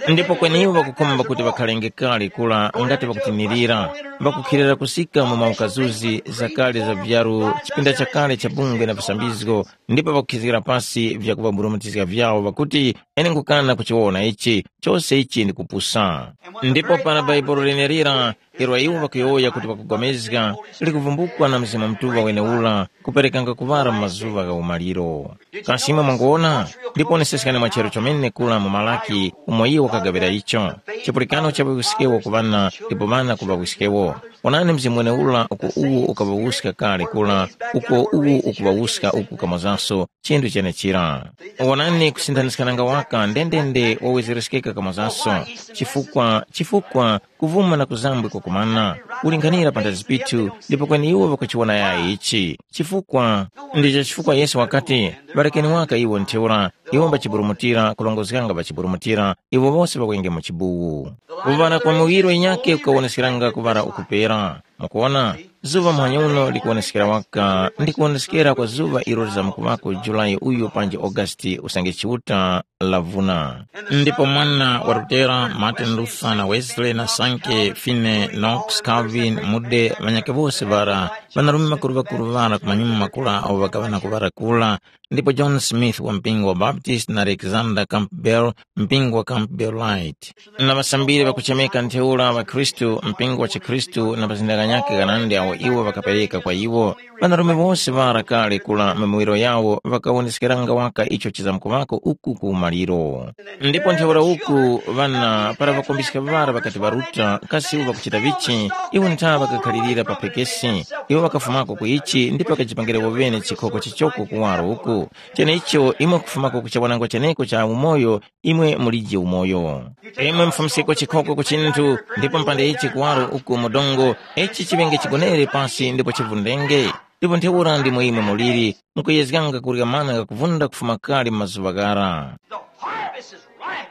Ndipo kweni iwo ŵakukhumba kuti ŵakhalenge kale kula ngati ŵakutinirira, ŵakukhilira kusika mu maukazuzi zakale za vyaru chipinda chakale cha bungwe na visambizgo, ndipo ŵakukhizgira pasi vyakuŵaburumutizga vyawo ŵakuti, ene nkukana kuchiwona ichi, chose ichi ndi kupusa. Ndipo para Bhaibuli lenelira, ilo iwo ŵakuyowoya kuti ŵakupulikana, likuvumbukwa na Mzimu Mutuŵa wenewura kuperekanga kuŵala mu mazuŵa gha umaliro. Kasi imwe mwanguwona? Ndiponeseskani mwa charu chomene kula mu Malaki umo iwo wakagaŵira icho. Chipulikano cha ŵawisikewo ku ŵana ndipo ŵana ku ŵawisikewo. Onani mzimu wenewura uko uwo ukaŵawuska kale kula, uko uwo ukuŵawuska uku kamozanso chinthu chenechira. Wonani kusinthaniskananga waka ndendende wawezereskeka kamozanso. Chifukwa, chifukwa kuvuma na kuzambwe kwakumana, kulinghanira panthazi pithu, ndipo kweni iwo ŵakuchiwona yayi ichi. Chifukwa, ndicho chifukwa Yesu wakati, ŵarekeni waka iwo ntheura, iwo mbachiburumutira, kulongozganga ŵachiburumutira, iwo wose ŵakwenge mu chibuwu. Kuŵala kwa muwiro yinyakhe kukawoneskeranga kuŵala ukupera. Mukuwona, zuŵa muhanya uno likuwoneskera waka ndi kuwoneskera kwa zuŵa ilo lizamkuŵako Julayi uyu panji Augusiti usange Chiuta lavuna. Ndipo mwana wa Lutera, Martin Luther na Wesley na Sankey, Finney, Knox, Calvin, Moody, ŵanyakhe wose ŵara, ŵanarume ŵakuru ŵakuru ŵara ku manyuma makuru awo ŵakaŵa na kuŵara kura, ndipo John Smith wa mpingo wa Baptist na Alexander Campbell, mpingo wa Campbellite. Na ŵasambiri ŵakuchemeka ntheura ŵakhristu, mpingo wa chikhristu na mazinda ghanyakhe ghanandi awo iwo ŵakapereka kwa iwo. Ŵanarume wose ŵara kale kula mu miwiro yawo ŵakawoneskeranga waka icho chizamkuŵako uku ku umaliro. Ndipo ntheura uku ŵana para ŵakombiska ŵara ŵakati ŵaruta, kasi iwo ŵakuchita vichi? Iwo ntha ŵakakhalirira pa phekesi. Iwo ŵakafumako ku ichi ndipo ŵakajipangira iwo ŵene chikhoko chichoko kuwaro uku. Cheneicho imwe kufumako ku chawanangwa cheneko cha umoyo, imwe mulije umoyo. Imwe mufumiskeko chikhoko ku chinthu, ndipo mpande ichi kuwaro uku mu dongo, ichi chiŵenge chigonere pasi ndipo chivundenge. Ndipo ntheura ndimo imwe muliri, mukuyezganga kurya mana ghakuvunda kufuma kale mu mazuŵa ghara.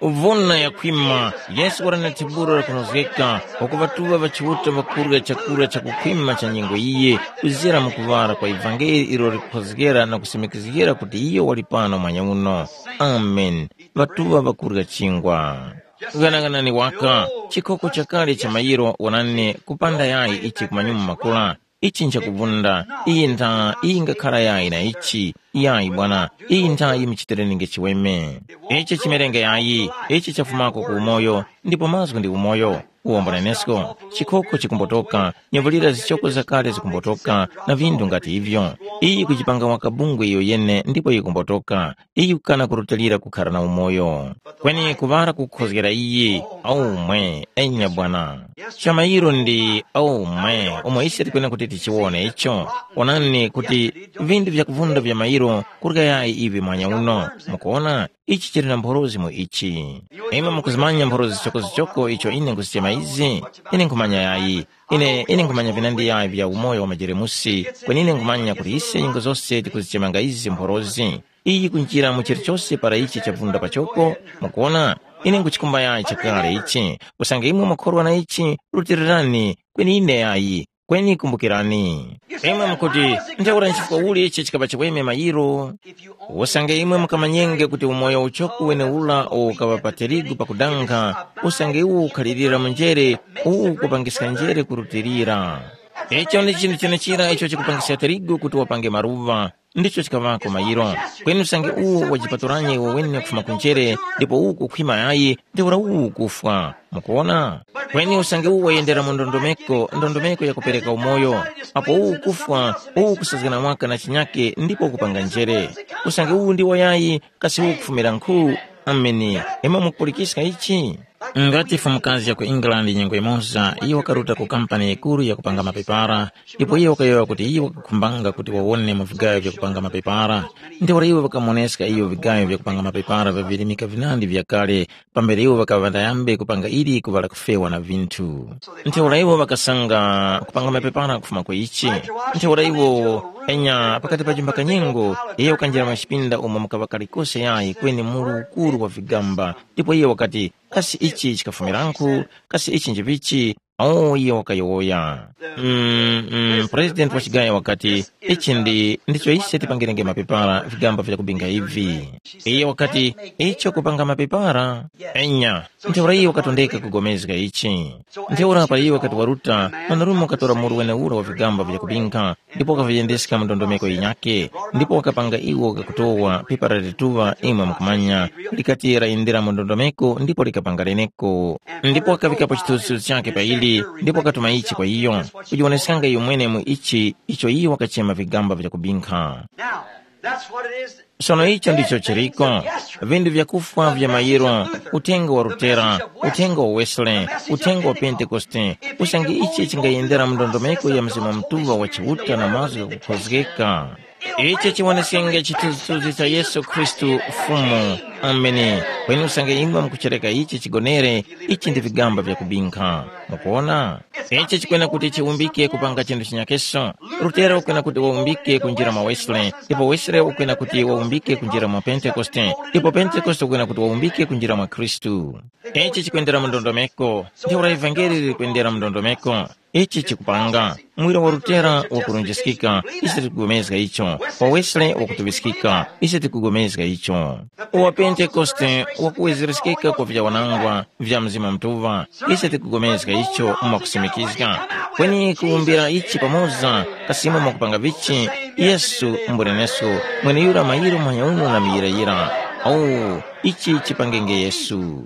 Uvuna yakhwima, Yesu wali na thiburo lakunozgeka, wakuŵatuŵa ŵachiuta ŵakurya chakurya chakukhwima cha nyengo yiye, kuzira mu kuŵala kwa ivangeli ilo likukhozgera na kusimikizgira kuti iyo wali pano mwanya uno. Amen. Ŵatuŵa ŵakurya chingwa. Ghanaghanani waka, chikhoko chakale cha mayiro wonani kupanda yayi ichi kumanyuma makula. Ichi nchakuvunda, iyi ntha iyi ngakhara yayi na ichi, yayi bwana, iyi ntha yimuchitireninge chiweme. Ichi chimerenge yayi, ichi chafumako ku umoyo, ndipo mazgu ndi umoyo. Uwombo nenesko, chikhoko chikumbotoka, nyevulira zichoko zakale zikumbotoka, na vinthu ngati ivyo. Iyi kujipanga waka bungwe iyo yene ndipo yikumbotoka. Iyi kukana kurutilira kukhara na umoyo. Kweni kuŵala kukhozgera iyi, aumwe, enya bwana. Chamayiro ndi aumwe, umo ise tikwena kuti tichiwone icho. Onani kuti vinthu vyakuvunda vya mayiro kurya yayi ivi mwanya uno. Mukuona, ichi chili na mphorozi mu ichi. Imwe mukuzimanya mphorozi zichokozichoko icho ine nkuzichema izi? Ine nkhumanya yayi. Ine, ine nkhumanya vinandi yayi vya umoyo wa majeremusi, kweni ine nkhumanya kuti ise nyengo zose tikuzichemanga izi mphorozi. Iyi kunjira mu chilichose para ichi chavunda pachoko, mukuona, ine nkuchikumba yayi chakale ichi, usange imwe mwakhorwa na ichi, rutirirani, kweni ine yayi, kweni kumbukirani. Imwe mukuti, ntheura nchifukwa uli ichi chikapa chiweme mayiro? Usange imwe mukamanyenge kuti umoyo uchoko wenewura uwo ukaŵa pa tirigu pakudanga, usange iwo ukhalirira mu njere, uwu ukupangiska njere kurutilira. Icho ndi chinthu chenechira icho chikupangiska tirigu kuti wapange maluŵa, ndicho chikaŵako mayiro. Kweni usange uwo wajipatulanye iwe wene kufuma ku njere, ndipo uwu kukhwima yayi, ntheura uwu ukufwa. Mukuwona? Kweni usange uwo wayendera mu ndondomeko, ndondomeko yakupereka umoyo, apo uwu ukufwa, uwu ukusazgana waka na chinyake ndipo ukupanga njere. Usange uwu ndiwo yayi, kasi uwu ukufumira nkhu? Ameni. Imwe mukupulikiska ichi? Ngati fumukazi ya ku England nyengo imoza, iyo wakaruta ku kampani yikuru yakupanga mapepara, ndipo iyo wakayowoya kuti iyo wakakhumbanga kuti wawone mu vigayo vyakupanga mapepara. Ntheura iwo ŵakamuwoneska iyo vigayo vyakupanga mapepara vyavirimika vinandi vyakale, pambere iwo ŵakaŵa ŵayambe kupanga ili kuŵala kufewa na vinthu. Ntheura iwo ŵakasanga kupanga mapepara kufuma kwa ichi. Ntheura iwo enya pakati pa chimbakanyengo, iyo wakanjira mwa chipinda umo mukaŵa kalikose yayi kweni muru ukuru wa vigamba, ndipo iyo wakati, kasi ichi chikafumiranku? Kasi ichi njivichi? Awo iye wakayowoya. Mm, mm, President wa chigayo wakati, ichi ndi ndicho ise tipangirenge mapepara vigamba vyakubinga ivi. Iye wakati, icho kupanga mapepara? Enya. Ntheura iye wakatondeka kugomezga ichi. Ntheura para iye wakati waruta, mwanarume wakatora muru wenewura wa vigamba vyakubinga, ndipo wakaviyendeska mu ndondomeko yinyakhe, ndipo wakapanga iwo kakutowa pepara lituŵa imwe mukumanya, likati layendera mu ndondomeko ndipo likapanga leneko. Ndipo wakaŵikapo chithunzithunzi chakhe pa ili, ndipo wakatuma ichi kwa iyo, kujiwoneskanga iyo mwene mu ichi icho iyo wakachema vigamba vyakubinkha. Now, that's what it is. Sono icho ndicho chiriko, vinthu vyakufwa vya mayiro, uthenga wa Lutera, uthenga wa Wesley, uthenga wa Pentekoste, usange ichi chingayendera mu ndondomeko ya Mzimu Mutuŵa wa Chiuta na mazgu ghakukhozgeka. Ichi chiwonesenga chithunzithunzi cha Yesu Khristu Fumu. Ameni. Kweni usange imwe mukuchereka ichi chigonere, ichi ndi vigamba vyakubinkha. Mukuwona? Ichi chikwena kuti chiwumbike kupanga chinthu chinyakeso. Lutera ukwena kuti wawumbike kunjira mwa Wesley, ndipo Wesley ukwena kuti wawumbike kunjira mwa Pentekoste, ndipo Pentekoste ukwena kuti wawumbike kunjira mwa Khristu. Ichi chikwendera mu ndondomeko, ntheura ivangeli liri kwendera mu ndondomeko. Ichi chikupanga, muwiro wa Lutera wakurunjiskika, ise tikugomezga icho, wa Wesley wakutuŵiskika, ise tikugomezga icho. Uwa Pentekoste wakuwezereskeka kwa vyawanangwa vya Mzimu Mutuŵa, ise tikugomezga icho mwakusimikizga. Kweni kuwumbira ichi pamoza, kasimo mwakupanga vichi, Yesu mbuleneso, mweneyura mayiro manyauno na miyirayira. Awu, ichi chipangenge Yesu.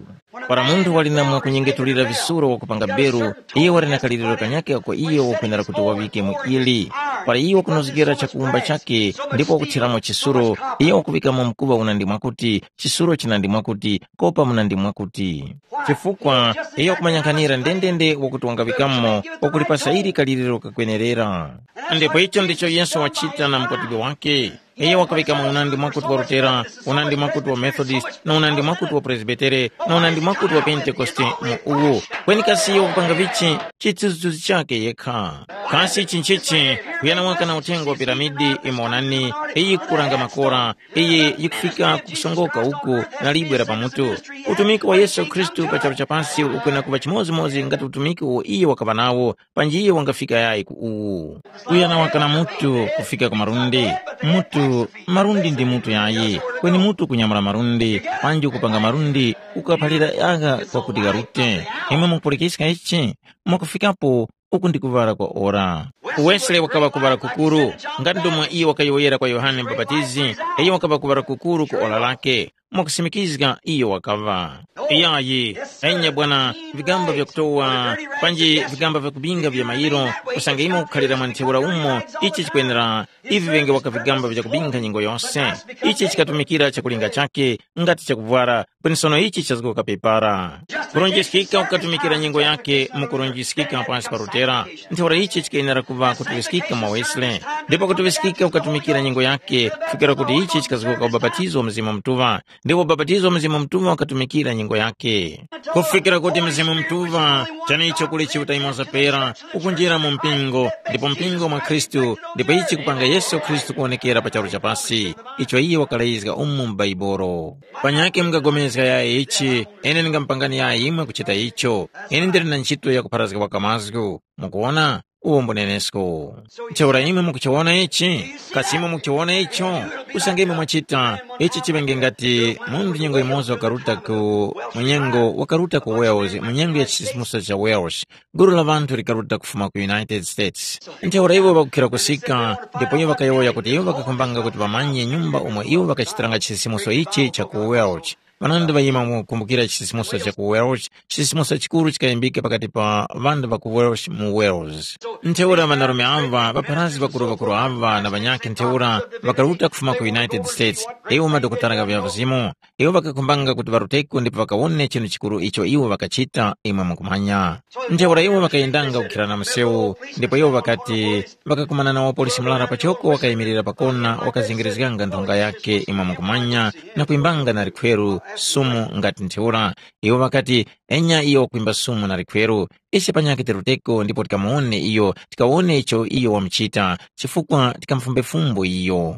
Para munthu wali na mwakunyengetulira visuro wakupanga beru, iyo wali na kaliriro kanyakhe ako iyo wakwenera kuti waŵike mu ili. Para iyo wakunozgera chakuwumba chakhe ndipo wakuthiramo chisuro, iyo wakuŵikamo mkuŵa unandi mwakuti, chisuro chinandi mwakuti, kopa munandi mwakuti. Chifukwa iyo wakumanyang'anira ndendende wakuti wangaŵikamo, wakulipasa ili kaliriro kakwenerera. Ndipo icho ndicho Yesu wachita na mkwatibwi wake. Iye wakaŵikamo unandi mwakuti wa Lutera, unandi mwakuti wa Methodist, na unandi mwakuti wa Presbitere, na unandi mwakuti wa Pentekoste mu uwu. Kweni kasi iyo wakupanga vichi? Chithunzithunzi chakhe yekha. Kasi ichi nchichi? Kuyana waka na uthenga wa piramidi, imwe wonani, iyi kukuranga makora, iyi yikufika ku kusongoka uku na libwe la pamutu. Utumiki wa Yesu Khristu pa charu cha pasi ukwena kuŵa chimodzimodzi ngati utumiki uwo iye wakaŵa nawo, panji iye wangafika yayi ku uwu. Uyo anawaka na mutu kufika ku malundi. Mutu, malundi ndi mutu yayi, kweni mutu kunyamula malundi, panji ukupanga malundi ukaphalira agha kwakuti gharute. Imwe mukupulikiska ichi? Mwakufikapo uku ndi kuŵala kwa ora. Wesley wakaŵa kuŵala kukuru, ngati ndomwe iyo wakayowoyera kwa Yohane Mubapatizi, iyo wakaŵa kuŵala kukuru ku ora lake. Mwakusimikizga iyo wakaŵa. Iyayi, enya bwana, vigamba vyakutowa, panji vigamba vyakubinga vya mayiro, usange imwe kukhalira mwa ntheura umo, ichi chikwenera, ivi ŵenge waka vigamba vyakubinga nyengo yose. Ichi chikatumikira chakulinga chake, ngati chakuvwara, kweni sono ichi chazgoka pepara. Kurunjiskika kukatumikira nyengo yake mu kurunjiskika pasi pa Lutera, ntheura ichi chikwenera kuŵa kutuŵiskika mwa Wesley. Ndipo kutuŵiskika kukatumikira nyengo yake, kufikira kuti ichi chikazgoka ubapatizo wa Mzimu Mutuŵa, ndipo ubapatizo wa Mzimu Mutuŵa wakatumikira nyengo yake. Kufikira kuti Mzimu Mutuŵa, chanicho kuli Chiuta yumoza pera, ukunjira mu mpingo, ndipo mpingo mwa Khristu, ndipo ichi kupanga Yesu Khristu kuwonekera pa charu cha pasi, icho iye wakalazga umu mu Baibolo. Panyakhe mungapulikana yayi ichi, ine ndingamupangani yayi imwe kuchita icho. Ine ndili na ntchito yakupharazga waka mazgu. Mukuwona? uwo mbunenesko. Ntheura imwe mukuchiwona ichi? Kasi imwe mukuchiwona icho? Usange imwe mwachita, ichi chiŵenge ngati munthu nyengo yimoza wakaruta ku munyengo wakaruta ku Wales, munyengo ya chisisimuso cha Wales. Gulu la ŵanthu likaruta kufuma ku United States. Ntheura iwo ŵakukhira kusika, ndipo iwo ŵakayowoya kuti iwo ŵakakhumbanga kuti ŵamanye nyumba umo iwo ŵakachitiranga chisisimuso ichi cha ku Wales. Ŵanandi ŵayima mu kukumbukira chisisimuso cha ku Wales, chisisimuso chikuru chikayimbika pakati pa ŵanthu ŵa ku Wales mu Wales. Ntheura ŵanarume ava, ŵapharazgi ŵakuru-ŵakuru ava na ŵanyakhe ntheura ŵakaruta kufuma ku United States, iwo madokotala gha vyavizimu, iwo ŵakakhumbanga kuti ŵaruteko ndipo ŵakawone chinthu chikuru icho iwo ŵakachita imwe mukumanya. Ntheura iwo ŵakayendanga kukhira na msewu, ndipo iwo ŵakati ŵakakumana na wapolisi murara pachoko wakayimirira pakona wakazingirizganga nthonga yakhe imwe mukumanya na kwimbanga na likhweru sumu ngati ntheura. Iwo ŵakati, enya iyo wakwimba sumu na likhweru, ise panyakhe tiruteko ndipo tikamuwone iyo, tikawone icho iyo wamuchita, chifukwa tikamufumbe fumbo iyo.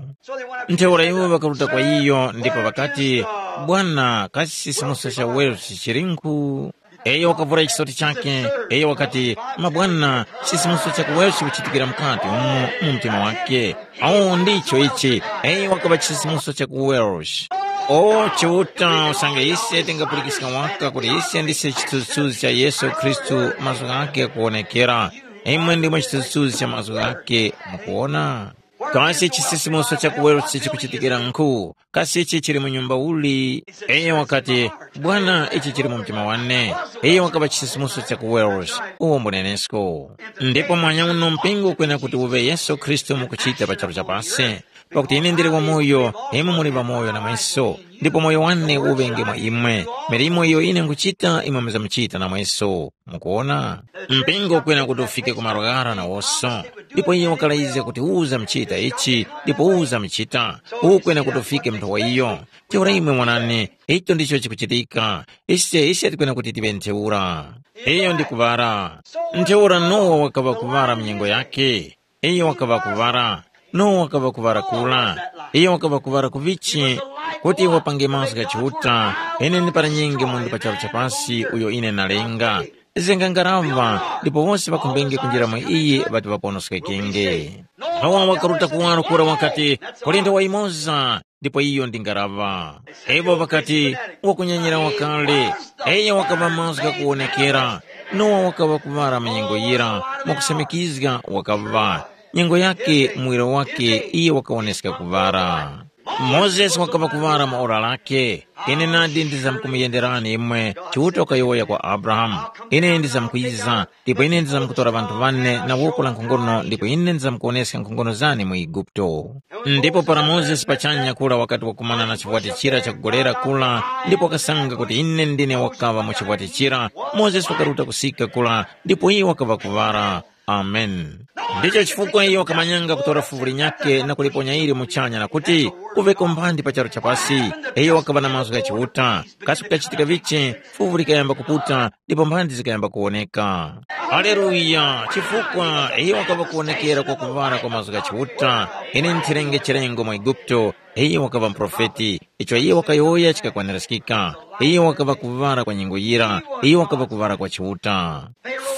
Ntheura iwo ŵakaruta kwa iyo ndipo ŵakati, bwana, kasi chisisimuso cha Wales chilinkhu? Iyo wakavura chisoti chakhe, iyo wakati, mabwana, chisisimuso cha ku Wales chikuchitikira mukati umo mu mtima wake. Awo ndicho ichi, iyo wakaŵa chisisimuso cha ku Wales. O Chiuta, usange ise tingapulikiska waka kuti ise ndise chithunzithunzi cha Yesu Khristu mazgu ghake ghakuwonekera, imwe ndimwe chithunzithunzi cha mazgu ghake, mukuwona? Kasi chisisimuso cha ku Wales chikuchitikira nkhu? Kasi ichi chili mu nyumba uli? Iyo wakati, bwana, ichi chili mu mtima wane. Iyo wakaŵa chisisimuso cha ku Wales, uwo mbunenesko. Ndipo mwanya uno mpingo ukwena kuti uŵe Yesu Khristu mukuchita pa charu chapasi. Pakuti ine ndili wamoyo, imwe muli ŵamoyo namweso, ndipo moyo wane uŵenge mwa imwe. Milimo iyo ine nkuchita imwe muzamuchita namweso. Mukuona? Mpingo ukwena kuti ufike ku malo ghara nawoso. Ndipo iye wakalayizga kuti uza muchita ichi, ndipo uza muchita. Ukwena kuti ufike munthu wa iyo. Ntheura imwe mwanani, icho ndicho chikuchitika. Ise, ise tikwena kuti tiŵe ntheura. Iyo ndi kuŵara. Ntheura Nowa wakaŵa kuŵara mu nyengo yakhe. Iyo wakaŵa kuŵara. Nowa wakaŵa kuŵara kura. Iyo wakaŵa kuŵara ku vichi, kuti wapange mazgu gha Chiuta, ine ndi para nyingi munthu pa charu cha pasi uyo ine nalenga. Zenga ngaraŵa, ndipo wose ŵakhumbenge kunjira mwa iyi ŵati ŵaponoskekenge. Nowa wakaruta kuwaro kura wakati, kulinde wa imoza, ndipo iyo ndi ngaraŵa. Iwo ŵakati, wakunyanyira wakale. Iyo wakaŵa mazgu ghakuwonekera. Nowa wakaŵa kuŵara mu nyengo yira, mwakusamikizga wakaŵa. Nyengo yake, muwiro wake, iye wakawoneska kuŵara. Mozesi wakaŵa kuŵara mu ora lakhe. Ine nadi ndizamkumuyenderani imwe, Chiuta wakayowoya kwa Abrahamu. Ine ndizamkwiza, ndipo ine ndizamkutora ŵanthu ŵane na woko la nkhongono, ndipo ine ndizamkuwoneska nkhongono zane mu Eguputo. Ndipo para Mozesi pachanya kura wakati wakumana na chiwati chira chakugolera kura, ndipo wakasanga kuti ine ndine wakaŵa mu chiwati chira, Mozesi wakaruta kusika kura, ndipo iyo wakaŵa kuŵara. Amen. Ndicho chifukwa iyo wakamanyanga kutora fuvu linyakhe na kuliponya ili muchanya na kuti, kuveko mphandi pa charu chapasi. Iyo wakaŵa na mazgu gha Chiuta. Kasi kukachitika vichi? Fuvu likayamba kuputa, ndipo mphandi zikayamba kuwoneka. Haleluya! Chifukwa iyo wakaŵa kuwonekera kwa kuŵala kwa mazgu gha Chiuta. Ine nthirenge chilengo mu Eguputo. Iyo wakaŵa muprofeti. Icho iyo wakayowoya chikakwanirizgika. Iyo wakaŵa kuŵala kwa nyengo yira. Iyo wakaŵa kuŵala kwa Chiuta.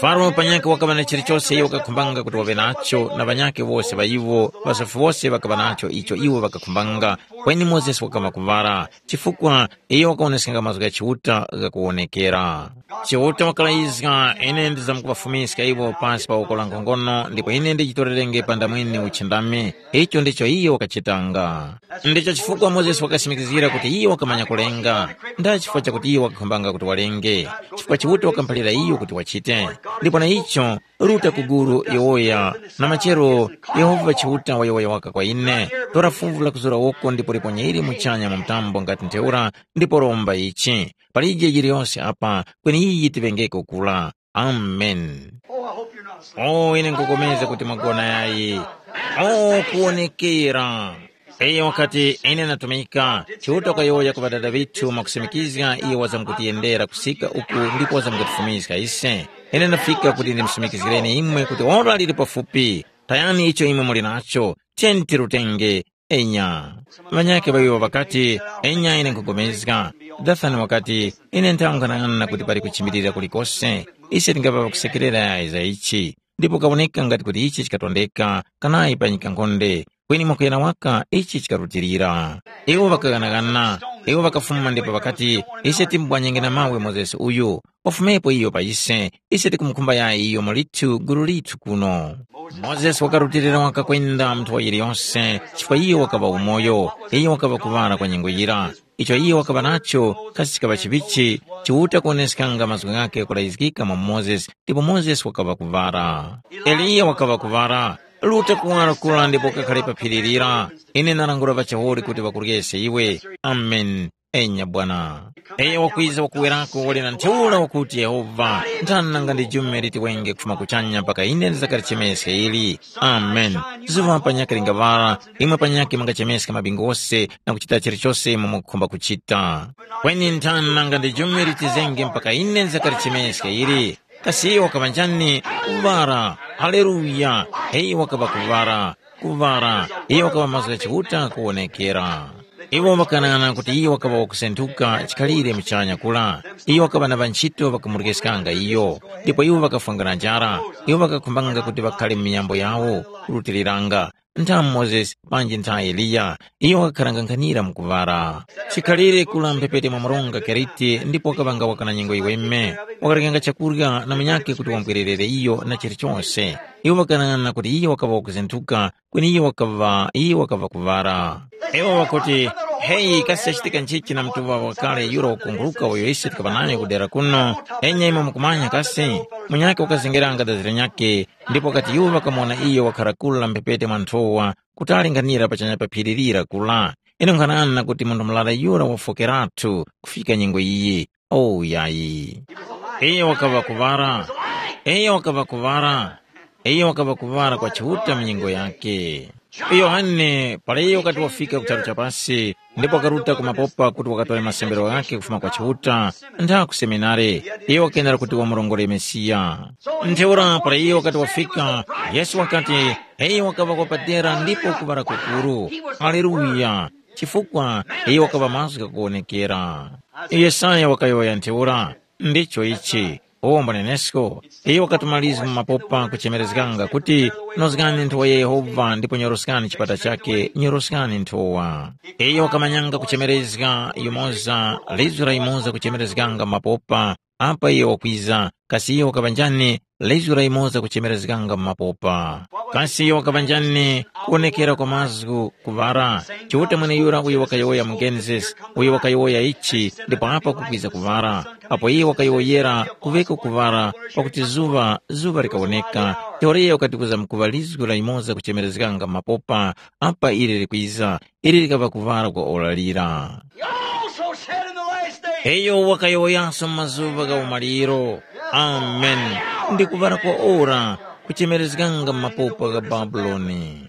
Faro panyakhe wakaŵa na chilichose iyo wakakhumbanga kuti waŵe nacho, na ŵanyakhe wose ŵa iwo, ŵasofi wose ŵakaŵa nacho icho iwo ŵakakhumbanga. Kweni Mozesi wakaŵa kuŵala, chifukwa iyo wakawoneskanga mazgu gha Chiuta ghakuwonekera. Chiuta wakalayizga, ine ndizamkuŵafumiska iwo pasi pa woko la nkhongono, ndipo ine ndichitorerenge panda mwene uchindami. Icho ndicho iyo wakachitanga. Ndicho chifukwa Mozesi wakasimikizgira kuti iyo wakamanya kulenga. Nda chifukwa chakuti iyo wakakhumbanga kuti walenge, chifukwa Chiuta wakamuphalira iyo kuti wachite. Ndipo na icho, ruta ku gulu yowoya, na machero Yehova Chiuta wayowoya waka kwa ine, tora fuvu la kuzura woko ndipo liponye ili muchanya mu mtambo ngati ntheura, ndipo romba ichi. Palije yiliyonse apa, kweni iyi tiŵengeko kula. Amen. Oh, ine nkukomeza kuti mwagona yayi. Oh, kuwonekera. Iyo wakati, ine natumika, Chiuta wakayowoya ku ŵadada ŵithu mwakusimikizga iyo wazamkutiyendera kusika uku ndipo wazamkutifumiska ise. Ine ndafika kuti ndimusumikizgireni imwe kuti ora lili pafupi. Tayani icho imwe muli nacho, tiyeni tirutenge. Enya. Ŵanyakhe ŵawiwo ŵakati, enya ine nkupulikana. Dathani wakati, ine nthawe nkhanang'ana kuti pali kuchimbirira kulikose. Ise tingaŵa ŵakusekerera yayi za ichi. ndipo kawoneka ngati kuti ichi chikatondeka kanayi pa nyika nkhonde. Kweni mwakuyana waka ichi chikarutilira. Iwo ŵakaghanaghana, iwo ŵakafuma ndipo ŵakati, ise timbwanyenge na mawe Mozesi uyu, wafumepo iyo pa ise, ise tikumukhumba yayi iyo mulithu gulu lithu kuno. Mozesi wakarutilira waka kwenda mu nthowa yiliyose, chifukwa iyo wakaŵa umoyo, iyo wakaŵa kuŵala kwa nyengo yira. Icho iyo wakaŵa nacho kasi chikaŵa chiŵichi, chiuta kuwoneskanga mazgu ghakhe kulayizgika mwa Mozesi, ndipo Mozesi wakaŵa kuŵala. Eliya wakaŵa kuŵala, ruta kuwala kura ndipo kakhale pa phiri lira. Ine nalangula ŵachahuli kuti ŵakuryese iwe. Amen. Enya bwana. Eya wakwiza wakuwerako wali na ntheura wakuti Yehova, nthani nanga ndi jume liti wenge kufuma kuchanya mpaka ine ndizakalichemeska ili? Amen. Zuŵa panyakhe lingaŵala, imwe panyakhe mungachemeska mabingu ghose na kuchita chilichose imwe mukukhumba kuchita. Kweni nthani nanga ndi jume litizenge mpaka ine ndizakalichemeska ili? Kasi iyo wakaŵa njani? Kuŵala. Haleluya. Heyi wakaŵa kuŵala. Kuŵala. Iyo wakaŵa mazgu gha Chiuta kuwonekera. Iwo ŵakanang'ana kuti iyo wakaŵa wakusenthuka chikhalire muchanya kula. Iyo wakaŵa na ŵanchito ŵakamurikeskanga iyo, ndipo iwo ŵakafwanga na njara. Iwo ŵakakhumbanga kuti ŵakhale mu miyambo yawo, kurutiliranga, ntha Mozesi panji ntha Eliya. Iyo wakakharanga nkhanira mu kuŵala. Chikhalire kula mphepete mwa mronga Keriti ndipo wakaŵanga waka na nyengo yiweme. Wakarekanga chakurya na munyakhe kuti wamupwererere iyo na chilichose. Iwo ŵakanang'ana kuti iyo wakaŵa wakuzinthuka, kweni iyo wakaŵa iyo wakaŵa kuŵala. Iwo ŵakuti, heyi kasi chachitika nchichi na mtuŵa wakale yura wakunguluka uyo ise tikaŵa nayo ku dera kuno? Enya imwe mukumanya kasi? Munyakhe wakazengeranga dazi linyakhe, ndipo wakati iwo ŵakamuwona iyo wakhara kula mphepete mwa nthowa, kutali nkhanira pachanya pa phiri lira kula. Ine nkhanana kuti munthu murara yura wafokeratu kufika nyengo iyi. Oh yayi. Iyo wakaŵa kuŵala. Iyo wakaŵa kuŵala. Iyo wakaŵa kuŵala kwa Chiuta mu nyengo yake. Yohane para iyo wakati wafika ku charu cha pasi, ndipo wakaruta ku mapopa kuti wakatore masembero ghakhe kufuma kwa Chiuta, ntha ku seminare, iyo wakendera kuti wamurongore Mesiya. Ntheura para iyo wakati wafika, Yesu wakati, iyo wakaŵa kwa padera ndipo kuŵala kukuru. Haleluya! Chifukwa iyo wakaŵa mazgu ghakuwonekera. Yesaya wakayowoya ntheura, ndicho ichi. Uwo mbanenesko, iyo wakatuma lizgu mu mapopa kuchemerezganga kuti, nozgani nthowa ya Yehova ndipo nyoroskani chipata chakhe, nyoroskani nthowa. Iyo wakamanyanga kuchemerezga yumoza, lizgu la yumoza kuchemerezganga mu mapopa, apa iyo wakwiza, kasi iyo wakaŵa njani? Lizgu la yumoza kuchemerezganga mu mapopa. Kasi iyo wakaŵa njani? Kuwonekera kwa mazgu kuŵara. Chiuta mweneyura uyo wakayowoya mu Genesis, uyo wakayowoya ichi, ndipo apa kukwiza kuŵara. Apo iye wakayowoyera kuŵeko kuŵara, pakuti zuŵa, zuŵa likawoneka. Ntheura iyo wakati kuzamkuŵa lizgu la yumoza kuchemerezganga mu mapopa, apa ili likwiza, ili likaŵa kuŵala kwa ora lira. He also said in the last day, iyo wakayowoyanso mu mazuŵa gha umaliro, amen, ndi kuŵala kwa ora kuchemerezganga mu mapopa gha Babuloni.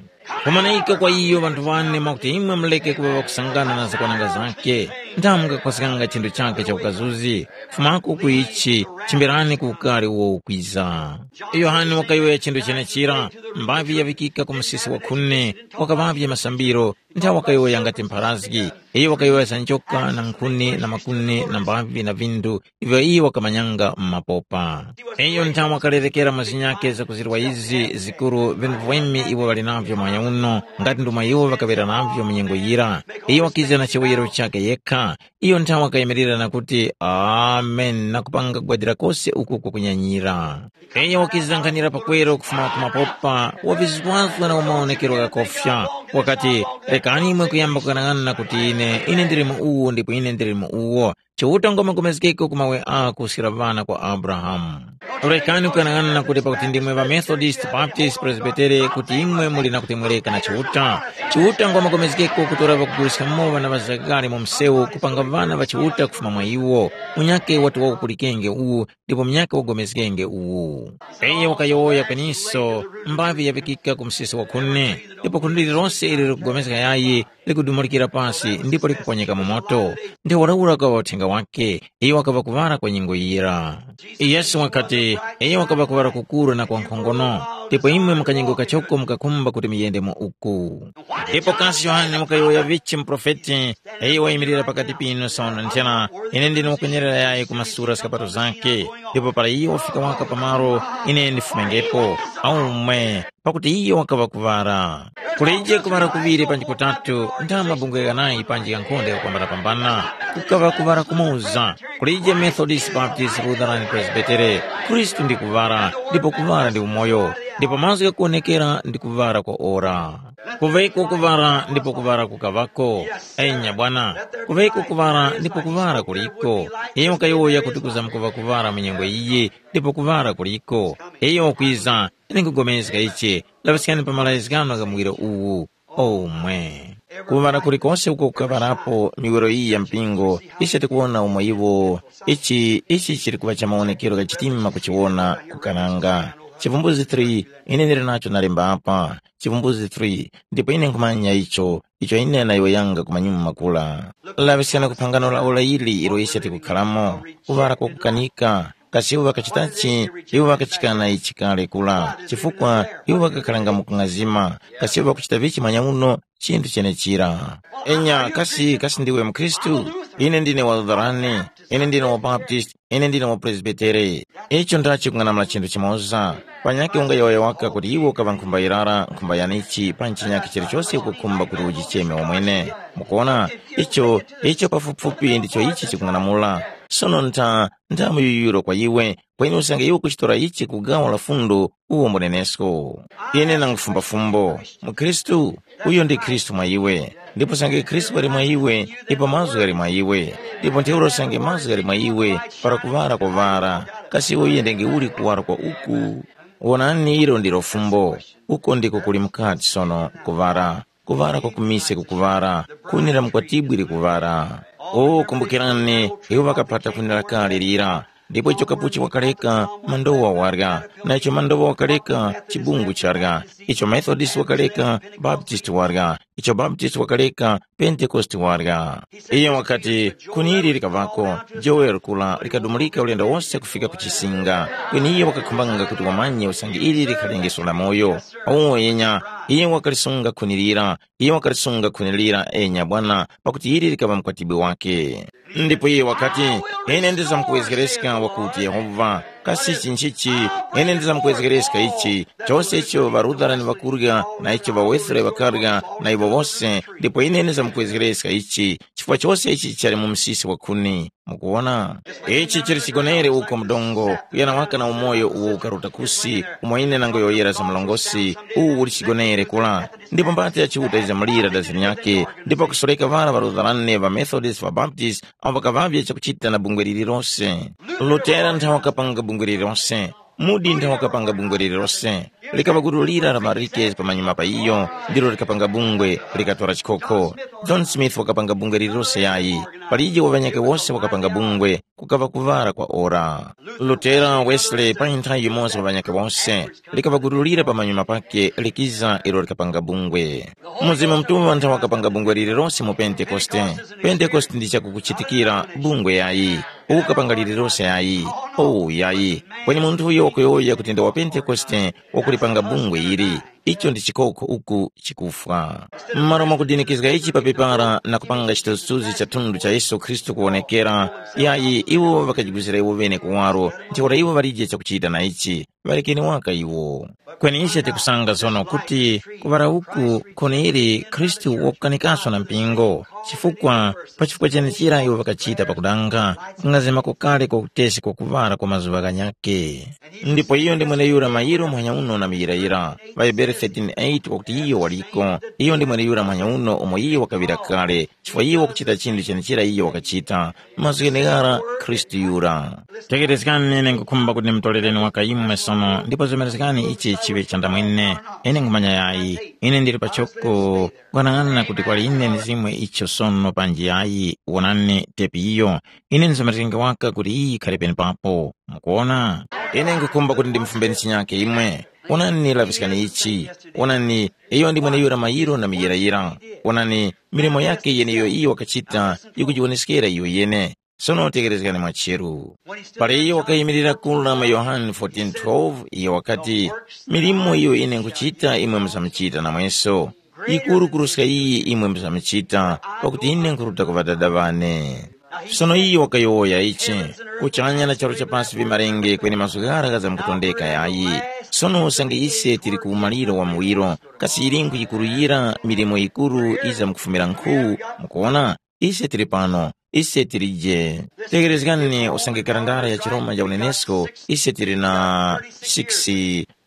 Kumanayika kwa iyo ŵanthu wane mwakuti imwe muleke kuŵa ŵakusangana na zakwananga zake, ndamwe mukakhozganga chinthu chake cha ukazuzi, fumako ku ichi, chimbirani ku ukari uwo ukwiza. Yohane wakayowoya chinthu chenechira, mbavi yaŵikika ku musisi wa khuni, wakaŵavye masambiro, nthawe wakayowoya ngati mpharazgi. Iyo wakayowoya za njoka na nkhuni na makuni na mbavi na vindu ivyo iyo wakamanyanga mu mapopa. Iyo nthawe wakalerekera mwa zinyakhe zakuzirwa izi zikuru vinthu vwemi iwo ŵali navyo mwanya uno, ngati ndomwe iwo ŵakaŵera navyo mu nyengo yira. Iyo wakiza na chiwoyero chakhe yekha. Iyo nthawe wakayimirira na kuti, Amen, na kupanga gwadira kose uku kukunyanyira. Iyo wakizankhanira pakweru kufuma ku mapopa, wavizgwazgwa na umaonekero ghakofya. Wakati, rekani imwe kuyamba kughanag'ana na kuti ine, ine ndili mu uwu ndipo ine ndili mu uwo. Chiuta ngwamagomezgeko ku mawe ako kuskira vana kwa Abrahamu. Rekani kughanag'ana na kuti pakuti ndimwe ŵa Methodist, Baptist, Presbytere kuti imwe muli na kutemwereka na Chiuta. Chiuta ngwamagomezgeko kutora ŵakuguliska mowa na ŵazagale mu msewu kupanga vana ŵa Chiuta kufuma mwa iwo. Munyakhe wati wakupulikenge uwu ndipo munyakhe wagomezgenge uwu. Iyo wakayowoya kweniso, mbavi yaŵikika ku msisi wa khuni, ndipo khuni lililonse Lose ili likupulikana yayi, likudumurikira pasi ndipo likuponyeka mu moto. Ntheura ura ukaŵa uthenga wake, iyo wakaŵa kuŵala kwa nyengo yira. Yesu wakati, iyo wakaŵa kuŵala kukuru na kwa nkhongono, ndipo imwe mukanyengo kachoko mukakhumba kuti muyende mu uku. Ndipo kasi Yohane mukayowoya vichi muprofeti, iyo wayimirira pakati pinu sono nthena, ine ndine wakunyerera yayi kumasura skapato zake, ndipo para iyo wafika waka pamalo, ine ndifumengepo, aumwe, pakuti iyo wakaŵa kuŵala. Kulije kuŵala kuŵiri panji kutatu, nda mabungwe ghanayi panji ghankhonde ghakukambanapambana, kukaŵa kuŵala kumoza. Kulije Methodist, Baptist, Lutheran, Presbytery, Khristu ndi kuŵala, ndipo kuŵala ndi umoyo, ndipo mazgu ghakuwonekera ndi kuŵala kwa ora. Kuŵeko kuŵala ndipo kuŵala kukaŵako. Enya bwana, kuŵeko kuŵala ndipo kuŵala kuliko. Iyo wakayowoya kuti kuza mukuŵa kuŵala mu nyengo iyi, ndipo kuŵala kuliko. Iyo wakwiza, ine nkugomezga ichi, laŵiskani pa malayizgano gha muwiro uwu. Omwe. Kuŵala kulikose uko kukaŵalapo miwiro iyi ya mpingo, ise tikuwona umo iwo, ichi ichi chili kuŵa cha mawonekero gha chitima kuchiwona kukananga. Chivumbuzi three, ine ndili nacho nalemba apa. Chivumbuzi three, ndipo ine nkhumanya icho, icho ine nayowoyanga ku manyuma makula. Laŵiskani ku phangano la ora ili ilo ise tikukharamo, kuŵala kwakukanika. Kasi iwo ŵakachitachi? Iwo ŵakachikana ichi kale kula, chifukwa iwo ŵakakharanga mu kung'azima. Kasi iwo ŵakuchita vichi manyauno? Chinthu chenechira. Enya, kasi kasi ndiwe mkhristu? Ine ndine wa Lutherani, ine ndine wa Baptist, ine ndine wa Presbytere. Icho ndachi kung'anamula chinthu chimoza. Panyakhe ungayowoya waka kuti iwe ukaŵa nkhumba yirara, nkhumba yanichi, pa nchinyakhe chilichose ukukhumba kuti ujicheme wamwene. Mukuona, icho icho pafupifupi ndicho ichi chikung'anamula. Sono ntha ntha muyuyiro kwa iwe, kweni usange iwe ukuchitora ichi ku gawo la fundo, uwo mbunenesko. Ine nangufumba fumbo. MuKhristu, uyo ndi Khristu mwa iwe. Ndipo usange Khristu wali mwa iwe, ipo mazgu ghali mwa iwe. Ndipo ntheura usange mazgu ghali mwa iwe, para kuŵala kwaŵala. Kasi iwe uyendenge uli kuwala kwa uku? Wonani, ilo ndilo fumbo. Uko ndiko kuli mukati sono, kuŵala. Kuŵala kwa kumise kukuŵala, khuni la mukwatibwi likuŵala. O, kumbukirani, iwo ŵakapata khuni la kale lira. Ndipo icho kapuchi wakaleka, mandowa warya. Na icho mandowa wakaleka, chibungu charya. Icho Methodist wakaleka, Baptist warya. Icho Baptist wakaleka, Pentekoste warya. Iye wakati, khuni ili likaŵako, Joel kula likadumulika ulendo wose kufika ku chisinga. Kweni iye wakakhumbanga kuti wamanye usange ili likhalengeso la moyo. Uwo yenya, iye wakalisunga khuni lira, iye wakalisunga khuni lira enya bwana, pakuti ili likaŵa mkwatibwi wake. Ndipo iye wakati, ine ndizamkuwezgereska wakuti Yehova, kasi ichi nchichi? Ine ndizamkuwezgereska ichi, chose icho ŵaRutherani ŵakurya, na icho ŵaWesere ŵakarya, na iwo wose, ndipo ine ndizamkuwezgereska ichi, chifukwa chose ichi chali mu msisi wa khuni. Mukuwona? Ichi chili chigonere uko mdongo, kuyana waka na umoyo uwo ukaruta kusi, umo ine nangoyowoyera za mlongosi, uwu uli chigonere kula. Ndipo mbata ya Chiuta yizamulira dazini yake, ndipo kusoreka ŵara ŵarutharane ŵa Methodist ŵa Baptist, awo ŵakaŵavye chakuchita na bungwe lililose. Lutera nthawe wakapanga bungwe lililose. Mudi nthawe wakapanga bungwe lililose. Likaŵa gulu lira la marike pamanyuma pa iyo, ndilo likapanga bungwe, likatora chikhokho. John Smith wakapanga bungwe lililose yayi. Palije wa ŵanyakhe wose wakapanga bungwe, kukaŵa kuŵala kwa ora. Lutera, Wesley, pa nthawi yimoza wa ŵanyakhe wose, likaŵa gulu lira pamanyuma pake likiza ilo likapanga bungwe. Mzimu Mutuŵa nthawe wakapanga bungwe lililose mu Pentekoste. Pentekoste ndi chakukuchitikira bungwe yayi, ukapanga lililose yayi. Oh yayi. Kweni munthu uyo wakuyowoya kuti ndi wa Pentekoste wakulipanga bungwe ili, icho ndi chikoko uku chikufwa. M'malo mwakudinikizga ichi pa pepara na kupanga chithunzithunzi cha thunthu cha Yesu Khristu kuwonekera, yayi iwo ŵakajigwizira iwo ŵene kuwaro, ntheura iwo ŵalije chakuchita na ichi. Ŵalekeni waka iwo. Kweni ise tikusanga sono kuti kuŵala uku khuni ili Khristu wakukanikaso na mpingo, chifukwa pa chifukwa chenechira iwo ŵakachita pakudanga kung'azima kokale kwa utesi kwa kuŵala kwa mazuŵa ghanyakhe. Ndipo iyo ndi mweneyura mayiro muhanya uno na muyirayira, ŵaHebere thirteen eight wakuti iyo waliko, iyo ndi mweneyura muhanya uno umo iyo wakaŵira kale, chifukwa iyo wakuchita chinthu chenechira iyo wakachita, mazgu gheneghara Khristu yura. Tekerezgani, ine nkhukhumba kuti ndimutorereni waka imwe sono, ndipo zomerezgani ichi chiŵe chandamwene. Ine nkhumanya yayi, ine ndili pachoko kwanang'ana kuti kwali ine ndizimwe icho sono panji yayi, wonani tepi iyo. Ine ndizomerezgenge waka kuti iyi yikhale penepapo. Mukuona? Ine nkhukhumba kuti ndimufumbeni chinyake imwe. Onani, laŵiskani ichi. Onani, iyo ndi mweneyura mayiro na miyirayira. Onani, milimo yake yeneiyo iyo wakachita yikujiwoneskera iyo yene. Sono tekerezgani mwacheru. Para iyo wakayimirira kula mu Yohane fourteen twelve, iyo wakati, milimo iyo ine nkuchita imwe muzamuchita namweso. Yikuru kuruska iyi imwe muzamuchita, pakuti ine nkuruta ku Ŵadada ŵane. Sono iyo wakayowoya ichi, kuchanya na charu cha pasi vimarenge kweni mazgu ghara ghazamkutondeka yayi. Sono usange ise tili ku umaliro wa muwiro, kasi yilingu yikuru yira milimo yikuru yizamkufumira nkhu? Mukuwona, ise tili pano, ise tilije. Tekerezgani usange karandara ya chiroma cha unenesko, ise tili na six,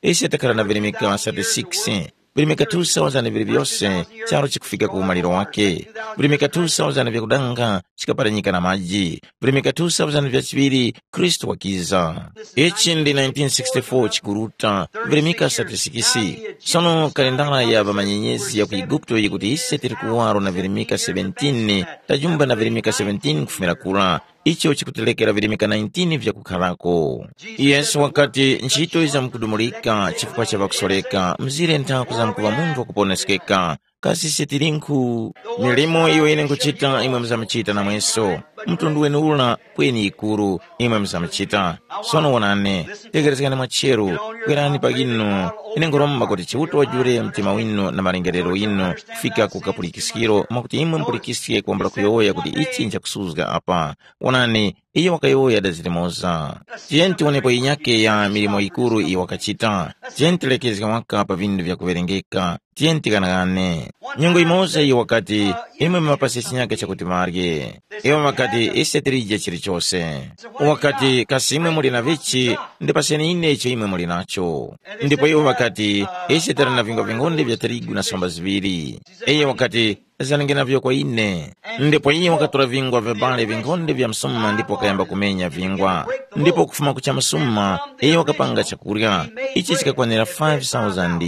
ise takhala na virimika thirty-six, virimika two thousand vili vyose, charo chikufika ku umaliro wake. Virimika two thousand vyakudanga chikaparanyika na maji, virimika two thousand vya chiŵiri Khristu wakiza. Ichi ndi nineteen sixty-four chikuruta, virimika thirty-six. Sono kalendala ya ŵamanyenyezi ya ku Eguputo yikuti ise tili kuwaro na virimika seventeen, tajumba na virimika seventeen kufumira kura. Icho chikutilekera virimika nineteen vyakukharako. Yesu wakati, ntchito yizamkudumulika chifukwa cha ŵakusoreka, mzire nthaku zamkuŵa munthu wakuponeskeka. Kasi ise tilinkhu? Milimo iyo ine nkuchita imwe muzamuchita namweso. Mtundu wene ula kweni yikuru, imwe muzamuchita. Sono wonani, tekerezgani mwacheru, kwerani pa inu. Ine nkhuromba kuti Chiuta wajule mtima winu na malingerero ghinu kufika ku kapulikiskiro mwakuti imwe mupulikiske kwambula kuyowoya kuti ichi nchakusuzga apa. Wonani, iyo wakayowoya dazirimoza. Tiyeni tiwonepo yinyake ya milimo yikuru iyo wakachita. Tiyeni tilekezge waka pa vindu vyakuŵerengeka. Tiyeni tighanaghane. Nyengo yimoza iyo wakati, imwe mumapase chinyake chakuti marye. Iwo ŵakati, ise tilije chilichose. Wakati, kasi imwe muli na vichi, ndipaseni ine icho imwe muli nacho. Ndipo iwo ŵakati, ise tili na vingwa vingonde vya tirigu na somba ziŵiri. Iye wakati, zanenge navyo kwa ine. Ndipo iye wakatora vingwa vya bale vingonde vya msuma ndipo wakayamba kumenya vingwa. Ndipo kufuma kucha msuma, iye wakapanga chakurya. Ichi chikakwanira five thousand.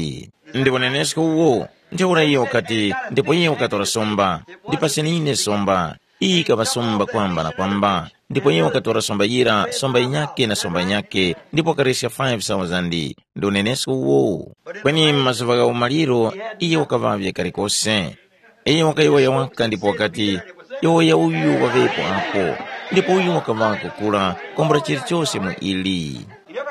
Ndipo nenesko uwo, ntheura iye wakati, ndipo iye wakatora somba, ndipaseni ine somba. Iyi ikaŵa somba kwamba na kwamba. Ndipo iye wakatora somba yira, somba yinyake na somba yinyake, ndipo wakareska five thousand. Ndi unenesko uwo. Kweni mu mazuŵa gha umaliro, iye wakaŵavye kalikose. Iyo wakayowoya waka ndipo wakati, yowoya uyu waŵepo apo, ndipo uyu wakaŵako kura kwambula chilichose mu ili.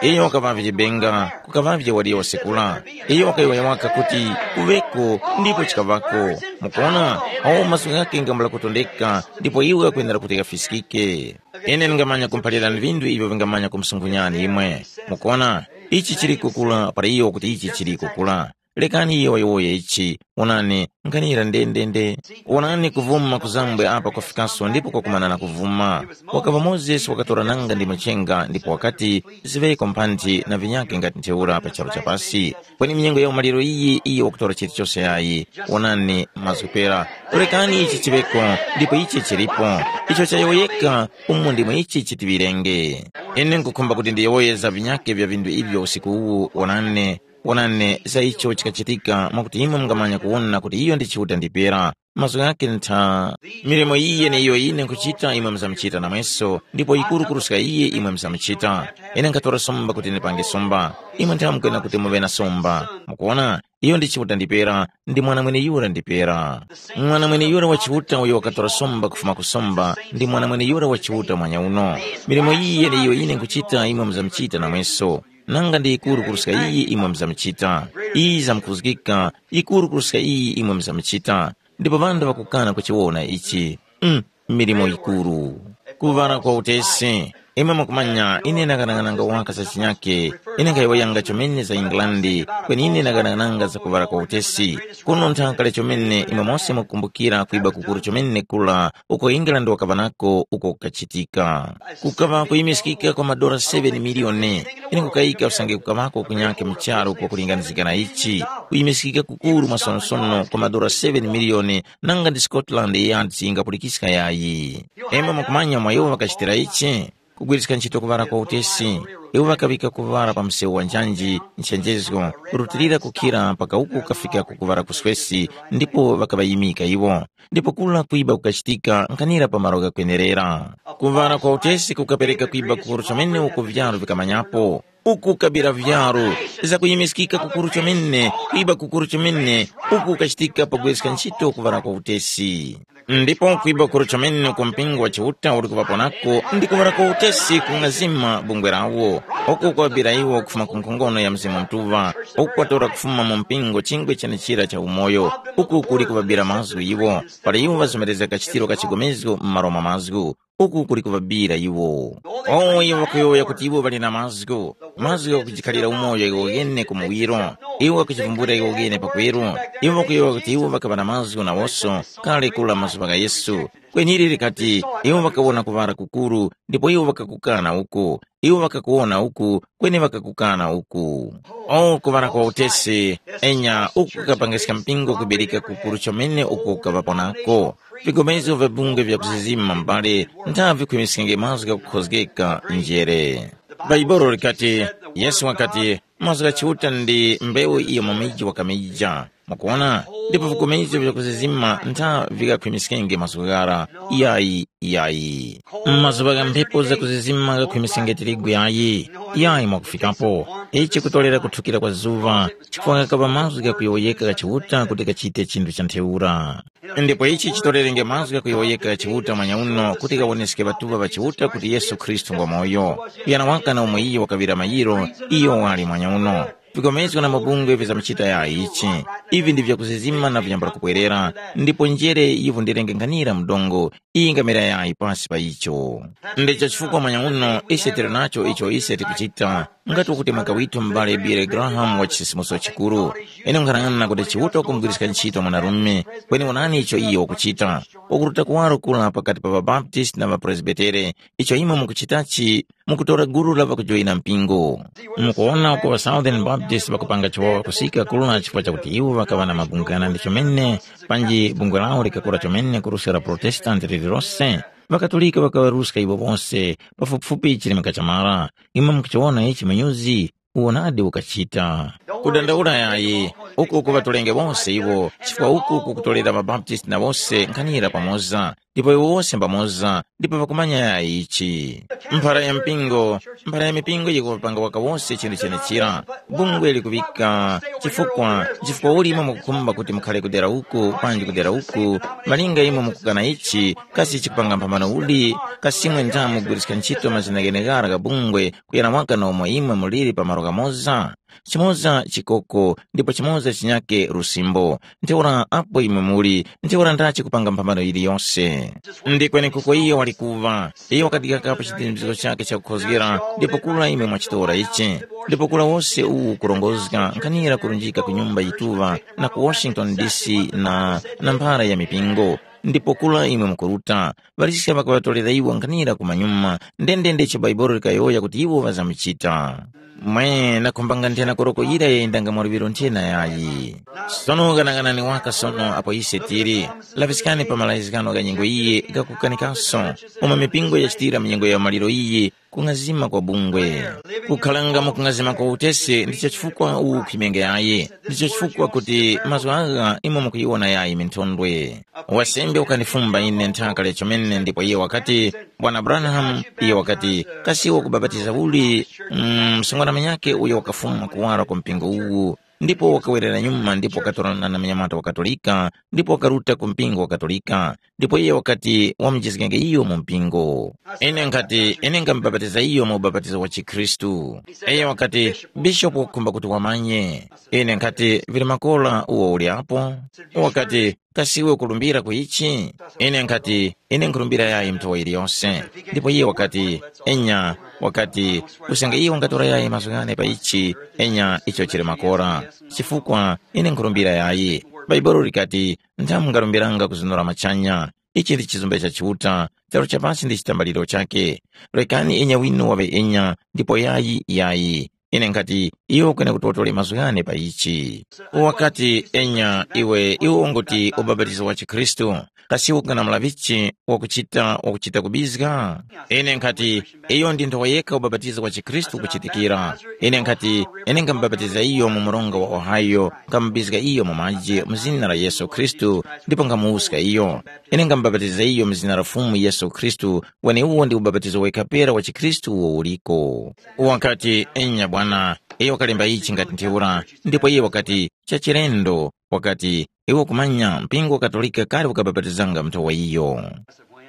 Iyo wakaŵavye chibenga, kukaŵavye wadiya wasekula. Iyo wakayowoya waka kuti, kuŵeko, ndipo chikaŵako. Mukuona, awo mazgu ghake ngambula kutondeka, ndipo iwo ghakwenera kuti ghafiskike. Ine ndingamanya kumphalirani vinthu ivyo vingamanya kumusungunyani imwe. Mukuona, ichi chili kukula para iyo kuti ichi chili kukula. Lekani iyo wayowoye ichi. Wonani, nkhanira ndendende. Wonani kuvuma kuzambwe apa kwafikaso ndipo kwakumana na kuvuma. Wakaŵa Mozesi wakatora nanga ndi mchenga ndipo wakati, ziŵeko mphanthi na vinyake ngati ntheura pa charu cha pasi. Kweni mnyengo ya umaliro iyi iyo wakutora chilichose yayi. Wonani mazgu pera. Lekani ichi chiŵeko, ndipo ichi chilipo. Icho chayowoyeka, umu ndimo ichi chitiŵirenge. Ine nkukhumba kuti ndiyowoye za vinyake vya vinthu ivyo usiku uwu. Wonani, wonani za icho chikachitika mwakuti imwe mungamanya kuwona kuti iyo ndi Chiuta ndipera. Mazgu ghake ntha. Milimo iyi yeneiyo ine nkuchita imwe muzamuchita namweso, ndipo yikuru kuruska iye imwe muzamuchita. Ine nkhatora somba kuti ndipange somba. Imwe ntha mukwena kuti muŵe na somba. Mukuona, iyo ndi Chiuta ndipera, ndi mwana mweneyura ndipera. Mwana mweneyura wa Chiuta uyo wakatora somba kufuma ku somba, ndi mwana mweneyura wa Chiuta mwanya uno. Milimo iyi yeneiyo ine nkuchita imwe muzamuchita namweso. Nanga ndi yikuru kuruska iyi imwe muzamuchita. Iyi zamkhuzgika, yikuru kuruska iyi imwe muzamuchita. Ndipo ŵanthu ŵakukana kuchiwona ichi. Mm, milimo yikuru. Kuŵala kwa utesi. Imwe mukumanya, ine nakanakananga waka za chinyake. Ine nkhayowoyanga chomene za England, kweni ine nakanakananga za kuŵala kwa utesi. Kuno nthaka kale chomene imwe mose mukukumbukira kwiba kukuru chomene kula uko England wakaŵa nako uko kukachitika. Kukaŵa kuyimiskika kwa madora seven miliyoni. Ine nkukayika usange kukaŵako kunyake mu charu kwakulinganizika na ichi, kuyimiskika kukuru mwasonosono kwa madora seven miliyoni, nanga ndi Scotland Yard yingapulikiska yayi. Imwe mukumanya mwa iwo ŵakachitira ichi? Kugwiriska ntchito kuŵala kwa utesi. Iwo ŵakaŵika kuŵala pa msewu wa njanji nchenjezgo, kurutilira kukhira mpaka uku kukafika ku kuŵala kuswesi, ndipo ŵakaŵayimika iwo. Ndipo kura kwiba kukachitika nkhanira pa malo ghakwenerera. Kuŵala kwa utesi kukapereka kwiba kukuru chomene uko vyalu vikamanyapo. Uku kabira vyaru, zakuyimiskika kukuru chomene, kwiba kukuru chomene, uku kachitika pagwiska ntchito kuŵala kwa utesi. Ndipo kwiba kukuru chomene ku mpingo wa Chiuta uli kuŵaponako ndi kuŵala kwa utesi kung'azima bungwe lawo, uku kwabira iwo kufuma ku nkhongono ya Mzimu Mutuŵa, uku kwatora kufuma mu mpingo chingwe chenechira cha umoyo, uku kuli kuŵabira mazgu iwo, para iwo ŵazomerezga kachitiro ka chigomezgo mu malo mwa mazgu, uku kuli kuŵabira iwo. O iwo ŵakuyowoya kuti iwo ŵali na mazgu, mazgu ghakujikhalira umoyo iwo ghene ku muwiro, iwo ŵakuchivumbulira iwo ghene pakweru. Iwo ŵakuyowoya kuti iwo ŵakaŵa na mazgu nawoso kale kula mazuŵa gha Yesu. Kweni ili likati iwo ŵakawona kuŵala kukuru, ndipo iwo ŵakakukana uku, iwo ŵakakuwona uku, kweni ŵakakukana uku. O kuŵala kwa utesi, enya uku kukapangiska mpingo kubereka kukuru chomene uko kukaŵapo nako. Vigomezo vya bungwe vya kuzizima mbale nthavi vikhwimiskenge mazgu ghakukhozgeka njere. Bhaibuli likati, Yesu wakati, mazgu gha Chiuta ndi mbewu iyo mu miji wakamija. Mukuona? Ndipo vigomezo vya kuzizima ntha vikakhwimiskenge mazgu ghara. Yayi, yayi. M'mazuŵa gha mphepo zakuzizima ghakhwimiskenge tirigu yayi. Yayi mwakufikapo. Ichi kutolera kuthukira kwa zuŵa, chifukwa ghakaŵa mazgu ghakuyowoyeka gha Chiuta kuti ghachite chinthu cha ntheura. Ndipo ichi chitorerenge mazgu ghakuyowoyeka gha Chiuta mwanyauno kuti ghawoneske ŵatuŵa ŵa Chiuta kuti Yesu Khristu ngwamoyo. Kuyana waka na umo iyo wakaŵira mayiro, iyo wali mwanyauno. Vikomezgo na mabungwe vizamchita yayi ichi. Ivi ndi vyakuzizima na viyambula kubwerera, ndipo njere yivundirenge nkhanira mdongo, iyi ngamera yayi pasi pa icho. Ndicho chifukwa mwanyauno ise tili nacho icho ise tikuchita, ngati ukuti mwaka withu m'bale Billy Graham wa chisisimuso chikuru. Ine nkhanang'ana kuti Chiuta wakumugwiriska ntchito mwanarume, kweni wonani icho iyo wakuchita. Wakuruta kuwaro kula pakati pa ŵaBaptist na ŵaPresbitere, icho imwe mukuchitachi, mukutora gulu la ŵakujoyina mpingo. Mukuwona uko ŵa Southern Baptist ŵakupanga chiwawa kusika kula chifukwa chakuti iwo ŵakaŵa na mabungwe ghanandi chomene, panji bungwe lawo likakura chomene kuruska la Protestant lililose. Ŵakatolika ŵakaŵaruska iwo wose, pafupifupi chirimika cha mara. Imwe mukuchiwona ichi mu nyuzi, uwo nadi ukachita. Kudandaula yayi, uku kuŵatolenge wose iwo, chifukwa uku kukutolera ŵaBaptist na wose nkhanira pamoza, ndipo iwo wose mbamoza, ndipo ŵakumanya yayi ichi. Mphara ya mpingo, mphara ya mipingo yikupanga waka wose chinthu chenechira. Bungwe likuŵika chifukwa, chifukwa uli imwe mukukhumba kuti mukhale kudera uku panji kudera uku, malinga imwe mukukana ichi, kasi chikupanga mphambano uli, kasi imwe ndamugwiriska ntchito mazina gheneghara gha bungwe kuyana waka na umo imwe muliri pa malo ghamoza? Chimoza chikoko, ndipo chimoza chinyake lusimbo. Ntheura apo imwe muli, ntheura ndachi kupanga mphambano yiliyose. Ndi kwenekuko iyo wali kuva, iyo wakadikakapo chidindizgo chake chakukhozgera, ndipo kula imwe mwachitora ichi. Ndipo kula wose uwu kurongozga nkhanira kurunjika ku nyumba yituŵa na ku Washington D C na, na mphara ya mipingo. Ndipo kula imwe mukuruta, ŵaliska ŵakaŵatolera iwo nkhanira kumanyuma, ndendende icho Baibuli likayowoya kuti iwo ŵazamuchita. Mwe, nakhumbanga nthena koroko yira yayendanga mwa luŵiro nthena yayi. Sono ghanaghanani waka sono apo ise tili, laŵiskani pa malayizgano gha nyengo iyi ghakukanikaso, umo mipingo yachitira mu nyengo ya maliro iyi, kung'azima kwa bungwe. Kukhalanga mu kung'azima kwa utesi ndicho chifukwa uwu khwimenge yayi, ndicho chifukwa kuti mazgu agha imwe mukuyiwona yayi minthondwe. Wasembe wakandifumba ine nthaka lya chomene ndipo iye wakati, Bwana Branham, iye wakati, kasi iwe ukubapatiza uli? Mm, msungwana munyakhe uyo wakafuma kuwara kwa mpingo uwu, ndipo wakawerera nyuma ndipo wakatorana na munyamata wa Katolika, ndipo wakaruta ku mpingo wa Katolika, ndipo iye wakati wamujizgenge iyo mu mpingo. Ine nkhati, ine ngamubapatiza iyo mu ubapatizo wa chikhristu. Iye wakati, bishopu wakukhumba kuti wamanye. Ine nkhati, vili makora uwo uli apo? Wakati, kasi iwe ukulumbira ku ichi? Ine nkhati, ine nkhurumbira yayi muthowa yiliyose. Ndipo iye wakati, enya, wakati, usange iwe ungatora yayi mazgu ghane pa ichi, enya icho chili makora. Chifukwa ine nkhurumbira yayi. Bhaibuli likati, nthamu mungarumbiranga kuzunura machanya. Ichi ndi chizumbe cha Chiuta, charu cha pasi ndi chitambaliro chakhe. Rekani enya winu waŵe enya, ndipo yayi yayi. Ine nkhati, iwe ukwene kuti watore mazgu ghane pa ichi. Wakati, enya, iwe, iwe unguti ubapatizo wa chikhristu. kasi ukung'anamula vichi wakuchita wakuchita kubizga? Ine nkhati, iyo ndi nthowa yekha ubapatizo wa chikhristu ukuchitikira. Ine nkhati, ine ngamubapatiza iyo mu mronga wa Ohio, ngamubizga iyo mu maji mu zina la Yesu Khristu, ndipo ngamuwuska iyo. Ine ngamubapatiza iyo mu zina la Fumu Yesu Khristu, weneuwo ndi ubapatizo wekha pera wa chikhristu uwo uliko. Wakati, enya bwana, iyo wakalemba ichi ngati ntheura, ndipo iye wakati, chachilendo, wakati, iwe kumanya mpingo wa Katolika kale ukabapatizanga munthu wa iyo.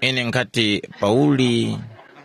Ine nkati, Pauli,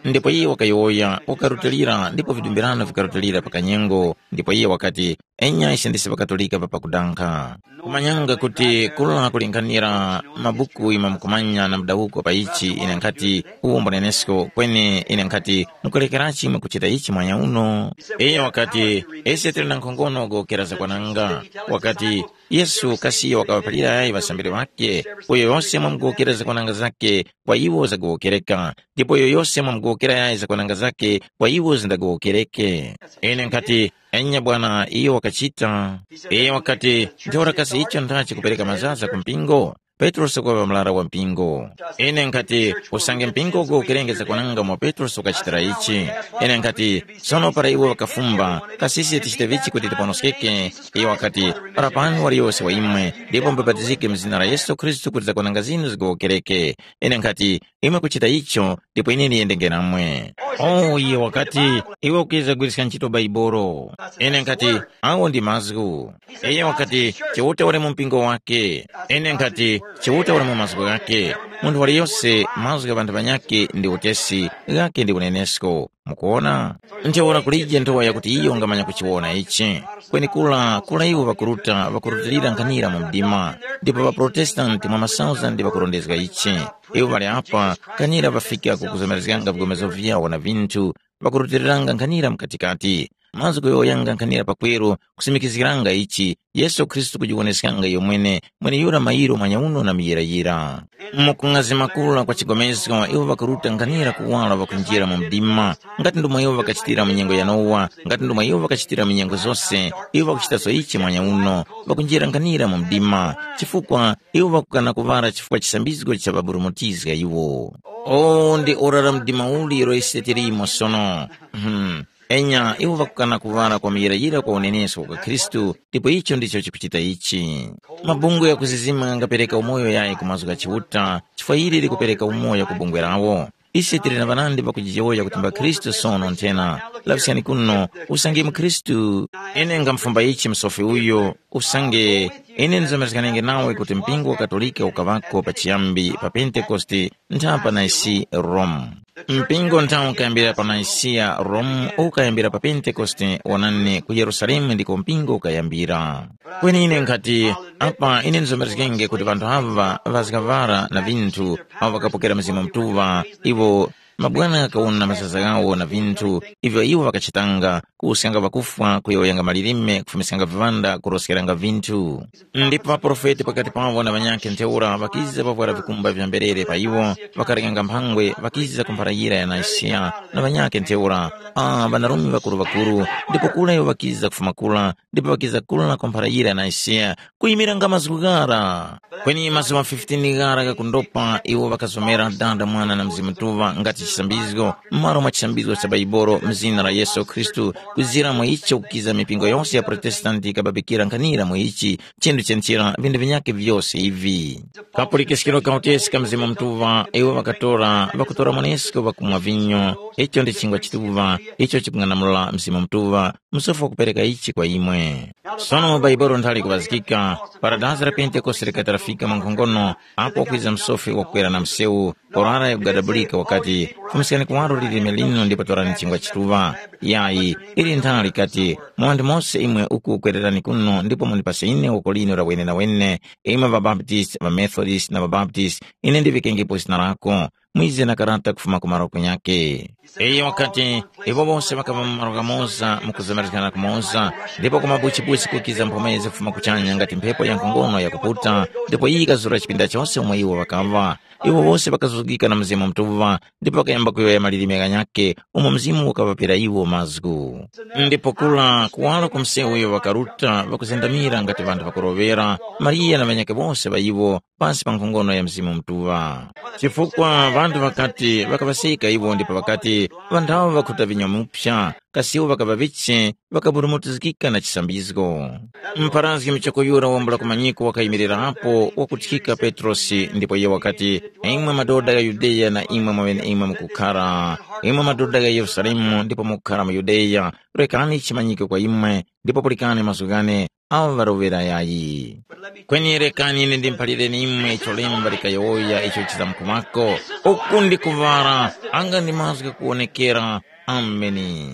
ndipo iye wakayowoya, wakarutilira, ndipo vidumbirano vikarutilira pa kanyengo, ndipo iye wakati, enya ise ndise ŵakatolika papakudankha. Kumanyanga kuti kula kulinganira mabuku imwe mukumanya na mudawuko pa ichi, ine nkhati, uwo mbunenesko, kweni ine nkhati, mukulekerachi imwe kuchita ichi mwanya uno? Iye wakati, ise tili na nkhongono gokera zakwananga. Wakati, Yesu kasi iyo wakaŵaphalira yayi ŵasambiri ŵakhe, uyo yose mwamugowokera zakwananga zakhe, kwa iwo zagowokereka, ndipo uyo yose mwamugowokera yayi zakwananga zakhe, kwa iwo zindagowokereke. Ine nkhati, enya bwana, iyo wakachita. Iye wakati, ntheura kasi icho ndachi kupereka mazaza ku mpingo? Petrosi kuŵa murara wa mpingo. Ine nkhati, usange mpingo ugowokerenge zakwananga mwa Petrosi ukachitira ichi. Ine nkhati, sono para iwo ŵakafumba, kasi ise tichite vichi kuti tiponoskeke? Iyo wakati, para pano waliyose wa imwe, ndipo mubapatizike mu zina la Yesu Khristu kuti zakwananga zinu zigowokereke. Ine nkhati, imwe kuchita icho, ndipo ine ndiyendenge namwe. O, iye wakati, iwe ukwiza kugwiriska ntchito Baibolo. Ine nkhati, awo ndi mazgu. Iye wakati, Chiuta uli mu mpingo wake. Ine nkhati, Chiuta uli mu mazgu ghake. Munthu waliyose mazgu gha ŵanthu ŵanyakhe ndi utesi, ghake ndi unenesko. Mukuwona? Ntheura kulije nthowa yakuti iyo ungamanya kuchiwona ichi. Kweni kula, kula iwo ŵakuruta, ŵakurutilira nkhanira mu mdima. Ndipo ŵaprotestanti mwa masauzandi ŵakurondezga ichi. Iwo ŵali apa, nkhanira ŵafika ku kuzomerezganga vigomezo vyawo na vinthu, ŵakurutiriranga nkhanira mkatikati. Mazgu yowoyanga nkhanira pakweru, kusimikizgiranga ichi, Yesu Khristu kujiwoneskanga iyo mwene, mweneyura mayiro mwanyauno na muyirayira. Mu kung'azima kura kwa chigomezgo, iwo ŵakuruta nkhanira kuwala ŵakunjira mu mdima, ngati ndomwe iwo ŵakachitira mu nyengo ya Nowa, ngati ndomwe iwo ŵakachitira mu nyengo zose, iwo ŵakuchitaso ichi mwanyauno, ŵakunjira nkhanira mu mdima, chifukwa iwo ŵakukana kuŵala chifukwa chisambizgo cha ŵaburumutizga iwo. O, ndi ora la mdima uli ilo ise tilimo sono. Hmm. Enya, iwo ŵakukana kuŵala kwa muyirayira kwa unenesko kwa Khristu, ndipo icho ndicho chikuchita ichi. Mabungwe ya kuzizima ghangapereka umoyo yayi ku mazgu gha Chiuta, chifukwa ili likupereka umoyo ku bungwe lawo. Ise tili na ŵanandi ŵakujiyowoya kuti mba Khristu sono nthena. Laŵiskani kuno, usange mu Khristu. Ine ngamufumba ichi msofi uyo, usange ine ndizomerezganenge nawe kuti mpingo wa Katolika ukaŵako pachiyambi pa Pentekoste, ntha pa Nicaea Rome. Mpingo nthawi ukayambira pa Nicaea Rome ukayambira pa Pentekoste, wonani ku Yerusalemu ndiko mpingo ukayambira. Kweni ine nkhati, apa ine ndizomerezgenge kuti ŵanthu aŵa ŵazgaŵara na vinthu, awo ŵakapokera Mzimu Mutuŵa, iwo mabwana ghakawona mazaza ghawo na vinthu ivyo iwo ŵakachitanga, kuwuskanga ŵakufwa, kuyowoyanga malilime, kufumiskanga viŵanda, kuroskeranga vinthu. Ndipo ŵaprofeti pakati pawo na ŵanyakhe ntheura ŵakiza ŵavwara vikumba vya mberere pa iwo, ŵakarenganga mphangwe, ŵakiza ku mphara yira ya Nicaea na ŵanyakhe ntheura, a ŵanarume ŵakuru-ŵakuru, ndipo kura iwo ŵakiza kufuma kura, ndipo ŵakiza kura ku mphara yira ya Nicaea, kuyimiranga mazgu ghara. Kweni mazuŵa fifteen ghara ghakundopa, iwo ŵakazomera Dada, Mwana na Mzimu Mutuŵa ngati chisambizgo, m'malo mwa chisambizgo cha Baibolo, m'zina la Yesu Khristu, kuzira mwa icho kukiza mipingo yose ya Protestanti ikababikira nkhanira mwa ichi, chinthu chenchera vinthu vinyakhe vyose ivi. Kapulikiskiro ka utesi ka Mzimu Mutuŵa, iwo ŵakatora, ŵakutora mwanesko ŵakumwa vinyo, icho ndi chingwa chituŵa, icho chikung'anamula Mzimu Mutuŵa, msofi wakupereka ichi kwa imwe. Sono Baibolo nthali kuŵazgika, para dazi la Pentekoste likati lafika mwa nkhongono, apo wakwiza msofi wakukwera na msewu, orara yakugadabulika wakati, fumiskani kuwaro lilime linu ndipo torani chingwa chituŵa. Yayi, ili nthali likati, mwa wanthu mose imwe uku kwererani kuno ndipo mundipase ine woko linu la wenenawene, imwe ŵaBaptisti, ŵaMethodist na ŵaBaptisti, ine ndivikengepo zina lako. Mwize na karata kufuma ku maroko nyakhe. Iyo wakati, iwo wose ŵakaŵa mu malo ghamoza mu kuzemerezgana kumoza, ndipo ku mabuchibuchi kukiza mphomezi kufuma kuchanya ngati mphepo ya nkhongono yakuputa, ndipo iyi yikazura chipinda chose umo iwo ŵakaŵa. Iwo wose ŵakazuzgika na Mzimu Mutuŵa, ndipo ŵakayamba kuyowoya malilime ghanyakhe umo Mzimu wakaŵapera iwo mazgu. Ndipo kura kuwala ku msewu uyo ŵakaruta ŵakuzendamira ngati ŵanthu ŵakuroŵera, Mariya na ŵanyakhe wose ŵa iwo pasi pa nkhongono ya Mzimu Mutuŵa. Chifukwa ŵanthu ŵakati ŵakaŵaseka iwo ndipo ŵakati, ŵanthawo ŵakhuta vinya mupsa, kasi iwo ŵakaŵa vichi, ŵakaburumutizgika na chisambizgo. Mpharazgi muchoko yura wambula kumanyiko wakayimilirapo wakuthika Petrosi ndipo iye wakati, imwe madoda gha Yudeya na imwe mwaŵeneimwe mukukhara, imwe madoda gha Yerusalemu ndipo mukukhara mu Yudeya, rekani chimanyike kwa imwe, ndipo pulikani mazgu ghane, awo ŵaroŵera yayi. Kweni rekani ine ndimphalireni imwe icho lemba likayowoya icho chizamkumako, uku ndi kuŵara, anga ndi mazgu ghakuwonekera. Ameni.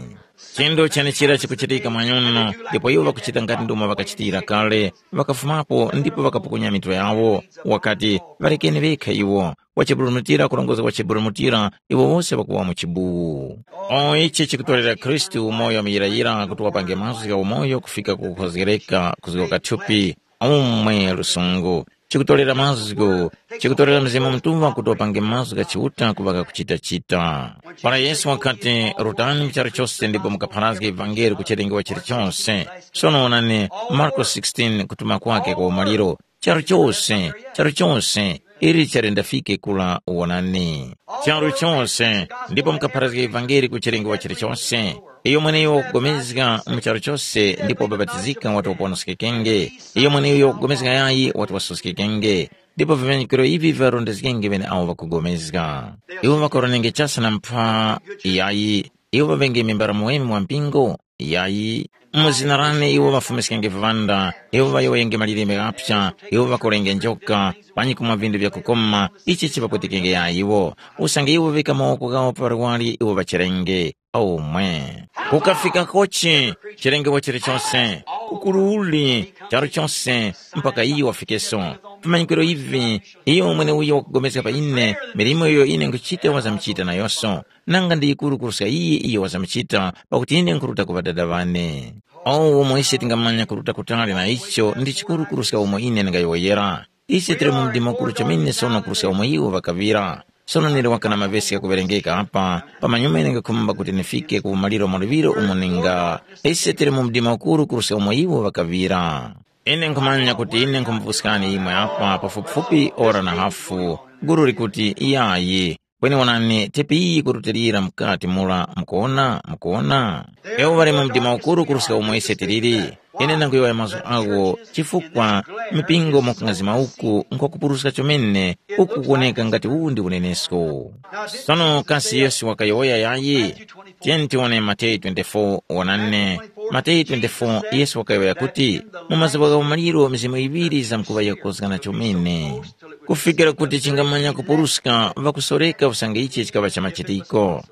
Chinthu chenechira chikuchitika mwanyuno, ndipo iwo ŵakuchita ngati ndomwe ŵakachitira kale, ŵakafumapo ndipo ŵakapukunya mitwe yawo, wakati, ŵarekeni ŵekha iwo, wachiburumutira kurongozga wachiburumutira, iwo wose ŵakuwa mu chibuwu. O ichi chikutorera Khristu umoyo muyirayira kuti wapange mazgu gha umoyo kufika ku kukhozgereka kuzgoka thupi, umwe lusungu. Chikutorera mazgu, chikutorera Mzimu Mutuŵa kuti wapange mazgu gha Chiuta kuŵa ghakuchita-chita. Para Yesu wakati, rutani mu charu chose ndipo mukapharazge ivangeli ku chilengedwa chilichose. Sono wonani, Marko sixteen, kutuma kwake kwa umaliro, charu chose, charu chose, ili chali ndafike kula wonani. Charu chose, ndipo mukapharazge ivangeli ku chilengedwa chilichose. Iyo mweneyo wakugomezga mu charu chose ndipo wabapatizika wati waponoskekenge. Iyo mweneyo wakugomezga yayi wati wasoskekenge. Ndipo vimanyikwiro ivi viŵarondezgenge ŵeneawo ŵakugomezga. Iwo ŵakaronenge chasa na mpha yayi. Iwo ŵaŵenge mimbara muweme mwa mpingo yayi. Mu zina lane iwo ŵafumiskenge viŵanda, iwo ŵayowoyenge malilime ghapsa, iwo ŵakolenge njoka, panyi kumwa vinthu vyakukoma, ichi chipapwetekenge yayi iwo. Usange iwo ŵika mawoko ghawo pa ŵarwari iwo ŵacherenge. Omwe. Kukafika kochi, chilengedwa chilichose, kukululi, charu chose, mpaka iyo wafikeso. Vimanyikwiro ivi, iyo mweneuyo wakugomezga pa ine, milimo iyo ine nkuchita wazamuchita nayonso. Nanga ndi yikuru kuruska iyi iyo wazamuchita, pakuti ine nkhuruta ku Ŵadada ŵane. Awo umo ise tingamanya kuruta kutali na icho ndi chikuru kuruska umo ine ndingayowoyera. Ise tili mu mdima ukuru chomene sono kuruska umo iwo ŵakaŵira. Sono nili waka na mavesi ghakuŵerengeka apa, pamanyuma ine ngakhumba kuti ndifike ku umaliro mwa luŵiro umo ninga. Ise tili mu mdima ukuru kuruska umo iwo ŵakaŵira. Ine nkhumanya kuti ine nkhumupuskani imwe apa pafupifupi ora na hafu, gulu likuti iyayi, kweni wonani tepi iyi kurutilira mukati mura, mukuwona, mukuwona? Ewo ŵali mu mdima ukuru kuruska umo ise tiliri. Ine ndanguyowoya mazgu agho, chifukwa mipingo mukungazima uku nkwakupuruska chomene, uku kuwoneka ngati uwu ndi unenesko. Sono kasi Yesu wakayowoya yayi? Tiyeni tiwone Mateyu twenty-four, wonani. Mateyu twenty-four, Yesu wakayowoya kuti, mu mazuŵa gha umaliro mizimu iŵiri zamkuŵa yakukozgana chomene. Kufikira kuti chingamanya kupuruska ŵakusoreka usange ichi chikaŵa cha machitiko.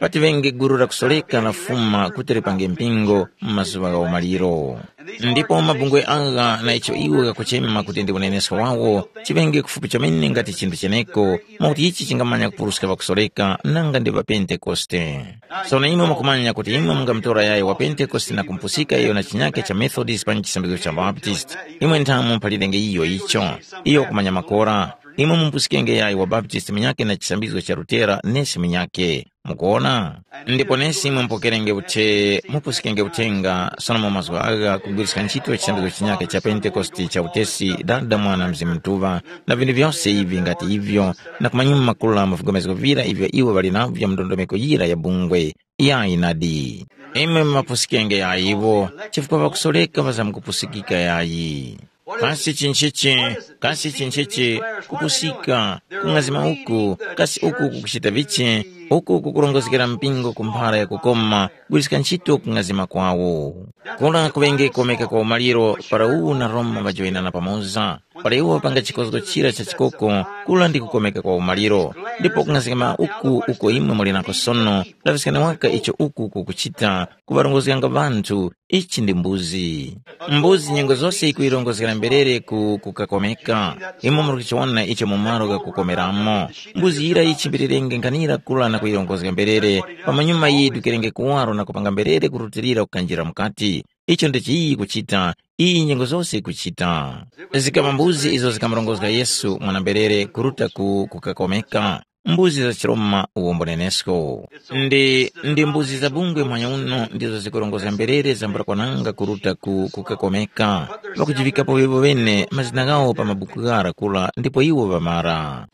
Patiŵenge gulu la kusoreka lafuma kuti lipange mpingo mu mazuŵa gha umaliro. Ndipo mabungwe agha na icho iwo ghakuchema kuti ndi unenesko wawo, chiŵenge kufupi chomene ngati chinthu cheneko, mwakuti ichi chingamanya kupuruska ŵakusoreka nanga ndi ŵaPentekoste. Sono imwe mukumanya kuti imwe mungamutora yayo wa Pentekoste na kumupusika iyo na chinyake cha Methodist panji chisambizgo cha Baptist. Imwe nthamu mphalirenge iyo icho. Iyo wakumanya makora. Imwe mumpusikenge yayo wa Baptist munyake na chisambizgo cha Lutera nesi munyake. Mukuwona? Ndipo nesi imwe mupokerenge uthe, mupusikenge uthenga, sono mu mazgu agha kugwiriska ntchito chisambizgo chinyake cha Pentekoste cha utesi, Dada, Mwana, Mzimu Mutuŵa, na vinthu vyose ivi ngati ivyo, na kumanyuma makula mu vigomezgo vira ivyo iwo ŵali navyo mu ndondomeko yira ya bungwe. Yayi nadi. Imwe mumapusikenge yayiwo, chifukwa ŵakusoreka ŵazamkupusikika yayi. Kasi chinchichi, kasi chinchichi, kupusika, kung'azima uku, kasi uku kukuchita vichi, uku kukurongozgera mpingo ku mphara yakukoma, gwiska ntchito kung'azima kwawo. Kura kuŵenge komeka kwa umaliro para uwu na Roma ŵajoyinana pamoza. Para iwo ŵapanga chikozgo chira cha chikoko, kura ndi kukomeka kwa umaliro. Ndipo kung'azgama uku uko imwe muli nako sono, laŵiskani waka icho uku kukuchita, kuŵarongozganga ŵanthu, ichi ndi mbuzi. Mbuzi nyengo zose yikuyirongozgera mberere ku kukakomeka. Imwe muri kuchiwona icho mu malo ghakukomeramo. Mbuzi yira yichimbirirenge nkhanira kura na kuyirongozga mberere, pamanyuma yidukirenge kuwaro na kupanga mberere kurutilira kukanjira mukati. Icho ndichi iyi yikuchita, iyi nyengo zose yikuchita. Zikama mbuzi izo zikamurongozga Yesu mwana-mberere kuruta ku kukakomeka. mbuzi za chiRoma uwombo nenesko. Ndi ndi mbuzi za bungwe mwanya uno ndizo zikurongozga mberere zambula kwananga kuruta ku kukakomeka. Ŵakujivikapo iwo ŵene mazina ghawo pa mabuku ghara kula ndipo iwo ŵamara.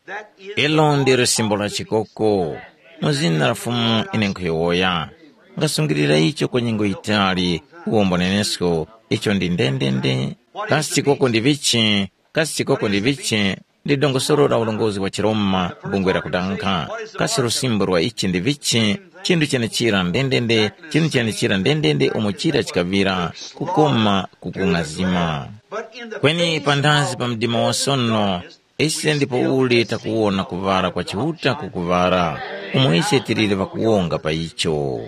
Ilo ndilo simbo la chikoko. Mu zina la Fumu ine nkhuyowoya. Ngasungilira icho kwa nyengo yitali, uwombo nenesko, icho ndi ndendende. Kasi chikoko ndi vichi? Kasi chikoko ndi vichi? Ndi dongosolo la ulongozi wa chiRoma, bungwe la kudankha. Kasi lusimbo lwa ichi ndi vichi? Chinthu chenechira ndendende, chinthu chenechira ndendende umo chira chikaŵira, kukoma kukung'azima. Kweni pandazi pa mdima wa sono, ise ndipo uli takuwona kuŵala kwa Chiuta kukuŵala, umo ise tiliri ŵakuwonga pa icho.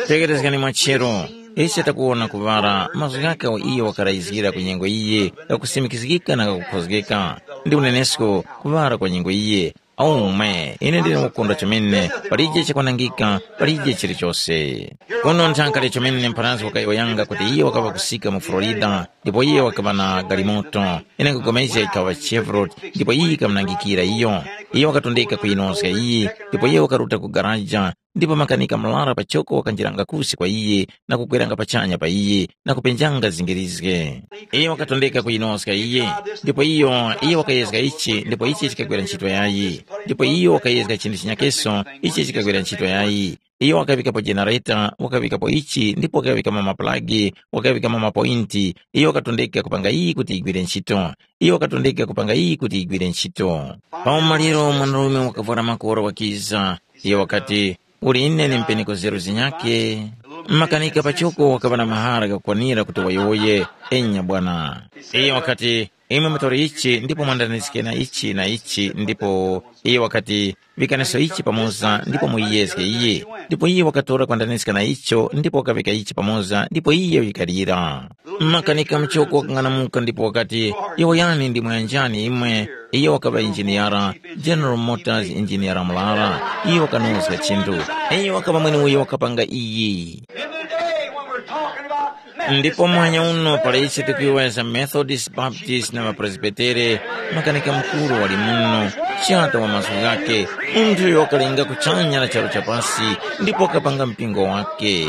Tekerezgani mwachero, ise takuwona kuŵala mazgu ghakhe awo iyo wakarayizgira ku nyengo iye, ghakusimikizgika na ghakukhozgeka, ndi unenesko kuŵala kwa nyengo iye. Aume, ine ndine wakukondwa chomene, palije chakwanangika, palije chilichose. Kuno nthankale chomene mpharansi wakayowoyanga kuti iye wakaŵa kusika mu Florida, ndipo iye wakaŵa na galimoto, ine nkupulikana yikaŵa Chevrolet, ndipo iyi yikamunangikira iyo. Iyo wakatondeka kuyinozga iyi, ndipo iye wakaruta ku garaja, ndipo makanika murara pachoko wakanjiranga kusi kwa iye, na kukweranga pachanya pa iye, na kupenjanga zingirizge. Iyo wakatondeka kuyinozga iye, ndipo iyo, iyo wakayezga ichi, ndipo ichi chikagwira ntchito yayi. Ndipo iyo wakayezga chinthu chinyakeso, ichi chikagwira ntchito yayi. Iyo wakaŵikapo jenereta, wakaŵikapo ichi, ndipo wakaŵikamo mapulagi, wakaŵikamo mapointi. Iyo wakatondeka kupanga iyi kuti yigwire ntchito. Iyo wakatondeka kupanga iyi kuti yigwire ntchito. Pa umaliro mwanarume wakavwara makora wakiza. Iyo wakati, uli ine ni mpeneko zeru zinyake. Makanika pachoko wakaŵa na mahara ghakukwanira kuti wayowoye. Enya bwana. Iyo wakati, imwe mutori ichi ndipo mwandanizgike na ichi na ichi, ndipo iyo wakati, vikaniso ichi pamoza ndipo muyiyezge iye. Ndipo iye wakatora kwandaniska na icho ndipo wakaŵika ichi pamoza ndipo iye wikalira. Makanika muchoko wakang'anamuka ndipo wakati, yowoyani ndi mwayanjani imwe. Iyo wakaŵa injiniyara, General Motors injiniyara murara. Iyo wakanozga chinthu. Iyo wakaŵa mweneuyo wakapanga iyi. In the day when we're talking about Ndipo muhanya uno para ise tikuyowoya za Methodist, Baptist na ŵaPresbitere, makanika mukuru wali muno, chata wa mazgu ghake, munthu uyo wakalenga kuchanya na charu cha pasi ndipo wakapanga mpingo wake.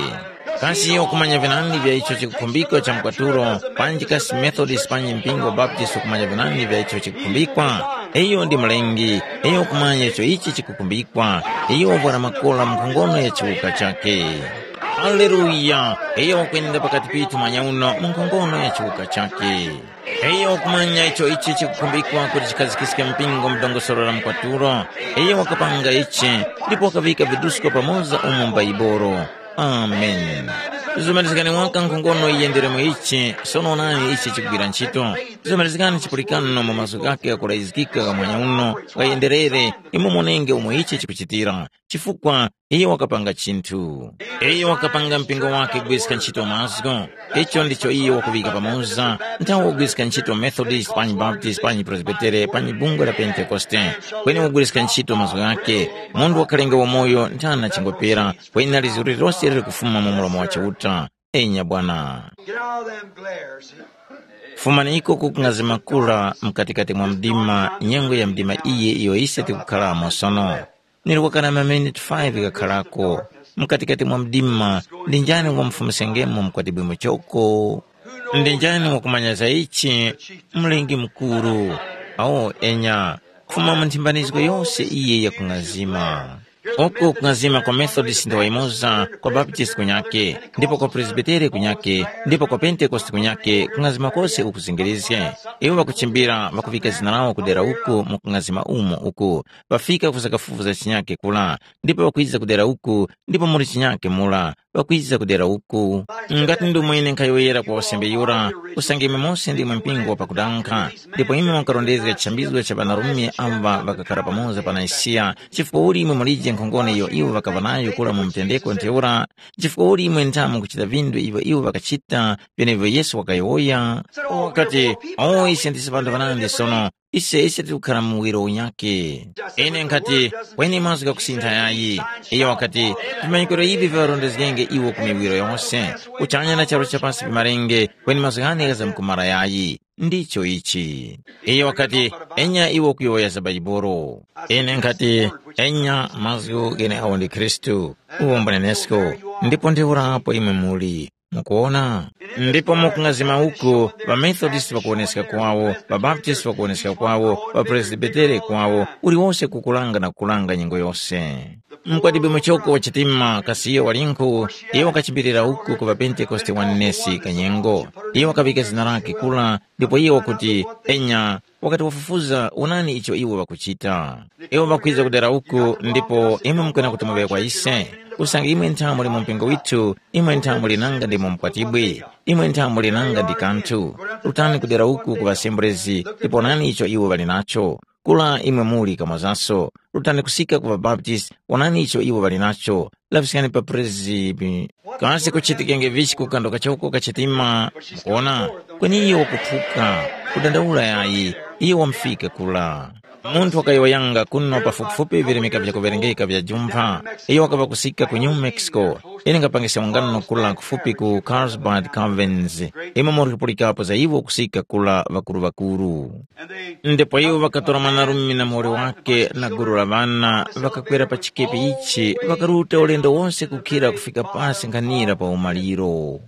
Kasi iyo wakumanya vinandi vya icho chikukhumbikwa cha mkwatulo, panji kasi Methodist panji mpingo Baptist ukumanya vinandi vya icho chikukhumbikwa? Iyo ndi mlengi, iyo wakumanya icho ichi chikukhumbikwa, iyo wavwara makola mu nkhongono ya chiwuka chake. Haleluya! Iyo wakwenda pakati pithu mwanya uno mu nkhongono ya chiwuka chakhe. Iyo wakumanya icho ichi chikukhumbikwa kuti chikhazikiske mpingo mu dongosolo la mkwatulo. Iyo wakapanga ichi, ndipo wakaŵika vidusko pamoza umo m'Baibolo. Amen. Zumanizgani waka nkhongono yiyendere mu ichi, sono onani ichi chikugwira ntchito. Zumanizgani chipulikano mu mazgu ghakhe ghakulayizgika gha mwanya uno, ghayenderere, imwe monenge umo ichi chikuchitira. Chifukwa iyo wakapanga chinthu. Iyo wakapanga mpingo wake kugwiska ntchito mazgu. Icho ndicho iyo wakuŵika pamoza, nthawe wagwiska ntchito Methodist, panyi Baptist, panyi Presbytere, panyi bungwe la Pentekoste. Kweni wagwiska ntchito mazgu ghake, munthu wakhalenga wamoyo nthana chingopera, kweni na lizgu lililose lili kufuma mu mlomo wa Chiuta. Enya bwana. Get out of them glares. Fumaniko kukungazima kura mkatikati mwa mdima, nyengo ya mdima iye iyo ise tikukhalamo sono. Nilwakana maminiti five ghakhalako. Mkatikati mwa mdima, ndi njani wamfumusengemo mkwatibwi muchoko? Ndi njani wakumanya za ichi? Mlengi mukuru. Awo enya, kufuma mu nthimbanizgo yose iye yakungazima. Uku kungazima kwa Methodist ndi wayimoza, kwa Baptist kunyake, ndipo kwa Presbytere kunyake, ndipo kwa Pentekoste kunyake, kungazima kose ukuzingirizge. Iwo ŵakuchimbira ŵakuvika zina lawo kudera uku mu kungazima umo uku, ŵafika ku zakafufuza chinyake kula, ndipo ŵakwiza kudera uku, ndipo muli chinyake mula, ŵakwiza kudera uku. Ngati ndi umwe ine nkhayowoyera kwa wasembe yura, usange imwe mose ndimwe mpingo wa pakudankha, ndipo imwe mukarondezga chishambizgo cha ŵanarume amba ŵakakhara pamoza pa Nisiya, chifukwa uli imwe mulije nkhongono iyo iwo ŵakaŵa nayo kura mu mutendeko ntheura, chifukwa uli imwe nthamu kuchita vinthu ivyo iwo ŵakachita, vyenevyo Yesu wakayowoya, wakati, o ise ndise ŵanthu ŵanandi sono, ise ise tikukhala mu muwiro unyakhe. Ine nkhati, kweni mazgu ghakusintha yayi. Iyo wakati, vimanyikiro ivi viŵarondezgenge iwo ku miwiro yose. Kuchanya na charu cha pasi vimarenge, kweni mazgu ghane ghazamkumara yayi. ndicho ichi. Iye wakati, “Enya iwe ukuyowoya za Baibolo.” Ine nkhati, “Enya mazgu gheneagho ndi Khristu, uwo mbunenesko, ndipo ntheurapo imwe muli.” Mukuwona? Ndipo mukung'azima uku, ŵaMethodist ŵakuwoneska kwawo, ŵaBaptist ŵakuwoneska kwawo, ŵaPresbitere kwawo, uliwose kukulanga na kukulanga nyengo yose. Mkwatibwi muchoko wa chitima kasi iyo walinkhu, iyo wakachimbirira uku ku ŵaPentekoste wa Nesi kanyengo. Iyo wakaŵika zina lake kula, ndipo iyo wakuti, “Enya,” wakati wafufuza, “Wonani icho iwo ŵakuchita. Iwo ŵakwiza kudera uku, ndipo imwe mukwena kuti muŵe kwa ise. Usange imwe nthamu muli mu mpingo withu, imwe nthamu muli nanga ndi mu mkwatibwi, imwe nthamu muli nanga ndi kanthu. Rutani kudera uku ku ŵasembrezi, ndipo wonani icho iwo ŵali nacho. Kula imwe muli kamozaso, rutani kusika ku ŵaBaptist, wonani icho iwo ŵali nacho, laŵiskani pa Presby. Kasi kuchitikenge vichi ku kando kachoko ka chitima? Mukuona, kweni iyo wakuphuka, kudandaula yayi, iyo wamufika kula. Munthu wakayowoyanga kuno pafupifupi virimika vyakuwerengeka vya jumpha, iyo wakaŵa kusika ku New Mexico. Ine ngapangiska ungano kula kufupi ku Carlsbad Caverns, imwe murikupulikapo za iwo kusika kula ŵakuru-ŵakuru. Ndipo iwo ŵakatora mwanarume na muwoli wake na gulu la ŵana, ŵakakwera pa chikepe ichi, ŵakaruta ulendo wose kukhira kufika pasi nkhanira pa umaliro.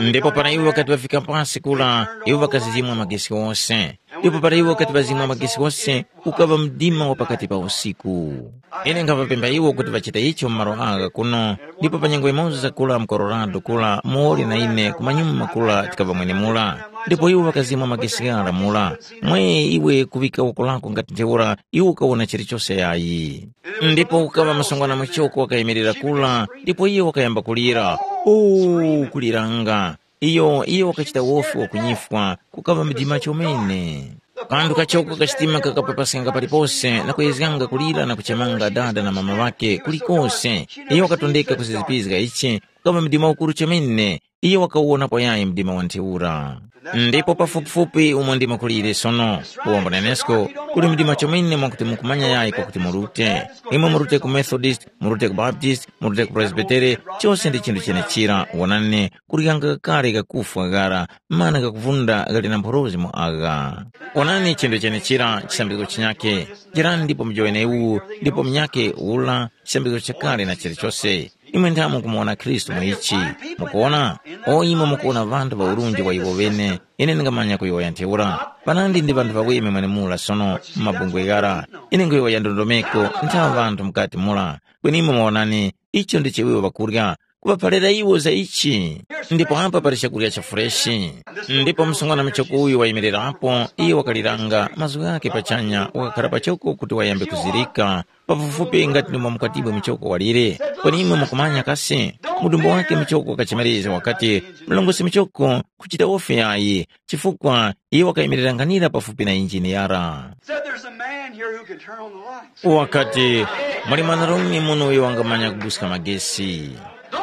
Ndipo para iwo ŵakati ŵafika pasi kura, iwo ŵakazizimwa magesi ghose. Ndipo para iwo ŵakati ŵazimwa magesi ghose, kukaŵa mdima wa pakati pa usiku. Ine nkhaŵapempha iwo kuti ŵachite icho mu malo agha kuno, ndipo pa nyengo yimoza kura mu Colorado kura, muwoli na ine kumanyuma kura tikaŵa mwenemura. Ndipo iwo ŵakazimwa magesi ghara mura. Mwe iwe kuŵika woko lako ngati ntheura, iwe ukawona chilichose yayi. Ndipo kukaŵa msungwana muchoko wakayimirira kura, ndipo iyo wakayamba kulira, “Oo, kuliranga!” Iyo, iyo wakachita wofi wakunyifwa, kukaŵa mdima chomene. Kanthu kachoko kachitima kakapapaskanga palipose na kuyezganga kulira na kuchemanga dada na mama ŵakhe kulikose. Iyo wakatondeka kuzizipizga ichi, kukaŵa mdima ukuru chomene. Iyo wakawuwonapo yayi mdima wa ntheura. Ndipo pafupifupi umo ndimo kulire sono, uwombo nenesko, kuli mdima chomene mwakuti mukumanya yayi kwakuti murute. Imwe murute ku Methodist, murute ku Baptist, murute ku Presbytere, chose ndi chinthu chenechira. Wonani, kuli ghanga kakale kakufwa ghara, mana kakuvunda ghali na mphorozi mu agha. Wonani chinthu chenechira, chisambizgo chinyakhe. Jerani ndipo mujowenewu, ndipo munyakhe ula, chisambizgo chakale na chilichose. Imwe nthamu kumuwona Khristu mu ichi. Mukuwona? O imwe mukuwona ŵanthu ŵa urunji wa iwo ŵene, ine ndingamanya kuyowoya ntheura. Panandi ndi ŵanthu ŵaweme mwenemura sono mu mabungwe ghara. Ine nkhuyowoya ndondomeko nthamu ŵanthu mukati mura. Kweni imwe muwonani, icho ndi chiwiwo ŵakurya, kuŵaphalira iwo za ichi. Ndipo apa pali chakurya cha fureshi. Ndipo msungwana muchoko uyu wayimirirapo, iye wakaliranga mazgu ghakhe pachanya, wakakhala pachoko kuti wayambe kuzirika, pafupifupi ngati ndimo mukatibwe muchoko walire. Kweni imwe mukumanya kasi, mudumbu wake muchoko wakachimaliza wakati, mlongosi muchoko, kuchita wofi yayi, chifukwa iye wakayimirira nkhanira pafupi na injini yara. Said there's a man here who can turn on the lights. Wakati, muli mwanarume muno uyo wangamanya kubuska magesi.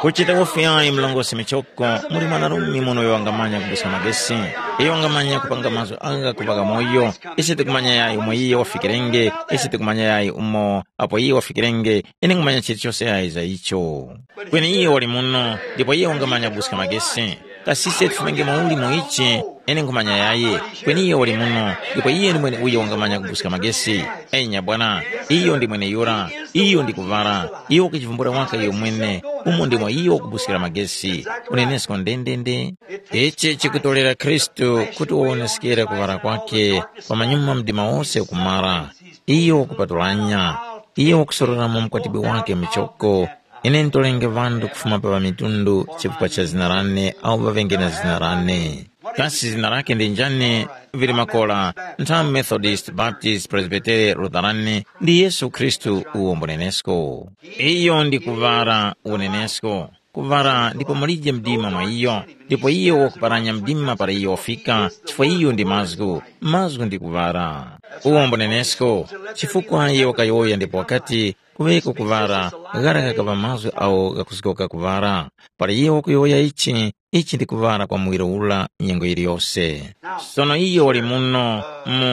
Kuchita wofi yayi mlongosi michoko, muli mwanarume muno uyo wangamanya kubuska magesi. Iyo wangamanya kupanga mazgu agha kuŵaka moyo. Ise tikumanya yayi umo iye wafikirenge, ise tikumanya yayi umo apo iye wafikirenge, ine ngumanya chilichose yayi za icho. Kweni iye wali muno, ndipo iye wangamanya kubuska magesi. Kasi ise tifumenge mwauli mu ichi, ine nkhumanya yayi, kweni iye wali muno, ndipo iye ndi mwene uyo wangamanya kubuska magesi. Enya bwana, iyo ndi mweneyura, iyo ndi kuŵala, iyo wakuchivumbula waka iyo mwene, umo ndimo iyo wakubuskira magesi. Unenesko ndendende. Ichi chikutorera Khristu kuti wawoneskere kuŵala kwake, pamanyuma mdima wose ukumara. Iyo wakupatulanya, iyo wakusororamo mkwatibwi wake muchoko. Ine ntolenge ŵanthu kufuma pa ŵamitundu chifukwa cha zina lane awo ŵaŵenge na zina lane. Kasi zina lake ndi njani? Vili makola, nthamu Methodist, Baptist, Presbytere, Lutherani, ndi Yesu Khristu uwo mbunenesko. Iyo ndi kuŵala unenesko. Kuŵala ndipo mulije mdima mwa iyo, ndipo iyo wakuparanya mdima para iyo wafika, chifukwa iyo ndi mazgu, mazgu ndi kuŵala. Uwo mbunenesko, chifukwa iyo wakayowoya ndipo wakati, kuŵeko kuŵala, ghara ghakaŵa mazgu awo ghakuzgoka kuŵala. Para iyo wakuyowoya ichi, ichi ndi kuŵala kwa muwiro ula nyengo yiliyose. Sono iyo wali muno mu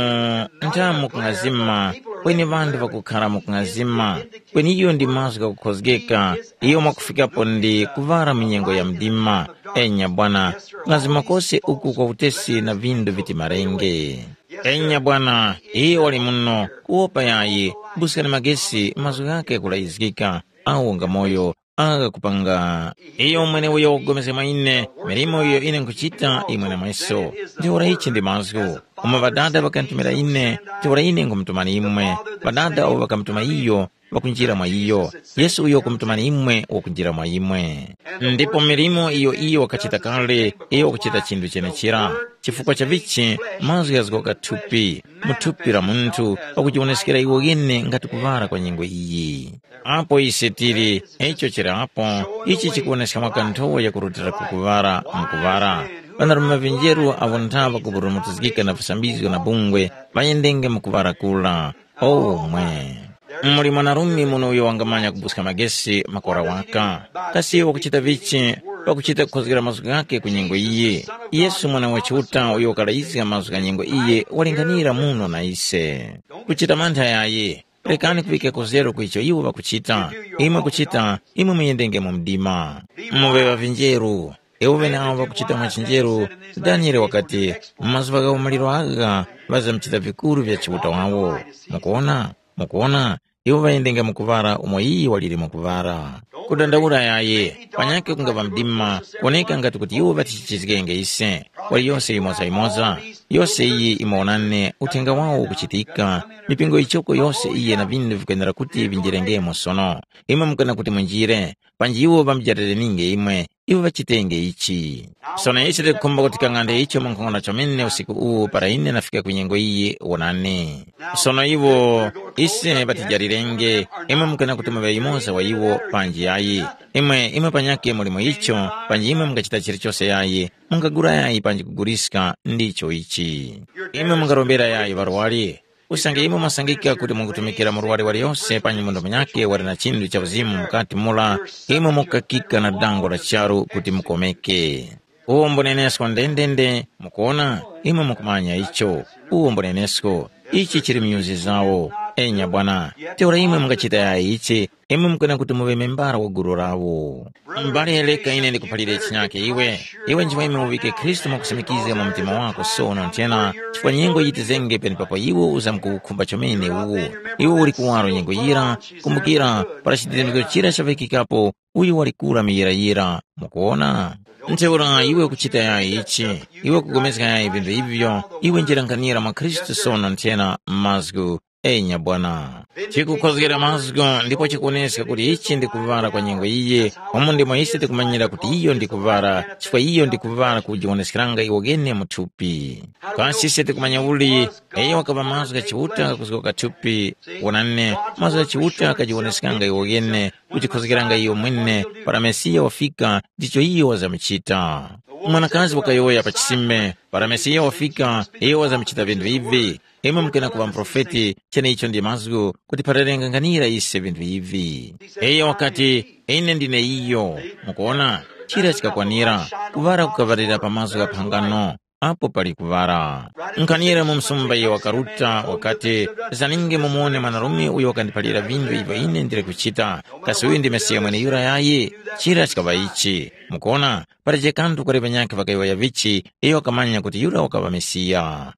nthamu kung'azima, kweni ŵanthu ŵakukhara mu kung'azima, kweni iyo ndi mazgu ghakukhozgeka, iyo mwakufikapo ndi kuŵala mu nyengo ya mdima. Enya bwana, kung'azima kose uku kwa utesi na vindu viti marenge. Enya bwana, iyo wali muno, kuwopa yayi, buskani magesi, mazgu ghakhe kulayizgika, awo ngamoyo, agha kupanga. Iyo mweneuyo wakupulikana mwa ine, milimo iyo ine nkhuchita imwe na mweso. Ntheura ichi ndi mazgu. Umo Ŵadada ŵakanditumira ine, ntheura ine nkhumutumani imwe. Ŵadada awo ŵakamutuma iyo, ŵakunjira mwa iyo. Yesu uyo wakumutumani imwe wakunjira mwa imwe. Ndipo milimo iyo iyo wakachita kale, iyo wakuchita chinthu chenechira. Chifukwa cha vichi, mazgu ghazgoka thupi, mu thupi la munthu, pakujiwoneskera iwo ghene ngati kuŵala kwa nyengo iyi. Apo ise tili, icho chili apo, ichi chikuwoneska mwa kanthowa yakurutira ku kuŵala mu kuŵala. Ŵanarume ŵa vinjeru awo nthawa kuburumutizgika na visambizgo na bungwe, ŵayendenge mu kuŵala kula. Omwe. Muli mwanarume muno uyo wangamanya kubuska magesi makora waka. Kasi wakuchita vichi pakuchita kukhozgera mazgu ghakhe ku nyengo iyi? Yesu mwana wa Chiuta uyo wakalayizga mazgu gha nyengo iyi walinganira muno na ise. Kuchita mantha yayi. Rekani kuŵika kuzero ku icho iwo ŵakuchita. Imwe kuchita, imwe muyendenge mu mdima. Muŵe ŵa vinjeru. Iwo ŵeneawo ŵakuchita mwa chinjeru, Daniele wakati, mu mazuŵa gha umaliro agha, ŵazamuchita vikuru vya Chiuta wawo. Mukuwona? Mukuwona? Iwo ŵayendenge mu kuŵala umo iyi waliri mu kuŵala. Kudandaula yayi, panyakhe kungaŵa mdima, kuwoneka ngati kuti iwo ŵatichichizgenge ise. Waliyose yimoza-yimoza, yose iyi imawonani uthenga wawo ukuchitika, mipingo yichoko yose iyi na vinthu vikwenera kuti vinjirengemo sono. Imwe mukana kuti munjire, panji iwo ŵamujatirininge imwe, iwo ŵachitenge ichi. Sono ise tikukhumba kuti kang'ande icho munkhongono chomene usiku uwu para ine nafika ku nyengo iyi wonani. Sono iwo, ise ŵatijalirenge, imwe mukana kuti muŵe yumoza wa iwo panji yayi. Imwe, imwe panyakhe muli mu icho, panji imwe mungachita chilichose yayi, mungagula yayi panji kuguliska ndicho ichi. Imwe mungarombera yayi ŵarwari, usange imwe mwasangika kuti mukutumikira murwari waliyose panyi munthu munyakhe wali na chinthu cha uzimu mukati mura, imwe mukakika na dango la charu kuti mukomeke. Uwo mbunenesko ndendende, mukuona, imwe mukumanya icho. Uwo mbunenesko, ichi chili myuzi zawo. Enya bwana, ntheura imwe mungachita yayi ichi, imwe mukwena kuti muŵe membara wa gulu lawo. Mbale, reka ine ndikuphalire chinyake iwe. Iwe nchimweme uŵike Khristu mwakusimikiza mu mtima wako sono nthena, chifukwa nyengo yitizenge penepapo iwe uzamkuwukhumba chomene uwu. Iwe uli kuwaro nyengo yira, kumbukira, para chidindikiro chira chaŵikikapo, uyu wali kura muyirayira. Mukuwona? Ntheura iwe ukuchita yayi ichi, iwe ukupulikana yayi vinthu ivyo, iwe njira nkhanira mwa Khristu sono nthena m'mazgu. Enya bwana. Chikukhozgera mazgu ndipo chikuwoneska kuti ichi ndi kuvara kwa nyengo iyi, umo ndimo ise tikumanyira kuti iyo ndi kuvara, chifukwa iyo ndi kuvara kujiwoneskeranga iwokene mu thupi. Kasi ise tikumanya uli, iyo wakaŵa mazgu gha Chiuta kuzgoka thupi? Wonani, mazgu gha Chiuta ghajiwoneskanga iwokene, kujikhozgeranga iyo mwene, para Mesiya wafika, ndicho iyo wazamuchita. Mwanakazi wakayowoya pa chisime, para Mesiya wafika, iyo wazamuchita vinthu ivi. Imwe mukena kuŵa muprofeti, cheneicho ndi mazgu kuti pharerenga nkhanira ise vinthu ivi. Iyo wakati, ine ndine iyo. Mukuona, chira chikakwanira, kuŵala kukaŵalira pa mazgu gha phangano, apo pali kuŵala. Nkhanira mu msumba iyo wakaruta, wakati, zaninge mumuwone mwanarume uyo wakandiphalira vinthu ivyo ine ndili kuchita, kasi uyu ndi Mesiya mweneyura yayi? Chira chikaŵa ichi. Mukuona, palibe kanthu kali ŵanyakhe ŵakayowoya vichi, iyo wakamanya kuti yura wakaŵa Mesiya.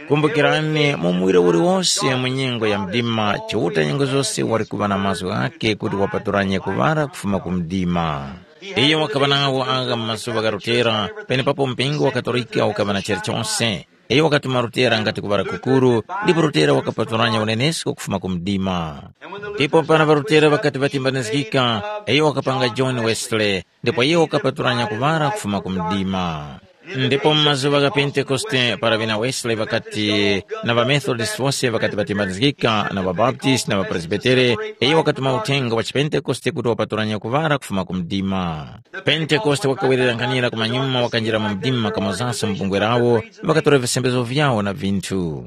Kumbukirani, mu muwiro uliwose mu nyengo ya mdima, Chiuta nyengo zose wali kuŵa na mazgu ghakhe kuti wapatulanye kuŵala kufuma ku mdima. Iyo wakaŵa nawo agha mu mazuŵa gha Lutera, penepapo mpingo wa Katolika ukaŵa na chilichose. Iyo wakatuma Lutera ngati kuŵala kukuru, ndipo Lutera wakapatulanya unenesko kufuma ku mdima. Ndipo para ŵaLutera ŵakati ŵatimbanizgika, iyo wakapanga John Wesley, ndipo iyo wakapatulanya kuŵala kufuma ku mdima. Ndipo mu mazuŵa gha Pentekoste, para ŵena Wesley ŵakati na ŵaMethodist wose ŵakati ŵatimbanizgika na ŵaBaptist na ŵaPresbitere, iyo wakatuma uthenga wa chiPentekoste kuti wapatulanya kuŵala kufuma ku mdima. Pentekoste wakawerera nkhanira kumanyuma, wakanjira mu mdima kamozanso mu bungwe lawo, ŵakatora visembezgo vyawo na vinthu.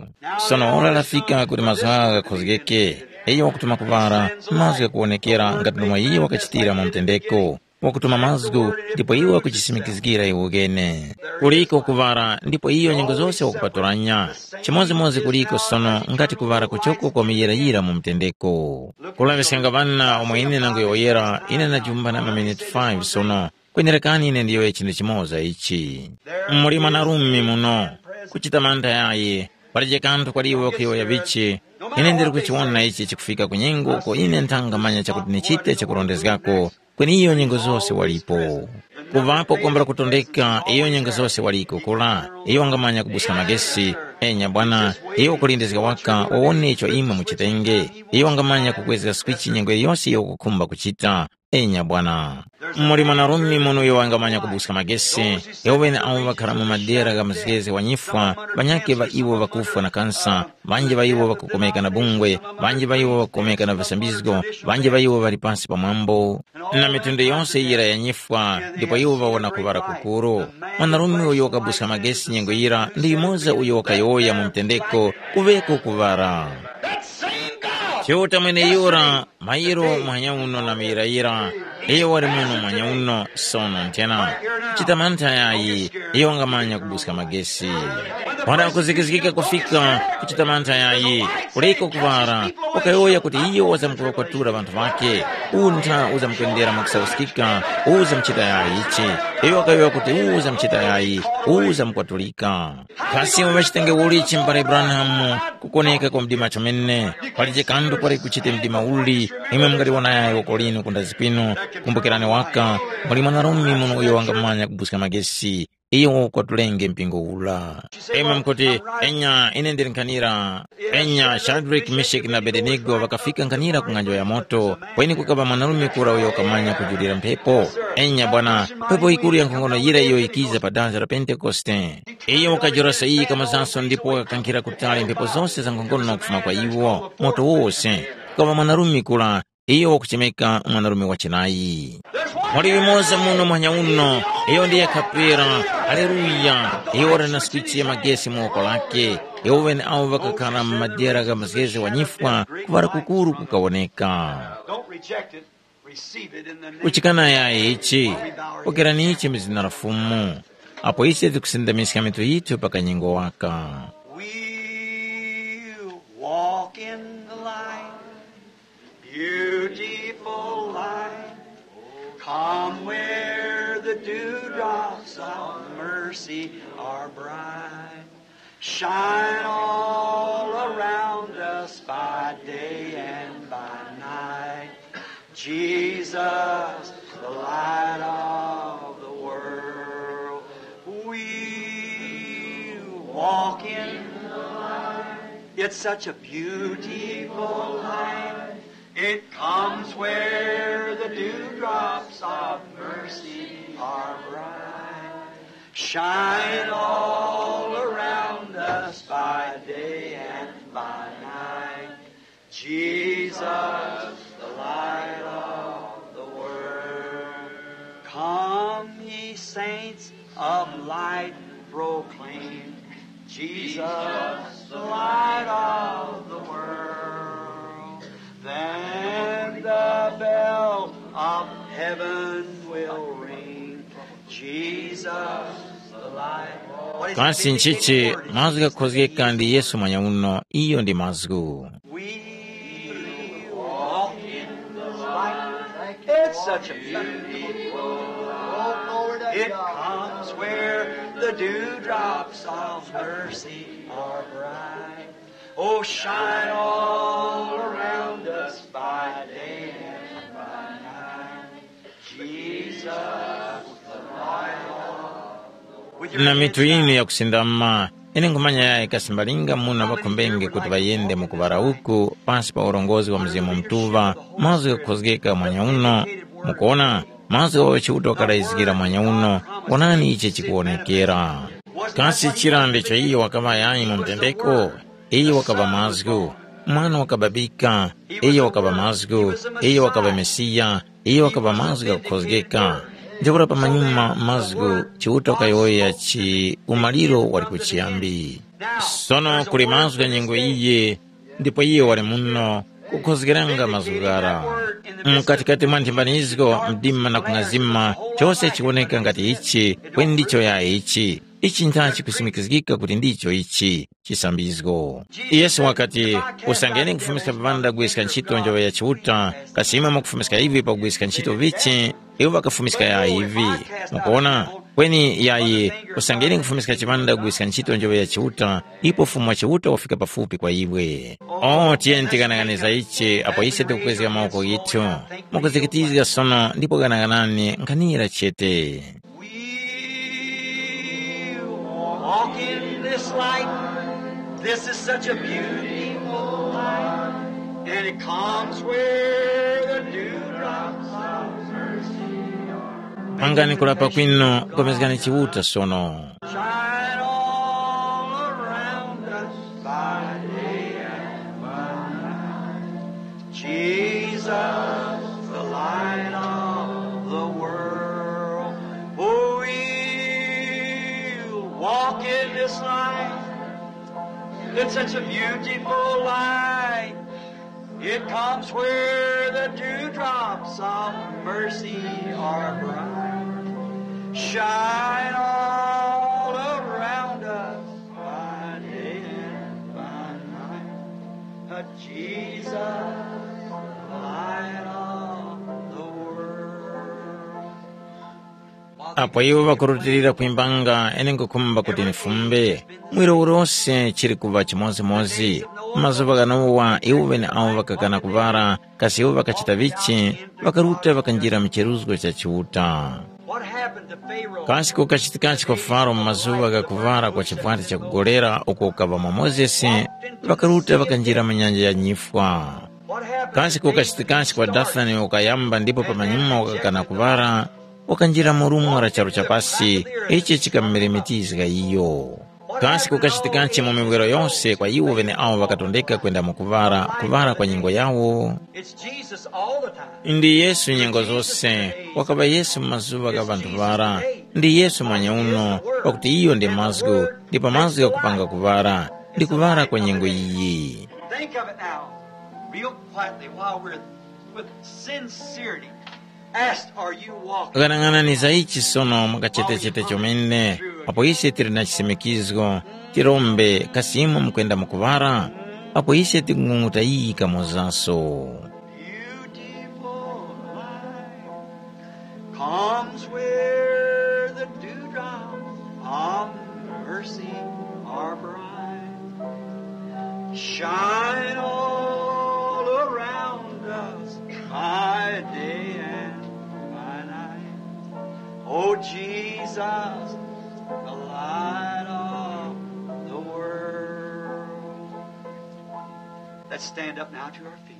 Sono ora lafika kuti mazgu agha ghakhozgeke. Iyo wakutuma kuŵala, mazgu ghakuwonekera ngati ndomwe iyo wakachitira mu mtendeko. wakutuma mazgu, ndipo iwo wakuchisimikizgira iwokene. Kuliko kuŵala, ndipo iyo nyengo zose wakupatulanya. Chimodzimodzi kuliko sono ngati kuŵala kuchoko kwa muyirayira mu mtendeko. Kulaŵiskanga ŵana omwe ine nangoyowoyera, ine najumpha na maminiti five sono. Kwenerekani ine ndiyowoye chinthu chimoza ichi. Muli mwanarume muno, kuchita mantha yayi, palije kanthu kwali iwe wakuyowoya vichi. Ine ndiri kuchiwona ichi chikufika ku nyengo uko ine nthangamanya chakuti nichite chakurondezgako, kweni iyo nyengo zose walipo. Kuŵapo kukombera kutondeka, iyo nyengo zose waliko kula, iyo wangamanya kubuska magesi. Enya bwana, iyo wakulindizga waka wawone icho imwe muchitenge. Iyo wangamanya kukwezga swichi nyengo yose iyo ukukhumba kuchita. Enya bwana. Muli mwanarume muno uyo wangamanya kubuska magesi, iwo ŵene awo ŵakhara mu madera gha mzgezi wa nyifwa, ŵanyakhe ŵa iwo ŵakufwa na kansa, ŵanji ŵa iwo ŵakukomeka na bungwe, ŵanji ŵa iwo ŵakukomeka na visambizgo, ŵanji ŵa iwo ŵali pasi pa mwambo, na mitundu yose yira ya nyifwa, ndipo iwo ŵawona kuŵala kukuru. Mwanarume uyo wakabuska magesi nyengo yira ndi yumoza uyo wakayowoya mu mtendeko, kuŵeko kuŵala. Chiuta mweneyura, mayiro muhanya uno na muyirayira, iyo wali muno muhanya uno sono nthena. Chita mantha yayi, iyo wangamanya kubuska magesi. Wanda kuzikizgika kufika kuchita mantha yayi, kuliko kuŵala, wakayowoya kuti iyo wazamkuŵakwatura ŵanthu ŵakhe. Untha uzamkwendera mwakusauskika, uzamuchita yayi ichi. Iyo wakayowoya kuti uzamuchita yayi, uzamukwatulika. Kasi imwe ŵachitenge uli chimbo para Abrahamu kukoneka kwa mdima chomene, palije kanthu kwali kuchite mdima uli, imwe mungaliwona yayo kolino kundazi kwinu, kumbukirani waka, muli mwanarume muno uyo wangamanya kubuska magesi, iyo kwatulenge mpingo ula. Imwe mukuti, enya ine ndili nkhanira, enya Shadraki, Meshaki na Abedenigo ŵakafika nkhanira ku ng'anjo ya moto, kweni kukaŵa mwanarume kura uyo wakamanya kujulira mphepo. Enya bwana, mphepo yikuru ya nkhongono yira iyo yikiza pa danga la Pentekoste. Iyo wakajoresa iyi kamazanso ndipo wakakankhira kutali mphepo zose za nkhongono kufuma kwa iwo, moto wose. Kukaŵa mwanarume kula, iyo wakuchemeka mwanarume wa chinayi. Muli yumoza muno mwanya uno, iyo ndiye kapera, haleluya, iyo wali na switchi ya magesi mu woko lake. Iwo ŵene awo ŵakakhala mu madera gha mzgezi wa nyifwa, kuŵala kukuru kukawoneka. Don't reject it. Receive it in the name. Kuchikana yayi ichi, pokerani ichi mu zina la Fumu. Apo ise tikusindamiska mitu yithu pa kanyengo waka. We'll walk in the light, beautiful light. Come where the dewdrops of mercy are bright. Shine all around us by day and by night. Jesus, the light of the world. We walk in the light. It's such a beautiful light. It comes where the dewdrops of mercy are bright. Shine all around us by day and by night. Jesus, the light of the world. Come, ye saints of light, proclaim Jesus, the light of the world. Then the bell of heaven will ring. Jesus, the light. Kasi nchichi mazgu ghakhozgeka ndi Yesu mwanya uno, iyo ndi mazgu. We walk in the light. It's such a beautiful light. It comes where the dewdrops of mercy are bright. Oh, shine all around us by day and by night. Jesus, the light of the world. Na mitu yinu yakusindama, ine nkhumanya yayi kasi mbalinga muna ŵakhombenge kuti ŵayende mu kuŵala uku pansi pa urongozi wa Mzimu Mutuŵa, mazgu ghakukhozgeka mwanya uno. Mukuona, mazgu ghawo Chiuta wakalayizgira mwanya uno, wonani ichi chikuwonekera. Kasi chira ndicho iyo wakaŵa yayi mu mtendeko? Iyo wakaŵa mazgu, mwana wakababika, iyo wakaŵa mazgu, iyo wakaŵa Mesiya, iyo wakaŵa mazgu ghakukhozgeka. Ntheura pamanyuma mazgu Chiuta wakayowoya chi umaliro wali kuchiyambi. Sono kuli mazgu gha nyengo iyi, ndipo iyo wali muno, kukhozgeranga mazgu ghara. Mkatikati mwa nthimbanizgo, mdima na kung'azima, chose chiwoneka ngati ichi, kweni ndicho ya ichi. Ichi ntha chikusimikizgika kuti ndicho ichi chisambizgo. Yesu wakati, usangeni kufumiska vipanda kugwiska ntchito njoŵe ya Chiuta, kasi imwe mukufumiska ivi pakugwiska ntchito vichi? Iwo ŵakafumiska ya ivi. Mukuona? Kweni yayi, usangeni kufumiska chipanda kugwiska ntchito njoŵe ya Chiuta, ipo Fumu wa Chiuta wafika pafupi kwa iwe. O, tiyeni tikanang'aniza ichi apo ise tikukwezga mawoko ghithu. Mukuzikitizga sono ndipo ghanaghanani nkhanira chete. We'll walk in this light. This is such a beautiful light. And it comes where the dewdrops of mercy are. Pangani kulapa kwinu, komezgani Chiuta sono. Shine all around us by day and by night. Jesus, the light of the world. Oh, we'll walk in this light. It's such a beautiful light. It comes where the dewdrops of mercy are bright. Shine all around us by day and by night. Jesus, light of the world. Apo iwo ŵakurutilira kwimbanga, ine nkhukhumba kuti nifumbe, mwiro uliwose chili kuŵa chimodzimodzi. Mazuŵa ghanowa iwo ŵeneawo ŵakakana kuŵala, kasi iwo ŵakachita vichi? Ŵakaruta ŵakanjira mu cheruzgo cha Chiuta. What happened to Pharaoh? Kasi kukachitikachi kwa Faro mu mazuŵa gha kuŵala kwa chivwati chakugolera uko ukaŵa mwa Mozesi? Ŵakaruta ŵakanjira mu nyanja ya nyifwa. What happened? Kasi kukachitikachi kwa Dathani ukayamba ndipo pamanyuma wakakana kuŵala, wakanjira mu rumwa la charu cha pasi, ichi chikamumeremetizga iyo. Kasi kukachitikachi mu miwiro yose kwa iwo ŵeneawo ŵakatondeka kwenda mu kuŵala, kuŵala kwa nyengo yawo? It's Jesus all the time. Ndi Yesu nyengo zose, wakaŵa Yesu mu mazuŵa gha ŵanthu ŵara. Ndi Yesu mweneuno, pakuti iyo ndi mazgu, ndipo mazgu ghakupanga kuŵala, ndi kuŵala kwa nyengo iyi. Think of it now, real quietly, while we're with sincerity. Ask, are you walking? Ghanang'anani za ichi sono mwakachetechete chomene, apo ise tili na chisimikizgo, tirombe, kasi imwe mukwenda mukuŵala? Apo ise tikung'ung'uta iyi kamozaso. Beautiful light comes where the dewdrops of mercy are bright. Shine all around us by day and by night. Oh, Jesus, the light of the world. Let's stand up now to our feet.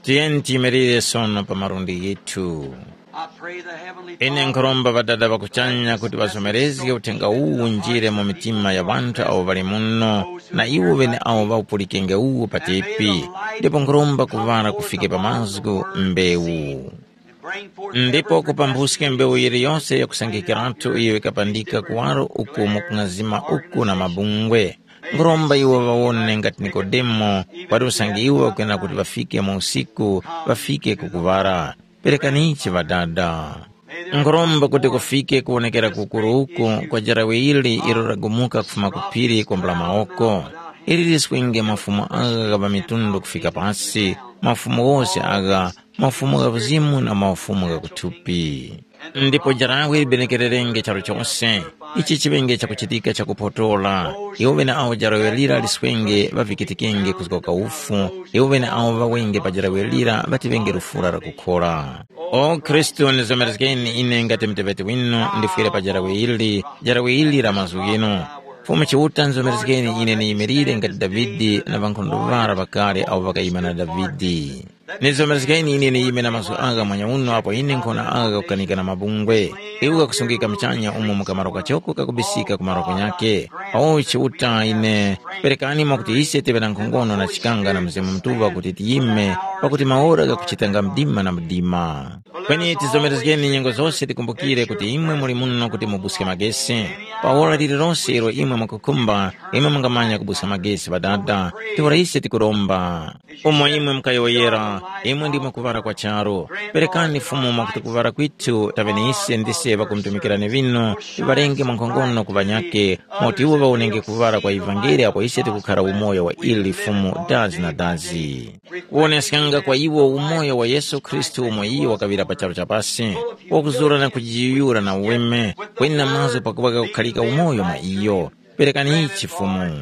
Tiyeni tiyimirire sono pa malundi ghithu. I pray the Heavenly Ine Father nkhuromba Ŵadada ŵa kuchanya kuti ŵazomerezge uthenga uwu unjire mu mitima ya ŵanthu awo ŵali muno, na iwo ŵeneawo ŵawupulikenge uwu patepi. Ndipo nkhuromba kuŵala kufike pa mazgu mbewu. Ndipo kupambuske mbewu yiliyose yakusangikiratu iyo yikapandika kuwaro uku mu kung'azima uku na mabungwe. Nkhuromba iwo ŵawone ngati Nikodemo, wati usange iwo ŵakwenera kuti ŵafike mu usiku, ŵafike ku kuŵala. Perekanichi Ŵadada. Nkhuromba kuti kufike kuwonekera kukuru uku kwa jarawe ili ilo lagumuka kufuma ku phiri kwambula mawoko. Ili liswenge mafumu agha gha ŵamitundu kufika pasi, mafumu ghose agha, mafumu gha uzimu na mafumu gha kuthupi. Ndipo jarawe libenekererenge charu chose, ichi chiŵenge chakuchitika chakupotora. Iwo ŵeneawo jarawe lira liswenge ŵavikitikenge kuzga kwa ufu, iwo ŵeneawo ŵawenge pa jarawe lira ŵatiŵenge lufura lakukhora. O Khristu, ndizomerezgeni ine ngati muteŵeti winu ndifwire pa jarawe ili, jarawe ili la mazgu ghinu. Fumu Chiuta, ndizomerezgeni ine niyimirire ngati Davide na ŵankhondo ŵara ŵakale awo ŵakayima na Davide. Nizomerezgeni ine niyime na mazgu agha mwanya uno apo ine nkhona agha ghakukanika na mabungwe. Iwo ghakusungika muchanya umo mu kamaro kachoko kakubisika ku malo kunyakhe. O Chiuta ine, perekani mwakuti ise tive na nkhongono na chikanga na Mzimu Mutuŵa kuti tiyime pakuti maora ghakuchitanga mdima na mdima. Kweni tizomerezgeni nyengo zose tikumbukire kuti imwe muli muno kuti mubuske magesi. Pa ora lililonse ilo imwe mukukhumba, imwe mungamanya kubuska magesi Ŵadada. Ntheura ise tikuromba. Umo imwe mukayowoyera, imwe ndimwe kuŵala kwa charu. Perekani Fumu mwakuti kuŵala kwithu taŵene ise ndise ŵakumtumikirani vino, viŵalenge mwankhongono ku ŵanyakhe, mwakuti iwo ŵawonenge kuŵala kwa ivangeli apo ise tikukhara umoyo wa ili Fumu dazi na dazi. Kuwoneskanga kwa iwo umoyo wa Yesu Khristu umo iyo wakaŵira pa charu cha pasi, wakuzura na kujiyuyura na uweme, kweni na mazgu pakuŵa kakukhalika umoyo mwa iyo. Perekani ichi Fumu.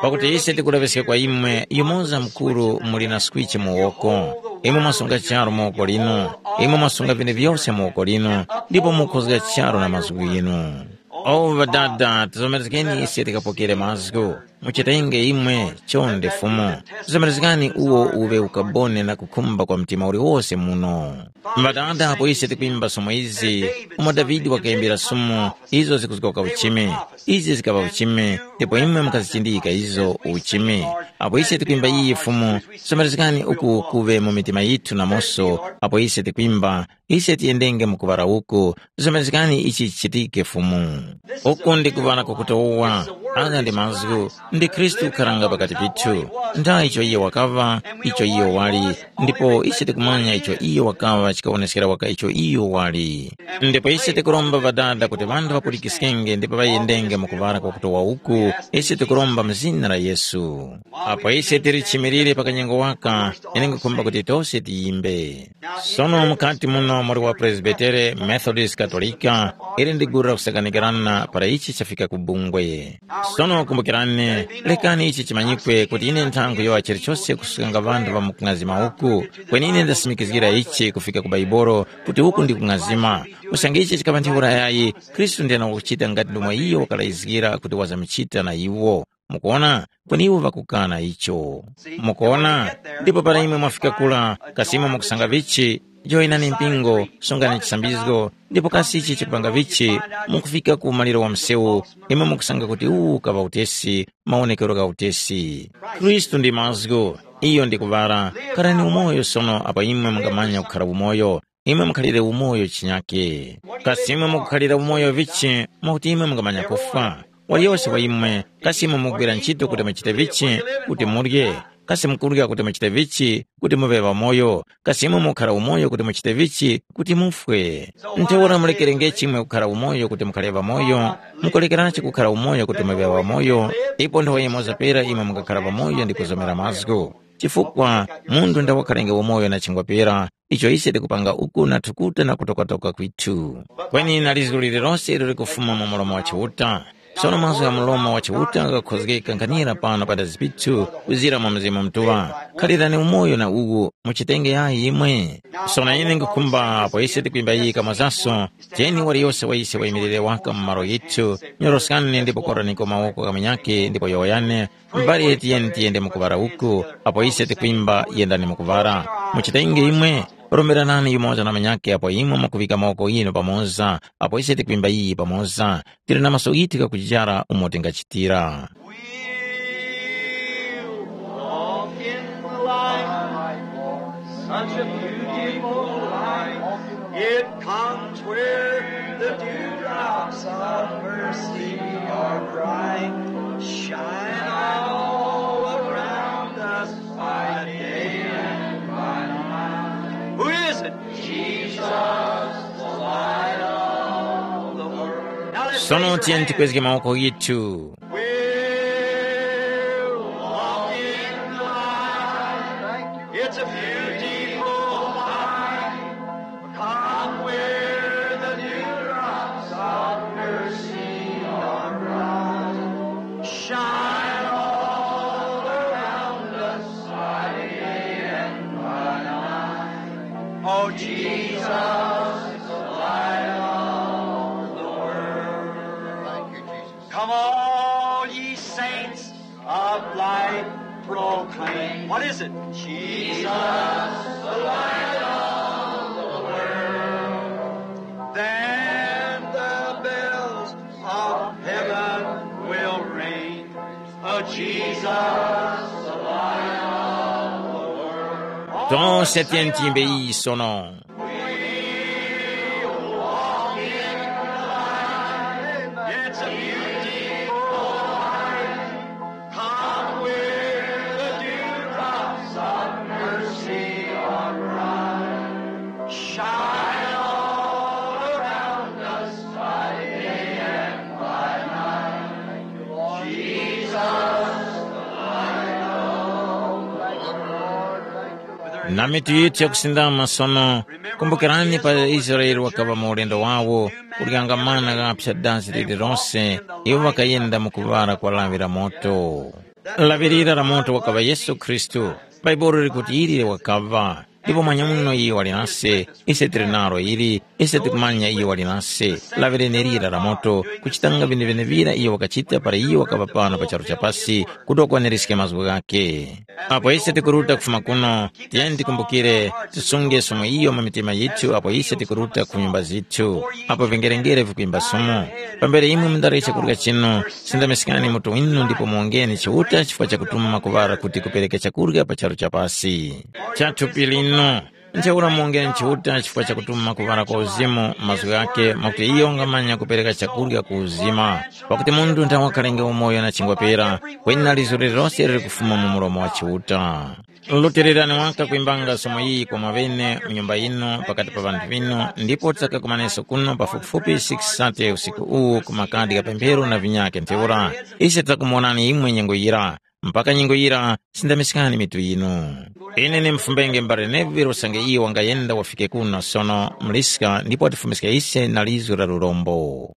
Pakuti ise tikulaŵiska kwa imwe yumoza mukuru muli na skwichi mu woko. Imwe mwasunga charu mu woko linu. Imwe mwasunga vinthu vyose mu woko linu, ndipo mukhozga charu na mazgu ghinu. O Ŵadada, tizomerezgeni ise tikapokere mazgu. Muchitenge imwe, chonde Fumu. Tizomerezgani uwo uŵe ukaboni na kukhumba kwa mtima uliwose muno. Ŵadada, apo ise tikwimba somo izi, umo Davide wakayembera somo, izo zikuzgoka uchimi. Izi zikaŵa uchimi, ndipo imwe mukazichindika izo uchimi. Apo ise tikwimba iyi Fumu, somerezgani uku kuŵe mu mitima yithu namoso, apo ise tikwimba, ise tiyendenge mu kuŵala uku, somerezgani ichi chichitike Fumu. Uku ndi kuŵala kwakutowa, agha ndi mazgu, ndi Khristu ukharanga pakati pithu. Nda icho iye wakaŵa, icho iye wali, ndipo ise tikumanya icho iye wakaŵa chikawoneskera waka icho iyo wali. Ndipo ise tikuromba Ŵadada kuti ŵanthu ŵapulikiskenge ndipo ŵayendenge mu kuŵala kwakutowa uku, ise tikuromba mu zina la Yesu. Apo ise tili chimirire pa kanyengo waka, ine nkhukhumba kuti tose tiyimbe. Sono mukati muno muli wa Presbitere, Methodist, Katolika, ili ndi gulu la kusakanikirana para ichi chafika ku bungwe. Sono kumbukirani, lekani ichi chimanyikwe kuti ine nthango yowa chilichose kusukanga ŵanthu ŵa mukung'azima uku, kweni ine ndasimikizgira ichi kufika ku Baibolo kuti uku ndi kung'azima. Usange ichi chikaŵa ntheura yayi, Khristu ndiyana wakuchita ngati ndomwe iyo wakalayizgira kuti wazamuchita na iwo. Mukuona? Kweni iwo ŵakukana icho. Mukuona? Ndipo para imwe mwafika kula, kasi imwe mukusanga vichi? Joyinani mpingo, sungani chisambizgo, ndipo kasi ichi chikupanga vichi? Mukufika ku maliro wa msewu, imwe mukusanga kuti uwu kaŵa utesi, mawonekero gha utesi. Khristu ndi mazgu, iyo ndi kuŵala. Kharani umoyo sono apo imwe mungamanya kukhara umoyo, imwe mukhalire umoyo chinyake. Kasi imwe mukukhalira umoyo vichi, mwakuti imwe mungamanya kufwa? Waliyose wa imwe, kasi imwe mukugwira ntchito kuti muchite vichi, kuti murye? Kasi mukurya kuti muchite vichi, kuti muŵe ŵamoyo? Kasi imwe mukhara umoyo kuti muchite vichi, kuti mufwe? Ntheura mulekerengechi imwe kukhara umoyo kuti mukhare ŵamoyo, mukulekeranji kukhara umoyo kuti muŵe ŵamoyo, ipo nthawe yimoza pera imwe mukakhara ŵamoyo ndi kuzomera mazgu. Chifukwa munthu nda wakhalenge umoyo na chingwa pera, icho ise tikupanga uku na thukuta na kutokatoka kwithu. Kweni na lizgu lililose ilo likufuma mu mlomo wa Chiuta. Sono mazgu gha mlomo wa Chiuta ghakhozgeka nkhanira pano padazi pithu kuzira mwa Mzimu Mutuŵa. Khalirani umoyo na uwu, muchitenge yayi imwe. Sono ine nkukhumba apo ise tikwimba iyi kamozaso, tiyeni waliyose wa ise wayimirire waka mu malo yithu, nyoroskani ndipo koraniko mawoko gha munyakhe ndipo yowoyani, mbali tiyeni tiyende mu kuŵala uku, apo ise tikwimba yendani mu kuŵala. Muchitenge imwe, romberanani yumoza na munyakhe apo imwe mukuŵika mawoko ghinu pamoza, apo ise tikwimba iyi pamoza, tili na maso ghithu ghakuchara umo tingachitira. We'll walk in the light, such a beautiful light. It comes where the dewdrops of mercy are bright. Shine all around us by day and by night. Who is it? Jesus, the light of the world. Now let's Sono raise your tiyeni hands. Tikwezge mawoko ghithu. We'll walk in the light. It's a beautiful light. Come where the dewdrops of mercy are bright. Shine all around us by day and by night. Oh, Jesus, the light of the world. Thank you, Jesus. Come, all ye saints of light, proclaim. What is it? Jesus, the light of the world. Then the bells of heaven will ring. Oh, Jesus, the light of the world. Tonse tiyeni tiyimbe iyi sono. Shine all around us by day and by night. Jesus, the light of the world. Na mitu yithu yakusindama sono, kumbukirani pa Israele wakaŵa mu ulendo wawo, kulikangamana kaphya dazi lililonse, iwo ŵakayenda mu kuŵala kwa lawi la moto. Lawi lira la moto wakaŵa Yesu Khristu. Bhaibuli likuti ili wakaŵa, ndipo mwanyamuno iyo wali nase, ise tili nalo ili, ise tikumanya iyo wali nase. Lawi lenelira la moto, kuchitanga vyenevyenevira iyo wakachita para iyo wakaŵa pano pa charu cha pasi, kuti wakwaniriske mazgu ghakhe. Apo ise tikuruta kufuma kuno, tiyeni tikumbukire, tisunge somo iyo mu mitima yithu apo ise tikuruta ku nyumba zithu, apo vingerengere vikuimba somo. Pambere imwe mundarye chakurya chinu, sindamiskani mutu winu ndipo muwongeni Chiuta chifukwa chakutuma kuŵala kuti kupereke chakurya pa charu cha pasi. Cha thupi linu. Ntheura muwongeni Chiuta chifukwa chakutuma kuŵala kwa uzimu mazgu ghake mwakuti iyo wangamanya kupereka chakurya ku uzima. Pakuti munthu nthawe wakhalenge umoyo na chingwa pera, kweni na lizo lililose liri kufuma mu mulomo wa Chiuta. Lutererani waka kwimbanga somo iyi kwa mwaŵene mu nyumba yinu pakati pa ŵanthu ŵinu, ndipo tisakakumaneso kuno pafupifupi six sate usiku uwu ku makadi gha pemphero na vinyakhe ntheura. Ise titakumuwonani imwe nyengo yira, mpaka nyengo yira sindamiskani mitu yinu. Ine ni mfumbenge mbale Neville usange iyo wangayenda wafike kuno sono muliska ndipo watifumiska ise na lizo la lurombo.